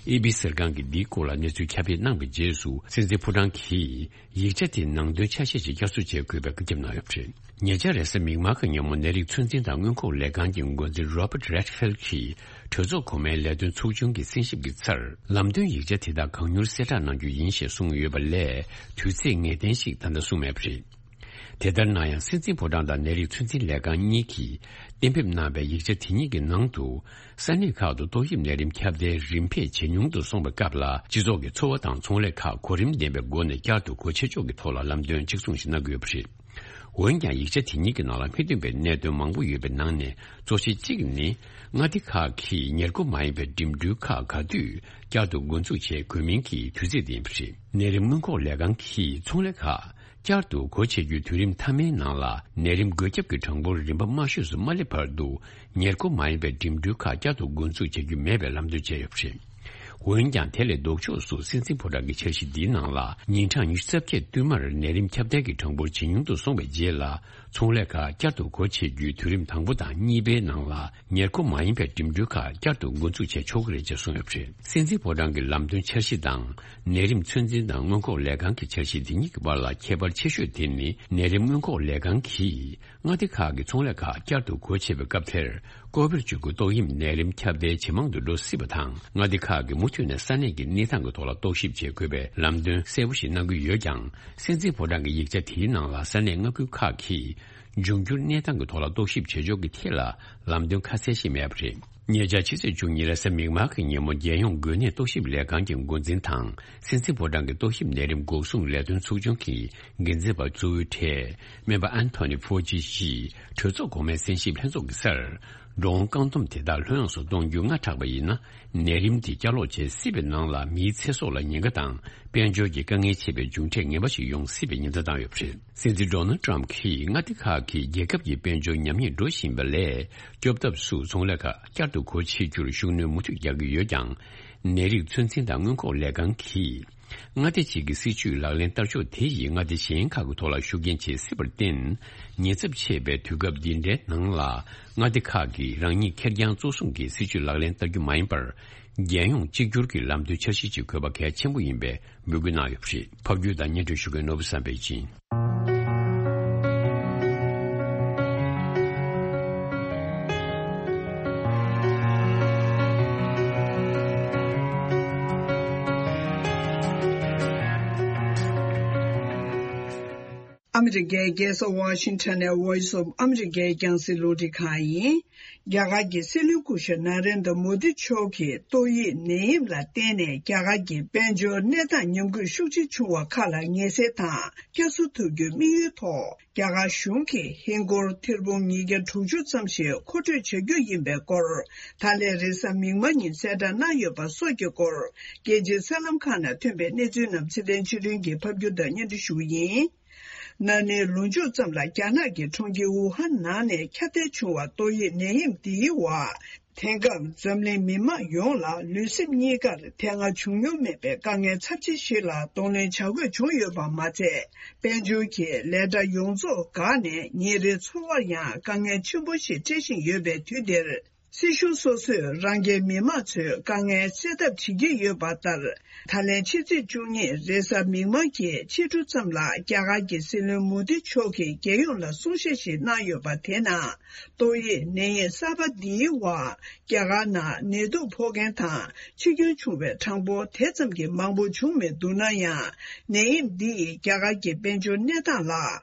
ཨེ་པི་གསར་ཁང་གིས་འདིའི་སྐོར་ལ་གནས་ཚུལ་ཁྱབ་སྤེལ་གནང་བའི་རྗེས་སུ། སྲིད་འཛིན་ཕོ་བྲང་གིས་ཡིག་ཆ་དེའི་ནང་དོན་ཆ་ཤས་ཤིག་བསྐྱར་གསོ་བྱེད་དགོས་པའི་བཀའ་ཁྱབ་གནང་ཡོད་པ་རེད། ཉེ་ཆར་རེས་གཟའ་མིག་དམར་གྱི་ཉིན་མོ་ནད་རིགས་ཚོད་འཛིན་དང་སྔོན་འགོག་ལས་ཁང་གི་འགོ་འཛིན་རོ་པར་རེད་ཕིལ་གྱིས་གྲོས་ཚོགས་གོང་མའི་ལས་དོན་ཚོགས་ཆུང་གི་གསན་ཞིབ་ཀྱི་ཚར། ལམ་སྟོན་ཡིག་ཆ་དེ་དག་གང་མྱུར་གསལ་བསྒྲགས་གནང་རྒྱུ་ཡིན་ཞེས་གསུངས་ཡོད་པ་ལས། དུས་ཚེས་ངེས་གཏན་ཞིག་ད་ལྟ་གསུངས་མེད་པ་རེད། དེ་ལྟར་ན་ཡང་། སྲིད་འཛིན་ཕོ་བྲང་དང་ནད་རིགས་ཚོད་འཛིན་ལས་ཁང་གཉིས་ཀྱིས་གཏན་འབེབས་གནང་བའི་ཡིག་ཆ་དེ་གཉིས་ཀྱི་ནང་དུ། ས་གནས་ཁག་ཏུ་ཏོག་དབྱིབས་ནད་རིམས་ཁྱབ་གདལ་རིམ་འཕེལ་ཇེ་ཉུང་དུ་སོང་བའི་སྐབས་ལ། སྤྱི་ཚོགས་ཀྱི་འཚོ་བ་དང་ཚོང་ལས་ཁག་གོ་རིམ་ལྡན་པའི་སྒོ་ནས་བསྐྱར་དུ་སྒོ་ཕྱེ་ཕྱོགས་ཀྱི་ཐོག་ལ་ལམ་སྟོན་གཅིག་མཚུངས་ཤིག་གནང་གི་ཡོད་པ་རེད། འོན་ཀྱང་། ཡིག་ཆ་དེ་གཉིས་ཀྱི་ནང་ལ་མི་མཐུན་པའི་གནད་དོན་མང་པོ་ཡོད་པའི་ནང་ནས། གཙོ་ཆེ་གཅིག་ནི། མངའ་སྡེ་ཁག་གིས་ཉེར་མཁོ་མ་ཡིན་པའི་འགྲིམ་འགྲུལ་ཁག་ག་དུས་བསྐྱར་དུ་འགོ་འཛུགས་བྱེད་དགོས་མིན་གྱི་དུས་ཚིགས་དེ་ཡིན་པ་རེད། ནད་རིམས་སྔོན་འགོག་ལས་ཁང་གིས་ཚོང་ལས་ཁག་བསྐྱར་དུ་སྒོ་ཕྱེ་རྒྱུའི་དུས་རིམ་མཐའ་མའི་ནང་ལ། ནད་རིམས་འགོས་ཁྱབ་ཀྱི་གྲངས་འབོར་རིམ་པ་དམའ་ཤོས་སུ་མ་སླེབས་བར་དུ། ཉེར་མཁོ་མ་ཡིན་པའི་འགྲིམ་འགྲུལ་ཁག་བསྐྱར་དུ་འགོ་འཛུགས་བྱ་རྒྱུ་མེད་པའི་ལམ་སྟོན་བྱས་ཡོད་པ་རེད། འོན་ཀྱང་། དེ་ལས་ལྡོག་ཕྱོགས་སུ། སྲིད་འཛིན་ཕོ་བྲང་གི་འཆར་གཞི་འདིའི་ནང་ལ། ཉིན་གྲངས་ཉི་ཤུ་རྩ་བརྒྱད་བསྟུད་མར་ནད་རིམས་ཁྱབ་གདལ་གྱི་གྲངས་འབོར་ཇེ་ཉུང་དུ་སོང་བའི་རྗེས་ལ། ཚོང་ལས་ཁག་བསྐྱར་དུ་སྒོ་ཕྱེ་རྒྱུའི་དུས་རིམ་དང་པོ་དང་གཉིས་པའི་ནང་ལ། ཉེར་མཁོ་མ་ཡིན་པའི་འགྲིམ་འགྲུལ་ཁག་བསྐྱར་དུ་འགོ་འཛུགས་བྱས་ཆོག་གི་རེད་ཅེས་གསུངས་ཡོད་པ་རེད། སྲིད་འཛིན་ཕོ་བྲང་གི་ལམ་སྟོན་འཆར་གཞི་དང་། ནད་རིམས་ཚོད་འཛིན་དང་སྔོན་འགོག་ལས་ཁང་གི་འཆར་གཞི་དེ་གཉིས་ཀྱི་བར་ལ་ཁྱད་པར་ཆེ་ཤོས་དེ་ནི། ནད་རིམས་སྔོན་འགོག་ལས་ཁང་གིས། མངའ་སྡེ་ཁག་གི་ཚོང་ལས་ཁག་བསྐྱར་དུ་སྒོ་ཕྱེ་བའི་སྐབས་དེར། ཀོ་བིཌ་བཅུ་དགུ་ཏོག་དབྱིབས་ནད་རིམས་ཁྱབ་གདལ་ཇེ་མང་དུ་འགྲོ་སྲིད་པ་དང་། མངའ་སྡེ་ཁག་གིས་མུ་མཐུད་ནས་ས་གནས་ཀྱི་གནས་སྟངས་ཀྱི་ཐོག་ལ་རྟོག་ཞིབ་བྱེད་དགོས་པའི་ལམ་སྟོན་གསལ་པོ་ཞིག་གནང་གི་ཡོད་ཀྱང་། སྲིད་འཛིན་ཕོ་བྲང་གི་ཡིག་ཆ་དེའི་ནང་ལ། ས་གནས་མངའ་ཁུལ་ཁག་གིས་འབྱུང་འགྱུར་གནས་སྟངས་ཀྱི་ཐོག་ལ་རྟོག་ཞིབ་བྱེད་ཕྱོགས་ཀྱི་ཐད་ལ་ལམ་སྟོན་ཁ་གསལ་ཞིག་མེད་པ་རེད། ཉེ་ཆར་ཕྱི་ཚེས་བཅུ་གཉིས་རེས་གཟའ་མིག་དམར་གྱི་ཉིན་མོ། རྒྱལ་ཡོངས་འགོས་ནད་རྟོག་ཞིབ་ལས་ཁང་གི་འགོ་འཛིན་དང་། སྲིད་འཛིན་ཕོ་བྲང་གི་ཏོག་དབྱིབས་ནད་རིམས་འགོག་སྲུང་ལས་དོན་ཚོགས་ཆུང་གི་འགན་འཛིན་པ་གཙོ་བོའི་གྲས། སྨན་པ་ཨན་ཐོ་ནི་ཕོ་ཅི་ཡིས་གྲོས་ཚོགས་གོང་མའི་གསན་ཞིབ་ལྷན་ཚོགས་ཀྱི་སར། འགྲོ་འོང་བཀག་སྡོམ་དེ་དག་ལྷོད་ཡངས་སུ་གཏོང་རྒྱུ་སྔ་དྲགས་པ་ཡིན་ན། ནད་རིམས་དེ་བསྐྱར་ལོག་བྱེད་སྲིད་པའི་ནང་ལ། མིའི་ཚེ་སྲོག་ལ་ཉེན་ཁ་དང་། དཔལ་འབྱོར་གྱི་དཀའ་ངལ་ཆེ་བའི་མཇུག་འབྲས་ངན་པ་ཞིག་ཡོང་སྲིད་པའི་ཉེན་བརྡ་བཏང་ཡོད་པ་རེད། སྲིད་འཛིན་ཌོ་ནལ་ཊམ་གྱིས། མངའ་སྡེ་ཁག་གིས་རྒྱལ་ཁབ་ཀྱི་དཔལ་འབྱོར་ཉམས་ཉེས་འགྲོ་བཞིན་པ་ལས། སྐྱོབ་ཐབས་སུ་ཚོང་ལས་ཁག་བསྐྱར་དུ་སྒོ་ཕྱེ་རྒྱུར་ཤུགས་སྣོན་མུ་མཐུད་རྒྱག་གི་ཡོད་ཀྱང་། ནད་རིགས་ཚོད་འཛིན་དང་སྔོན་འགོག་ལས་ཁང་གིས། མངའ་སྡེ་གཅིག་གི་སྲིད་ཇུས་ལག་ལེན་བསྟར་ཕྱོགས་དེ་ཡིས་མངའ་སྡེ་གཞན་ཁག་གི་ཐོག་ལ་ཤུགས་རྐྱེན་བྱེད་སྲིད་པར་བརྟེན། ཉེན་ཚབས་ཆེ་བའི་དུས་སྐབས་འདི་འདྲའི་ནང་ལ། མངའ་སྡེ་ཁག་གིས་རང་ཉིད་ཁེར་རྐྱང་གཙོ་བཟུང་གིས་སྲིད་ཇུས་ལག་ལེན་བསྟར་རྒྱུ་མ་ཡིན་པར། རྒྱལ་ཡོངས་གཅིག་གྱུར་གྱི་ལམ་སྟོན་འཆར་གཞི་ཅིག་དགོས་པ་གལ་ཆེན་པོ་ཡིན་པའི་འབོད་སྐུལ་གནང་ཡོད་པ་རེད། ཕབ་སྒྱུར་དང་སྙན་སྒྲོན་ཞུ་མཁན་ནོར་བུ་བསམ་འཕེལ་ཡིན། ཨ་མི་རི་ཀའི་རྒྱལ་ས་ཝ་ཤིང་ཊོན་ནས་Voice of America་རྒྱང་སྲིང་རླུང་འཕྲིན་ཁང་ཡིན། རྒྱ་གར་གྱི་སྲིད་བློན་སྐུ་ཞབས་ན་རེན་དྲ་མོ་དི་མཆོག་གིས་ཏོག་དབྱིབས་ནད་ཡམས་ལ་བརྟེན་ནས་རྒྱ་གར་གྱི་དཔལ་འབྱོར་གནས་སྟངས་ཉམས་རྒུད་ཤུགས་ཆེ་བྱུང་བ་ཁག་ལ་ངེས་སེལ་དང་བསྐྱར་གསོ་ཐུབ་རྒྱུའི་དམིགས་ཡུལ་ཐོག་རྒྱ་གར་གཞུང་གིས་ཧིན་སྒོར་ཐེར་འབུམ་ཉིས་བརྒྱ་དྲུག་ཅུ་ཙམ་ཞིག་མཁོ་སྤྲོད་བྱ་རྒྱུ་ཡིན་པའི་སྐོར། ད་ལན་རེས་གཟའ་མིག་དམར་ཉིན་གསལ་བསྒྲགས་གནང་ཡོད་པ་སོགས་ཀྱི་སྐོར། རྒྱལ་སྤྱིའི་གསར་ལམ་ཁག་ནང་ཐོན་པའི་གནས་ཚུལ་རྣམས་ཚེ་བརྟན་ཆོས་སྒྲོན་གྱིས་ཕབ་སྒྱུར་དང་སྙན་སྒྲོན་ཞུ་གི་ཡིན། ན་ནིང་ལོ་མཇུག་ཙམ་ལ་རྒྱ་ནག་གི་གྲོང་ཁྱེར་ཝུ་ཧན་ནང་ནས་ཁྱབ་གདལ་བྱུང་བ་ཏོག་དབྱིབས་ནད་ཡམས་འདིའི་འོག་དེང་སྐབས་འཛམ་གླིང་མི་དམངས་ཡོངས་ལ་ལུས་སེམས་གཉིས་ཀར་དེ་སྔ་བྱུང་མྱོང་མེད་པའི་དཀའ་ངལ་ཚབས་ཆེ་ཞིག་ལ་གདོང་ལེན་བྱ་དགོས་བྱུང་ཡོད་པ་མ་ཚད། དཔལ་འབྱོར་གྱི་ལས་གྲྭ་ཡོངས་རྫོགས་འགག་ནས་ཉིན་རེའི་འཚོ་བར་ཡང་དཀའ་ངལ་ཆེན་པོ་ཞིག་འཕྲད་བཞིན་ཡོད་པའི་དུས་འདིར། སྲིད་གཞུང་སོ་སོས་རང་རྒྱལ་མི་དམངས་ཚོའི་དཀའ་ངལ་སེལ་ཐབས་བྱེད་ཀྱི་ཡོད་པ་ལྟར། ད་ལན་ཕྱི་ཚེས་བཅུ་གཉིས་རེས་གཟའ་མིག་དམར་གྱི་ཕྱི་དྲོ་ཙམ་ལ་རྒྱ་གར་གྱི་སྲིད་བློན་མོ་དི་མཆོག་གིས་རྒྱལ་ཡོངས་ལ་གསུང་བཤད་ཞིག་གནང་ཡོད་པ་དེ་ནང་། ཏོག་དབྱིབས་ནད་ཡམས་གསར་པ་འདིའི་འོག་རྒྱ་གར་ནང་ནད་དུག་ཕོག་མཁན་དང་འཆི་སྐྱོན་བྱུང་བའི་གྲངས་འབོར་དེ་ཙམ་གྱིས་མང་པོ་བྱུང་མི་འདུག་ན་ཡང་། ནད་ཡམས་འདི་ཡིས་རྒྱ་གར་གྱི་དཔལ་འབྱོར་གནས་སྟངས་ལ་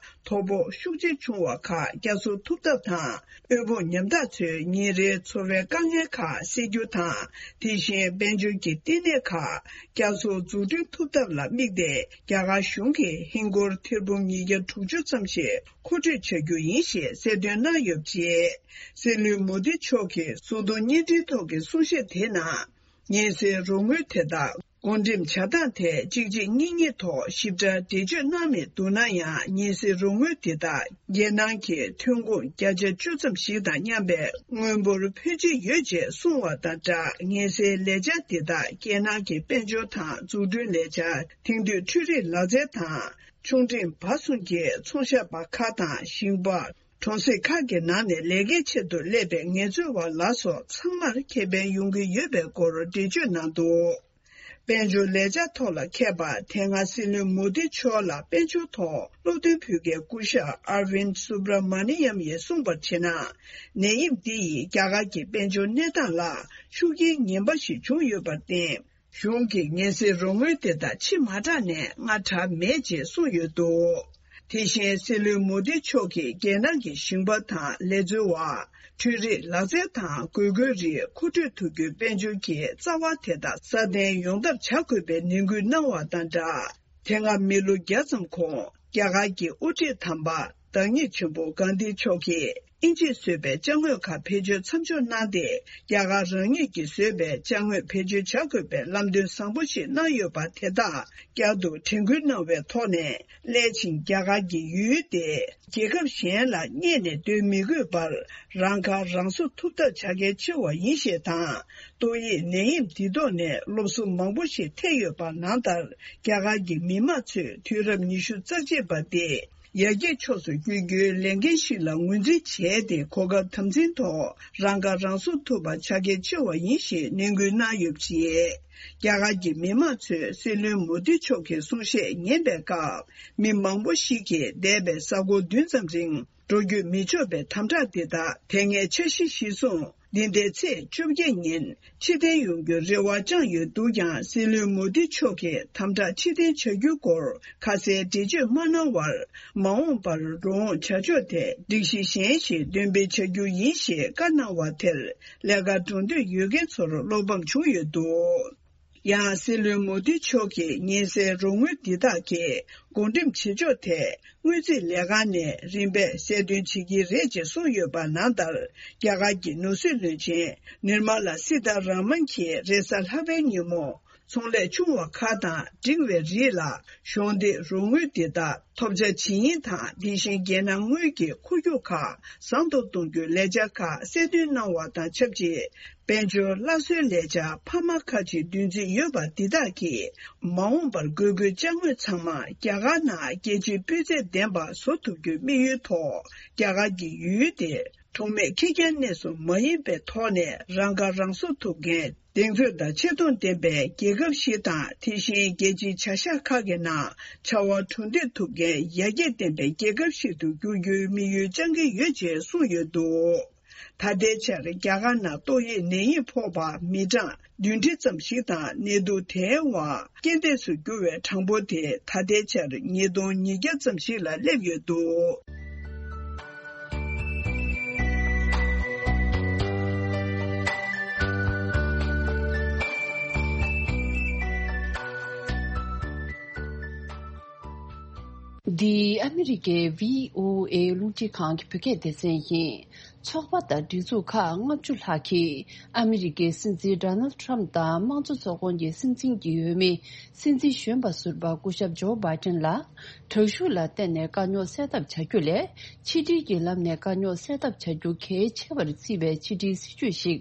དོ་ཕོག་ཤུགས་ཆེ་བྱུང་བ་ཁག་བསྐྱར་གསོ་ཐུབ་ཐབས་དང་། དབུལ་ཕོངས་ཉམ་ཐག་ཚོའི་ཉིན་རེའི་འཚོ་ འཚོ་བའི་དཀའ་ངལ་ཁག་སེལ་རྒྱུ་དང་། དེ་བཞིན་དཔལ་འབྱོར་གྱི་བསྟི་གནས་ཁག་བསྐྱར་གསོ་འཛུགས་སྐྲུན་ཐུབ་ཐབས་ལ་དམིགས་ཏེ། རྒྱ་གར་གཞུང་གིས་ཧིན་སྒོར་ཐེར་འབུམ་ཉིས་བརྒྱ་དྲུག་ཅུ་ཙམ་ཞིག་མཁོ་སྤྲོད་བྱ་རྒྱུ་ཡིན་ཞེས་གསལ་སྟོན་གནང་ཡོད་པ་རེད། སྲིད་བློན་མོ་དི་མཆོག་གིས་གསོལ་སྟོན་སྙན་སྒྲོན་ཐོག་གི་གསུང་བཤད་དེའི་ནང་། ཉེན་སེལ་རོགས་དངུལ་དེ་དག་བགོ་འགྲེམས་བྱ་སྟངས་ཐད་གཅིག་རྗེས་གཉིས་མཐུད་ཐོག་ཞིབ་ཕྲ་འགྲེལ་བརྗོད་གནང་མེད་འདུག་ན་ཡང་། ཉེན་སེལ་རོགས་དངུལ་དེ་དག་རྒྱལ་ནང་གི་ཐོན་ཁུངས་བརྒྱ་ཆ་བཅུ་ཙམ་ཞིག་དང་མཉམ་པའི་དངུལ་འབོར་ཕོན་ཆེ་ཡོད་ཅེས་གསུངས་བ་དང་སྦྲགས། ཉེན་སེལ་ལས་འཆར་དེ་དག་རྒྱལ་ནང་གི་དཔལ་འབྱོར་དང་འཛུགས་སྐྲུན་ལས་འཆར། དེང་དུས་འཕྲུལ་རིག་ལག་རྩལ་དང་ཆུང་འབྲིང་བར་གསུམ་གྱི་ཚོང་ཞབས་པ་ཁག་དང་ཞིང་པ། གྲོང་གསེབ་ཁག་གི་ནང་ནས་ལས་ཀའི་ཆེད་དུ་སླེབས་པའི་ངལ་རྩོལ་བ་ལ་སོགས་ཚང་མར་ཁེ་ཕན་ཡོང་གི་ཡོད་པའི་སྐོར་འགྲེལ་བརྗོད་གནང་འདུག། དཔལ་འབྱོར་ལས་འཆར་ཐོག་ལ་མཁས་པ། དེ་སྔ་སྲིད་བློན་མོ་དི་མཆོག་ལ་དཔལ་འབྱོར་ཐོག་སློབ་སྟོན་ཕུལ་མཁན་སྐུ་ཞབས་ཨར་ཝིན་སུབ་ར་མ་ནི་ཡམ་ཡིས་གསུངས་པར་བྱས་ན། ནད་ཡམས་འདི་ཡིས་རྒྱ་གར་གྱི་དཔལ་འབྱོར་གནས་སྟངས་ལ་ཤུགས་རྐྱེན་ངན་པ་ཞིག་བྱུང་ཡོད་པར་བརྟེན། གཞུང་གིས་ཉེན་སེལ་རོགས་དངུལ་དེ་དག་ཕྱིར་མ་དྲངས་ནས་སྔ་དྲགས་མེད་ཅེས་གསུངས་ཡོད་འདུག། དེ་བཞིན་སྲིད་བློན་མོ་དི་མཆོག་གིས་རྒྱལ་ནང་གི་ཞིང་པ་དང་ལས་འཚོལ་བ། འཕྲུལ་རིག་ལག་རྩལ་དང་དགོས་མཁོའི་རིགས་མཁོ་སྤྲོད་ཐུབ་རྒྱུའི་དཔལ་འབྱོར་གྱི་རྩ་བ་དེ་དག་སྲ་བརྟན་ཡོང་ཐབས་བྱ་དགོས་པའི་ནན་སྐུལ་གནང་བ་དང་སྦྲགས། དེ་སྔ་མི་ལོ་བརྒྱ་ཙམ་གོང་རྒྱ་གར་གྱི་དབུ་ཁྲིད་དམ་པ་བདག་ཉིད་ཆེན་པོ་གྷན་དྷི་མཆོག་གིས་དབྱིན་ཇིས་བཟོས་པའི་ཅ་དངོས་ཁག་བེད་སྤྱོད་མཚམས་འཇོག་གནང་སྟེ། རྒྱ་གར་རང་ཉིད་ཀྱིས་བཟོས་པའི་ཅ་དངོས་བེད་སྤྱོད་བྱ་དགོས་པའི་ལམ་སྟོན་བཟང་པོ་ཞིག་གནང་ཡོད་པ་དེ་དག་བསྐྱར་དུ་དྲན་སྐུལ་གནང་བའི་ཐོག་ནས། སླད་ཕྱིན་རྒྱ་གར་གྱི་ཡུལ་དེ་རྒྱལ་ཁབ་གཞན་ལ་བསྙད་ནས་སྡོད་མི་དགོས་པར། རང་ཁ་རང་གསོ་ཐུབ་ཐབས་བྱ་གལ་ཆེ་བ་ཡིན་ཞེས་དང་། ཏོག་དབྱིབས་ནད་ཡམས་འདི་ཐོག་ནས་སློབ་གསོ་མང་པོ་ཞིག་ཐེབས་ཡོད་པ་ནང་ལྟར། རྒྱ་གར་གྱི་མི་དམངས་ཚོས་དུས་རབས་ཉི་ཤུ་རྩ་གཅིག་པ་སྟེ། ཡར་རྒྱས་ཕྱོགས་སུ་བསྐྱོད་རྒྱུའི་ལས་འགན་ཞིག་ལ་ངོས་འཛིན་བྱས་ཏེ། གོ་སྐབས་དམ་འཛིན་ཐོག་རང་ཁ་རང་གསོ་ཐུབ་པ་བྱ་གལ་ཆེ་བ་ཡིན་ཞེས་ནན་སྐུལ་གནང་ཡོད་པ་རེད། རྒྱ་གར་གྱི་མི་དམངས་ཚོས་སྲིད་བློན་མོ་དི་མཆོག་གི་གསུང་བཤད་ཉན་པའི་སྐབས། མི་མང་པོ་ཞིག་གིས་འདས་པའི་ས་གོ་བདུན་ཙམ་རིང་འགྲོ་སྐྱོད་མི་ཆོག་པའི་དམ་དྲག་དེ་དག་དེ་སྔའི་འཆར་གཞི་གཞིར་བཟུང་། འདི་ཟླའི་ཚེས་བཅོ་བརྒྱད་ཉིན་ཕྱིར་འཐེན་ཡོང་རྒྱུའི་རེ་བ་བཅངས་ཡོད་འདུག་ཀྱང་། སྲིད་བློན་མོ་དི་མཆོག་གིས་དམ་དྲག་ཕྱིར་འཐེན་བྱ་རྒྱུའི་སྐོར་ཁ་གསལ་འགྲེལ་བརྗོད་མ་གནང་བར། མ་འོངས་པར་འགྲོ་འོང་བྱ་ཕྱོགས་ཐད་སྒྲིག་གཞི་གཞན་ཞིག་འདོན་སྤེལ་བྱ་རྒྱུ་ཡིན་ཞེས་བཀའ་གནང་བ་དེར། ལས་ཀར་འགྲོ་འདོད་ཡོད་མཁན་ཚོར་བློ་ཕམ་བྱུང་ཡོད་འདུག། ཡང་སྲིད་བློན་མོ་དི་མཆོག་གིས་ཉེན་སེལ་རོགས་དངུལ་འདི་དག་གི་བགོ་འགྲེམས་བྱེད་ཕྱོགས་ཐད། དངུལ་རྩིས་ལས་ཁང་ནས་རིམ་པས་གསལ་སྟོན་བྱེད་ཀྱི་རེད་ཅེས་གསུངས་ཡོད་པ་ནང་ལྟར། རྒྱ་གར་གྱི་ནོར་སྲིད་བློན་ཆེན་ནིར་མ་ལ་སི་ཐ་ར་མན་གྱིས་རེས་གཟའ་ལྷག་པའི་ཉིན་མོ། ཚོང་ལས་ཆུང་བ་ཁག་དང་འབྲིང་བའི་རིགས་ལ་གཞོགས་འདེགས་རོགས་དངུལ་འདི་དག་ཐོབ་ཆ་ཇི་ཡིན་དང་། དེ་བཞིན་རྒྱལ་ནང་དངུལ་གྱི་འཁོར་རྒྱུག་ཁག་བཟང་དུ་གཏོང་རྒྱུའི་ལས་འཆར་ཁག་གསལ་སྟོན་གནང་བ་དང་ཆབས་ཅིག། དཔལ་འབྱོར་སླར་གསོའི་ལས་འཆར་འཕར་མ་ཁག་ཅིག་འདོན་རྩིས་ཡོད་པ་འདི་དག་གིས། མ་འོངས་པར་དགོས་མཁོའི་ཅ་དངོས་ཚང་མ་རྒྱ་གར་ནང་རྒྱལ་སྤྱིའི་སྤུས་ཚད་ལྡན་པ་བཟོ་ཐུབ་རྒྱུའི་དམིགས་ཡུལ་ཐོག་རྒྱ་གར་གྱི་ཡུལ་དེ་གྲོགས་མེད་ཁེར་རྐྱང་གནས་སུ་མ་ཡིན་པའི་ཐོག་ནས་རང་ཁ་རང་གསོ་ཐུབ་མཁན། གདེང་ཚོད་དང་ཆེ་མཐོང་ལྡན་པའི་རྒྱལ་ཁབ་ཞིག་དང་། དེ་བཞིན་རྒྱལ་སྤྱིའི་བྱ་གཞག་ཁག་གི་ནང་བྱ་བ་གྲུ་འདེགས་ཐུབ་མཁན་ཡར་རྒྱས་ལྡན་པའི་རྒྱལ་ཁབ་ཞིག་ཏུ་འགྱུར་རྒྱུའི་དམིགས་ཡུལ་བཅངས་ཀྱི་ཡོད་ཅེས་གསུངས་ཡོད་འདུག། ད་ལྟའི་ཆར་རྒྱ་གར་ནང་ཏོག་དབྱིབས་ནད་ཡམས་ཕོག་པ་མི་གྲངས་བདུན་ཁྲི་ཙམ་ཞིག་དང་། ནད་དུག་དེའི་དབང་རྐྱེན་འདས་སུ་གྱུར་བའི་གྲངས་འབོར་དེ་ད་ལྟའི་ཆར་ཉིས་སྟོང་ཉིས་བརྒྱ་ཙམ་ཞིག་ལ་སླེབས་ཡོད་འདུག། འདི་ཨ་མི་རི་ཀའི་བྷི་ཨོ་ཨེ་རླུང་འཕྲིན་ཁང་གི་བོད་སྐད་སྡེ་ཚན་ཡིན། ཚོགས་པ་དང་སྒྲིག་འཛུགས་ཁག་ལྔ་བཅུ་ལྷག་གིས་ཨ་མི་རི་ཀའི་སྲིད་འཛིན་ཌོ་ནལ་ཌི་ཊརམ་དང་དམངས་གཙོ་ཚོགས་ཁོངས་ཀྱི་སྲིད་འཛིན་གྱི་འོས་མི་སྲིད་འཛིན་གཞོན་པ་ཟུར་པ་སྐུ་ཞབས་ཇོ་བྷའི་ཏན་ལ། དྲག་ཤུགས་ལ་བརྟེན་ནས་དཀའ་རྙོག་སེལ་ཐབས་བྱ་རྒྱུ་ལས། ཕྱི་འབྲེལ་གྱི་ལམ་ནས་དཀའ་རྙོག་སེལ་ཐབས་བྱ་རྒྱུ་གལ་ཆེ་བར་བརྩིས་པའི་ཕྱི་འབྲེལ་སྲིད་ཇུས་ཤིག་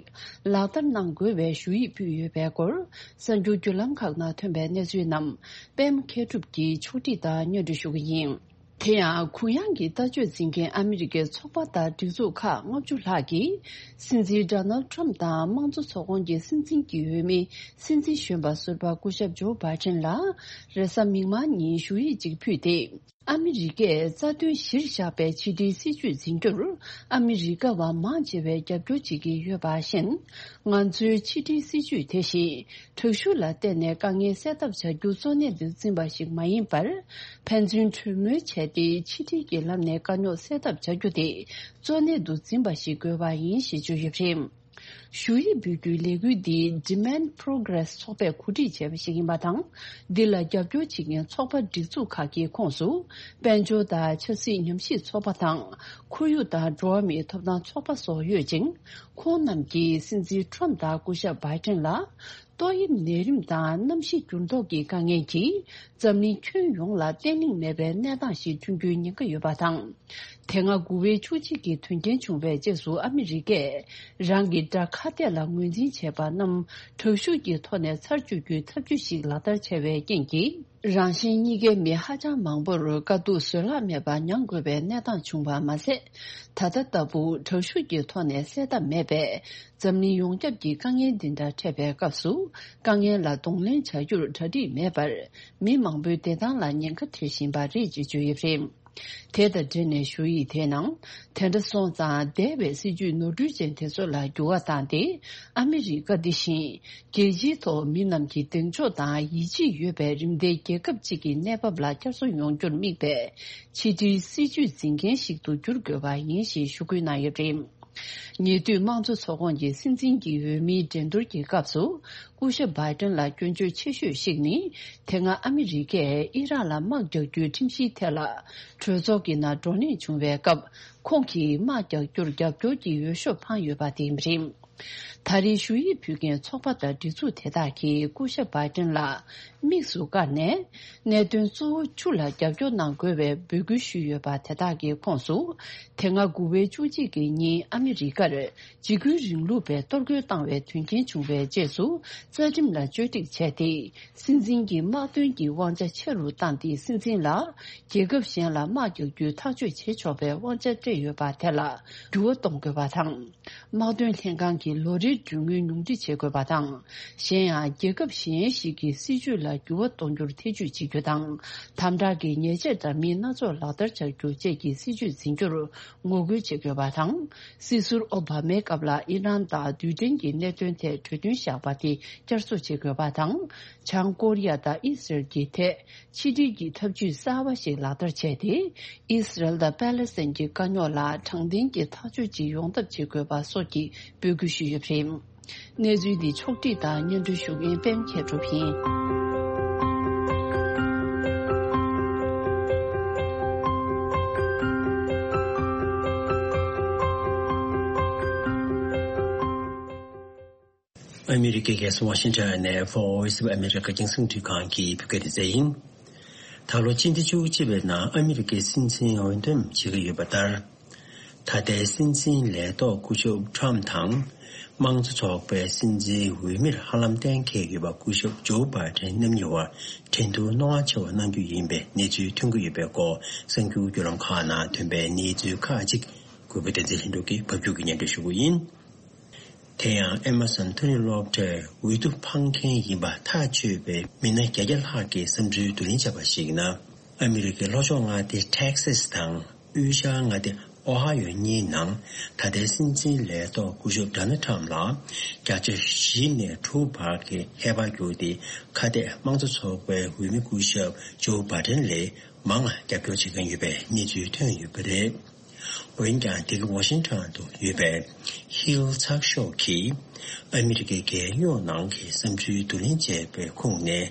ལག་བསྟར་གནང་དགོས་པའི་ཞུ་ཡིག་ཕུལ་ཡོད་པའི་སྐོར། གསར་འགྱུར་བརྒྱུད་ལམ་ཁག་ནང་ཐོན་པའི་གནས་ཚུལ་རྣམས་པད་མ་མཁས་གྲུབ་ཀྱིས་ཕྱོགས་སྒྲིག་དང་སྙན་སྒྲོན་ཞུ་གི་ཡིན། དེ་ཡང་གུ་ཡངས་ཀྱི་ལྟ་སྤྱོད་འཛིན་མཁན་ཨ་མི་རི་ཀའི་ཚོགས་པ་དང་སྒྲིག་འཛུགས་ཁག་ལྔ་བཅུ་ལྷག་གིས་སྲིད་འཛིན་ཌོ་ནལ་ཌི་ཊརམ་དང་དམངས་གཙོ་ཚོགས་ཁོངས་ཀྱི་སྲིད་འཛིན་གྱི་འོས་མི་སྲིད་འཛིན་གཞོན་པ་ཟུར་པ་སྐུ་ཞབས་ཇོ་བྷའི་ཏན་ལ་རེས་གཟའ་མིག་དམར་ཉིན་ཞུ་ཡིག་ཅིག་ཕུལ་ཏེ། ཨ་མི་རི་ཀས་རྩ་དོན་གཞིར་བཞག་པའི་ཕྱི་འབྲེལ་སྲིད་ཇུས་འཛིན་རྒྱུར་ཨ་མི་རི་ཀ་བ་མང་ཆེ་བས་རྒྱབ་སྐྱོར་བྱེད་ཀྱི་ཡོད་པ་བཞིན། ང་ཚོའི་ཕྱི་འབྲེལ་སྲིད་ཇུས་དེ་བཞིན་དྲག་ཤུགས་ལ་བརྟེན་ནས་དཀའ་ངལ་སེལ་ཐབས་བྱ་རྒྱུ་གཙོ་གནད་དུ་འཛིན་པ་ཞིག་མ་ཡིན་པར། ཕན་ཚུན་གྲོས་མོལ་བྱས་ཏེ་ཕྱི་འབྲེལ་གྱི་ལམ་ནས་དཀའ་རྙོག་སེལ་ཐབས་བྱ་རྒྱུ་དེ་གཙོ་གནད་དུ་འཛིན་པ་ཞིག་དགོས་པ་ཡིན་ཞེས་བརྗོད་ཡོད་པ་རེད། ཞུ་ཡིག་འབུལ་རྒྱུའི་ལས་འགུལ་འདི་Demand Progress ཚོགས་པས་གོ་སྒྲིག་བྱས་པ་ཞིག་ཡིན་པ་དང་། འདི་ལ་རྒྱབ་སྐྱོར་བྱེད་མཁན་ཚོགས་པ་སྒྲིག་འཛུགས་ཁག་གི་ཁོངས་སུ། དཔལ་འབྱོར་དང་ཆབ་སྲིད་ཉམས་ཞིབ་ཚོགས་པ་དང་། ཁོར་ཡུག་དང་འགྲོ་བ་མིའི་ཐོབ་ཐང་ཚོགས་པ་སོགས་ཡོད་ཅིང་། ཁོང་རྣམས་ཀྱིས་སྲིད་འཛིན་ཁྲོམ་དང་སྐུ་ཞབས་བྷའི་ཏན་ལ། ཏོག་དབྱིབས་ནད་རིམས་དང་གནམ་གཤིས་འགྱུར་ལྡོག་གི་དཀའ་ངལ་གྱིས། འཛམ་གླིང་ཁྱོན་ཡོངས་ལ་བརྟན་ལྷིང་མེད་པའི་གནས་སྟངས་ཤིག་བསྐྲུན་རྒྱུའི་ཉེན་ཁ་ཡོད་པ་དང་། དེ་སྔ་དགུ་པའི་བཅུ་གཅིག་གི་དོན་རྐྱེན་བྱུང་བའི་རྗེས་སུ་ཨ་མི་རི་ཀས་རང་གི་དགྲ་ཁ་གཏད་ལ་ངོས་འཛིན་བྱས་པ་རྣམས་དྲག་ཤུགས་ཀྱི་ཐོག་ནས་ཚར་གཅོད་རྒྱུའི་ཐབས་ཇུས་ཤིག་ལག་བསྟར་བྱས་པའི་རྐྱེན་གྱིས། རང་གཞན་གཉིས་ཀའི་མི་ཧ་ཅང་མང་པོར་དཀའ་སྡུག་བཟོད་གླགས་མེད་པ་མྱང་དགོས་པའི་གནས་སྟངས་བྱུང་བ་མ་ཟད། ད་ལྟ་ལྟ་བུ་དྲག་ཤུགས་ཀྱི་ཐོག་ནས་སེལ་ཐབས་མེད་པས། འཛམ་གླིང་ཡོངས་ཁྱབ་ཀྱི་དཀའ་ངལ་འདི་འདྲ་འཕྲད་པའི་སྐབས་སུ། དཀའ་ངལ་ལ་གདོང་ལེན་བྱ་རྒྱུར་གྲ་སྒྲིག་མེད་པར། མི་མང་པོའི་བདེ་ཐང་ལ་ཉེན་ཁ་འཕྲད་བཞིན་པ་རེད་ཅེས་བརྗོད་ཡོད་པ་རེད། དེ་དང་འབྲེལ་ནས་ཞུ་ཡིག་དེའི་ནང་། དེ་འདྲ་སོང་ཙང་འདས་པའི་སྲིད་ཇུས་ནོར་འཁྲུལ་ཅན་དེ་ཚོ་ལ་འགྱུར་བ་བཏང་སྟེ། ཨ་མི་རི་ཀ་འདི་བཞིན། རྒྱལ་སྤྱིའི་ཐོག་མི་རྣམས་ཀྱི་གདེང་འཇོག་དང་ཡིད་ཆེས་ཡོད་པའི་རིམ་མཐའི་རྒྱལ་ཁབ་ཅིག་གི་གནས་བབ་ལ་བསྐྱར་གསོ་ཡོང་རྒྱུར་དམིགས་པའི་ཕྱི་དྲིལ་སྲིད་ཇུས་འཛིན་མཁན་ཞིག་ཏུ་འགྱུར་དགོས་པ་ཡིན་ཞེས་ཞུ་སྐུལ་གནང་ཡོད་པ་རེད། ཉེ་དུས་དམངས་གཙོ་ཚོགས་ཁོངས་ཀྱི་སྲིད་འཛིན་གྱི་འོས་མིའི་འགྲན་བསྡུར་གྱི་སྐབས་སུ། སྐུ་ཞབས་བྷའི་ཏན་ལ་སྐྱོན་བརྗོད་ཆེ་ཤོས་ཤིག་ནི། དེ་སྔ་ཨ་མི་རི་ཀས་ཨི་རག་ལ་དམག་རྒྱག་རྒྱུའི་ཁྲིམས་གཞིའི་ཐད་ལ། གྲོས་ཚོགས་ཀྱི་ནང་བགྲོ་གླེང་བྱུང་བའི་སྐབས། ཁོང་གིས་དམག་རྒྱག་རྒྱུར་རྒྱབ་སྐྱོར་གྱི་འོས་ཤོག་འཕངས་ཡོད་པ་དེ་རེད། ད་རེས་ཞུ་ཡིག་ཕུལ་མཁན་ཚོགས་པ་དང་སྒྲིག་འཛུགས་དེ་དག་གིས་སྐུ་ཞབས་བྷའི་ཏན་ལ་དམིགས་སུ་བཀར་ནས། གནད་དོན་གཙོ་བོ་བཅུ་ལ་རྒྱབ་སྐྱོར་གནང་དགོས་པའི་འབོད་སྐུལ་ཞུས་ཡོད་པ་དེ་དག་གི་ཁོངས་སུ། དེ་སྔ་དགུ་པའི་བཅུ་གཅིག་གི་ཉིན་ཨ་མི་རི་ཀར་འཇིགས་སྐུལ་རིང་ལུགས་པས་གཏོར་རྒོལ་བཏང་བའི་དོན་རྐྱེན་བྱུང་བའི་རྗེས་སུ། རྩ་ཁྲིམས་ལ་བཅོས་སྒྲིག་བྱས་ཏེ། སྲིད་འཛིན་གྱི་དམག་དོན་གྱི་དབང་ཆ་ཆེ་རུ་བཏང་སྟེ། སྲིད་འཛིན་ལ་རྒྱལ་ཁབ་གཞན་ལ་དམག་རྒྱག་རྒྱུའི་ཐག་གཅོད་བྱེད་ཆོག་པའི་དབང་ཆ་སྤྲད་ཡོད་པ་དེ་ལ་འགྱུར་བ་གཏོང་དགོས་པ་དང་། དམག་དོན་ལྷན་ཁང་གི་ལོ་རེའི་གྲོན་དངུལ་ཉུང་འཕྲི་བྱེད་དགོས་པ་དང་། གཞན་ཡང་། རྒྱལ་ཁབ་གཞན་ཞིག་གི་སྲིད་ཇུས་ལ་འགྱུར་བ་གཏོང་རྒྱུར་ཐེ་ཇུས་བྱེད་རྒྱུ་དང་། དམ་དྲག་གི་ཉེས་ཆད་དང་མིང་སྣ་ཚོགས་ལག་བསྟར་བྱ་རྒྱུ་བཅས་ཀྱི་སྲིད་ཇུས་འཛིན་རྒྱུར་ངོ་རྒོལ་བྱེད་དགོས་པ་དང་། སྲིད་ཟུར་ཨོ་བྷ་མའི་སྐབས་ལ་ཨི་རན་དང་རྡུལ་ཕྲན་གྱི་གནད་དོན་ཐད་གྲོས་མཐུན་བཞག་པ་དེ་བསྐྱར་གསོ་བྱེད་དགོས་པ་དང་། བྱང་ཀོ་རི་ཡ་དང་ཨི་སི་རལ་གྱི་ཐད་ཕྱི་འབྲེལ་གྱི་ཐབས་ཇུས་གསར་བ་ཞིག་ལག་བསྟར་བྱས་ཏེ། ཨི་སི་རལ་དང་པེ་ལེ་སི་ཐན་གྱི་དཀའ་རྙོག་ལ་དྲང་བདེན་གྱི་ཐག་གཅོད་ཅིག་ཡོང་ཐབས་བྱེད་དགོས་པ་སོགས་ཀྱི་འབོད་སྐུལ་ཞུས་ཡོད་པ་རེད། གནས་ཚུལ་འདི་ཕྱོགས་བསྒྲིགས་དང་སྙན་སྒྲོན་ཞུ་མཁན་པད་མ་མཁས་གྲུབ་ཡིན། ཨ་མི་རི་ཀའི་རྒྱལ་ས་ཝ་ཤིང་ཊོན་ནས་Voice of America རྒྱང་སྲིང་འཕྲིན་ཁང་གི་བོད་སྐད་སྡེ་ཚན་ཡིན། ད་ལོ་སྤྱི་ཟླ་བཅུ་གཅིག་པའི་ནང་ཨ་མི་རི་ཀའི་སྲིད་འཛིན་འོས་འདེམས་བྱེད་ཀྱི་ཡོད་པ་ལྟར། ད་ལྟའི་སྲིད་འཛིན་ལས་ཐོག་སྐུ་ཞབས་ཁྲམ་དང་། དམངས་གཙོ་ཚོགས་པའི་སྲིད་འཛིན་འོས་མིར་ཧ་ལམ་གཏན་འཁེལ་ཡོད་པ་སྐུ་ཞབས་ཇོ་བྷའི་ཏན་རྣམ་གཉིས་བར་འགྲན་བསྡུར་རྣོ་ངར་ཆེ་བ་གནང་རྒྱུ་ཡིན་པའི་གནས་ཚུལ་ཐོན་གྱི་ཡོད་པའི་སྐོར་གསར་འགྱུར་བརྒྱུད་ལམ་ཁག་ནང་ཐོན་པའི་གནས་ཚུལ་ཁག་ཅིག་གུས་པ་བསྟན་འཛིན་ལྷུན་གྲུབ་ཀྱིས་ཕབ་སྒྱུར་གྱིས་སྙན་སྒྲོན་ཞུ་གི་ཡིན། དེ་ཡང་ཨེ་མ་སོན་མཐོ་རིམ་སློབ་གྲྭའི་འོས་བསྡུ་འཕངས་མཁན་ཡིན་པ་ཐག་ཆོད་པའི་མི་སྣ་བརྒྱད་བརྒྱ་ལྷག་གིས་བསམ་ཚུལ་བསྡུ་ལེན་བྱས་པར་གཞིགས་ན། ཨ་མི་རི་ཀའི་ལྷོ་ཕྱོགས་མངའ་སྡེ་ཊེག་སཱས་དང་། དབུས་ཤར་མངའ་སྡེ་ཨོ་ཧ་ཡོ་གཉིས་ནང་ད་ལྟའི་སྲིད་འཛིན་ལས་ཐོག་སྐུ་ཞབས་ཌོ་ནལ་ཊམ་ལ་བརྒྱ་ཆ་བཞི་ནས་དྲུག་བར་གྱི་ཧེ་བག་བསྒྱུར་ཏེ། ཁ་གཏད་དམངས་གཙོ་ཚོགས་པའི་འོས་མི་སྐུ་ཞབས་ཇོ་བྷའི་ཏན་ལས་མང་བ་རྒྱབ་སྐྱོར་བྱེད་མཁན་ཡོད་པའི་གནས་ཚུལ་ཐོན་ཡོད་པ་རེད། འོན་ཀྱང་། འདི་ག་ཝ་ཤིང་ཊོན་དུ་ཡོད་པའི་ཧིལ་ཚགས་ཤོག་གིས་ཨ་མི་རི་ཀའི་རྒྱལ་ཡོངས་ནང་གི་བསམ་ཚུལ་བསྡུ་ལེན་བྱས་པའི་ཁུངས་ནས།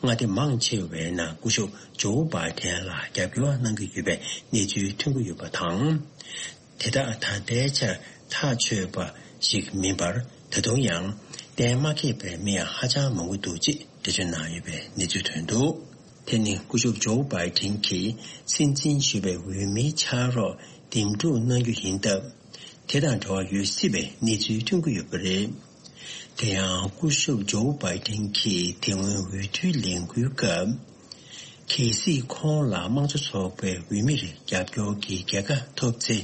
མངའ་སྡེ་མང་ཆེ་བའི་ནང་སྐུ་ཞབས་ཇོ་བྷའི་ཏན་ལ་རྒྱབ་སྐྱོར་གནང་གི་ཡོད་པའི་གནས་ཚུལ་ཐོན་གྱི་ཡོད་པ་དང་། དེ་དག་ད་ལྟའི་ཆར་ཐག་ཆོད་པ་ཞིག་མིན་པར། ད་དུང་ཡང་གཏན་མ་འཁེལ་བའི་མི་ཡང་ཧ་ཅང་མང་པོ་འདུག་ཅེས་འགྲེལ་བརྗོད་གནང་ཡོད་པའི་གནས་ཚུལ་ཐོན་འདུག། དེ་ནི་སྐུ་ཞབས་ཇོ་བྷའི་ཏན་གྱིས་སྲིད་འཛིན་ཞུ་བའི་འོས་མིའི་ཕྱག་རོགས་འདེམས་སྒྲུག་གནང་རྒྱུ་ཡིན་སྟབས། དེ་དང་འབྲེལ་བ་ཡོད་སྲིད་པའི་གནས་ཚུལ་ཐོན་གྱི་ཡོད་པ་རེད། དེ་ཡང་སྐུ་ཞབས་ཇོ་བྷའི་ཏན་གྱིས་དེ་སྔོན་འོས་བསྡུའི་ལས་འགུལ་སྐབས། གལ་སྲིད་ཁོང་ལ་དམངས་གཙོ་ཚོགས་པའི་འོས་མིར་རྒྱབ་སྐྱོར་གྱི་རྒྱལ་ཁ་ཐོབ་ཚེ།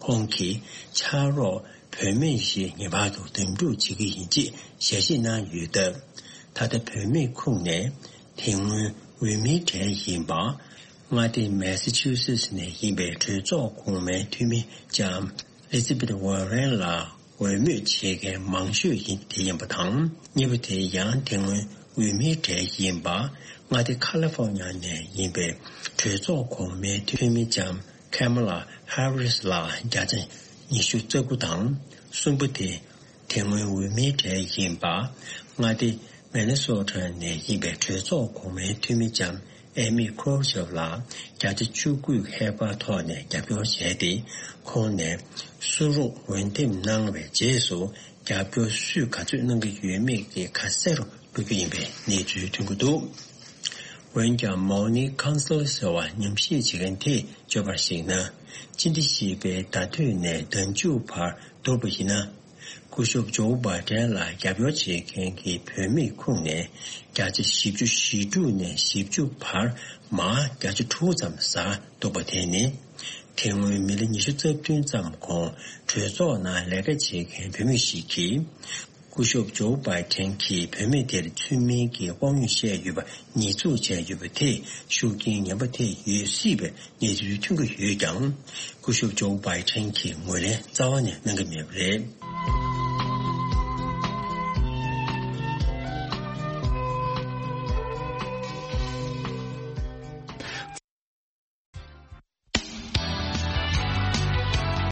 ཁོང་གི་ཕྱག་རོགས་བུད་མེད་ཞིག་ངེས་པར་དུ་འདེམས་སྒྲུག་བྱེད་ཀྱི་ཡིན་ཅེས་ཞལ་བཞེས་གནང་ཡོད་སྟབས། ད་ལྟ་བུད་མེད་ཁོངས་ནས་དེ་སྔོན་འོས་མིའི་གྲས་ཡིན་པ། མངའ་སྡེ་མེ་སི་ཆུ་སེ་ཊི་ནས་ཡིན་པའི་གྲོས་ཚོགས་གོང་མའི་འཐུས་མི་ལྕམ་ཨེ་ལི་ཛི་བེད་ཝོ་རེན་ལ་འོས་མོས་བྱེད་མཁན་མང་ཤོས་ཡིན་དེ་ཡིན་པ་དང་། གཉིས་པ་དེ་ཡང་དེ་སྔོན་འོས་མིའི་གྲས་ཡིན་པ། མངའ་སྡེ་ཁ་ལི་ཧྥོ་ཉ་ནས་ཡིན་པའི་གྲོས་ཚོགས་གོང་མའི་འཐུས་མི་ལྕམ་ཁེ་མ་ལ་ཧེ་རི་སི་ལ་བརྒྱ་ཆ་ཉི་ཤུ་རྩ་དགུ་དང་། གསུམ་པ་དེ་ དེ་སྔོན་འོས་མིའི་གྲས་ཡིན་པ། མངའ་སྡེ་མི་ནི་སོ་ཊ་ནས་ཡིན་པའི་གྲོས་ཚོགས་གོང་མའི་འཐུས་མི་ལྕམ་ཨེ་མི་ཁོ་ཆབ་ལགས་བརྒྱ་ཆ་བཅུ་དགུ་ཧེ་བག་ཐོག་ནས་རྒྱབ་སྐྱོར་བྱས་ཏེ། ཁོང་ནས་སུ་རུག་འོས་འདེམས་གནང་བའི་རྗེས་སུ་རྒྱབ་སྐྱོར་སུས་ག་ཚོད་གནང་གི་ཡོད་མེད་ཀྱི་ཁ་གསལ་རུ་འགྲོ་རྒྱུ་ཡིན་པའི་གནས་ཚུལ་ཐོན་གྱི་འདུག་འོན་ཀྱང་མའོ་ནི་ཁོང་སིལ་ཟེར་བ་ཉམས་ཞིབ་བྱེད་མཁན་དེས་བརྗོད་པར་གཞིགས་ན། སྤྱི་ཟླ་བཞི་པའི་ཟླ་སྟོད་ནས་ཟླ་མཇུག་བར་བསྡུར་བ་ཡིན་ན། སྐུ་ཞབས་ཇོ་བྷའི་ཌེན་ལ་རྒྱབ་སྐྱོར་བྱེད་མཁན་གྱི་བུད་མེད་ཁོངས་ནས་བརྒྱ་ཆ་བཞི་བཅུ་ཞེ་དྲུག་ནས་བཞི་བཅུ་བར་མར་བརྒྱ་ཆ་དྲུག་ཙམ་ཟགས་འདུག་པ་དེ་ནི། དེ་སྔོན་མི་ལོ་ཉི་ཤུ་རྩ་བདུན་ཙམ་གོང་གྲོས་ཚོགས་ནང་ལས་ཀ་བྱེད་མཁན་བུད་མེད་ཞིག་གིས། སྐུ་ཞབས་ཇོ་བྷའི་ཌེན་གྱིས་བུད་མེད་དེར་ཚུལ་མིན་གྱི་དབང་ཡོད་བཤད་ཡོད་པ་ཉེས་འཛུགས་བྱས་ཡོད་པ་དེས་ཤུགས་རྐྱེན་ངན་པ་ཐེབས་ཡོད་སྲིད་པའི་གནས་ཚུལ་ཐོན་གྱི་ཡོད་ཀྱང་། སྐུ་ཞབས་ཇོ་བྷའི་ཌེན་གྱིས་ངོས་ལེན་རྩ་བ་ནས་གནང་གི་མེད་པ་རེད།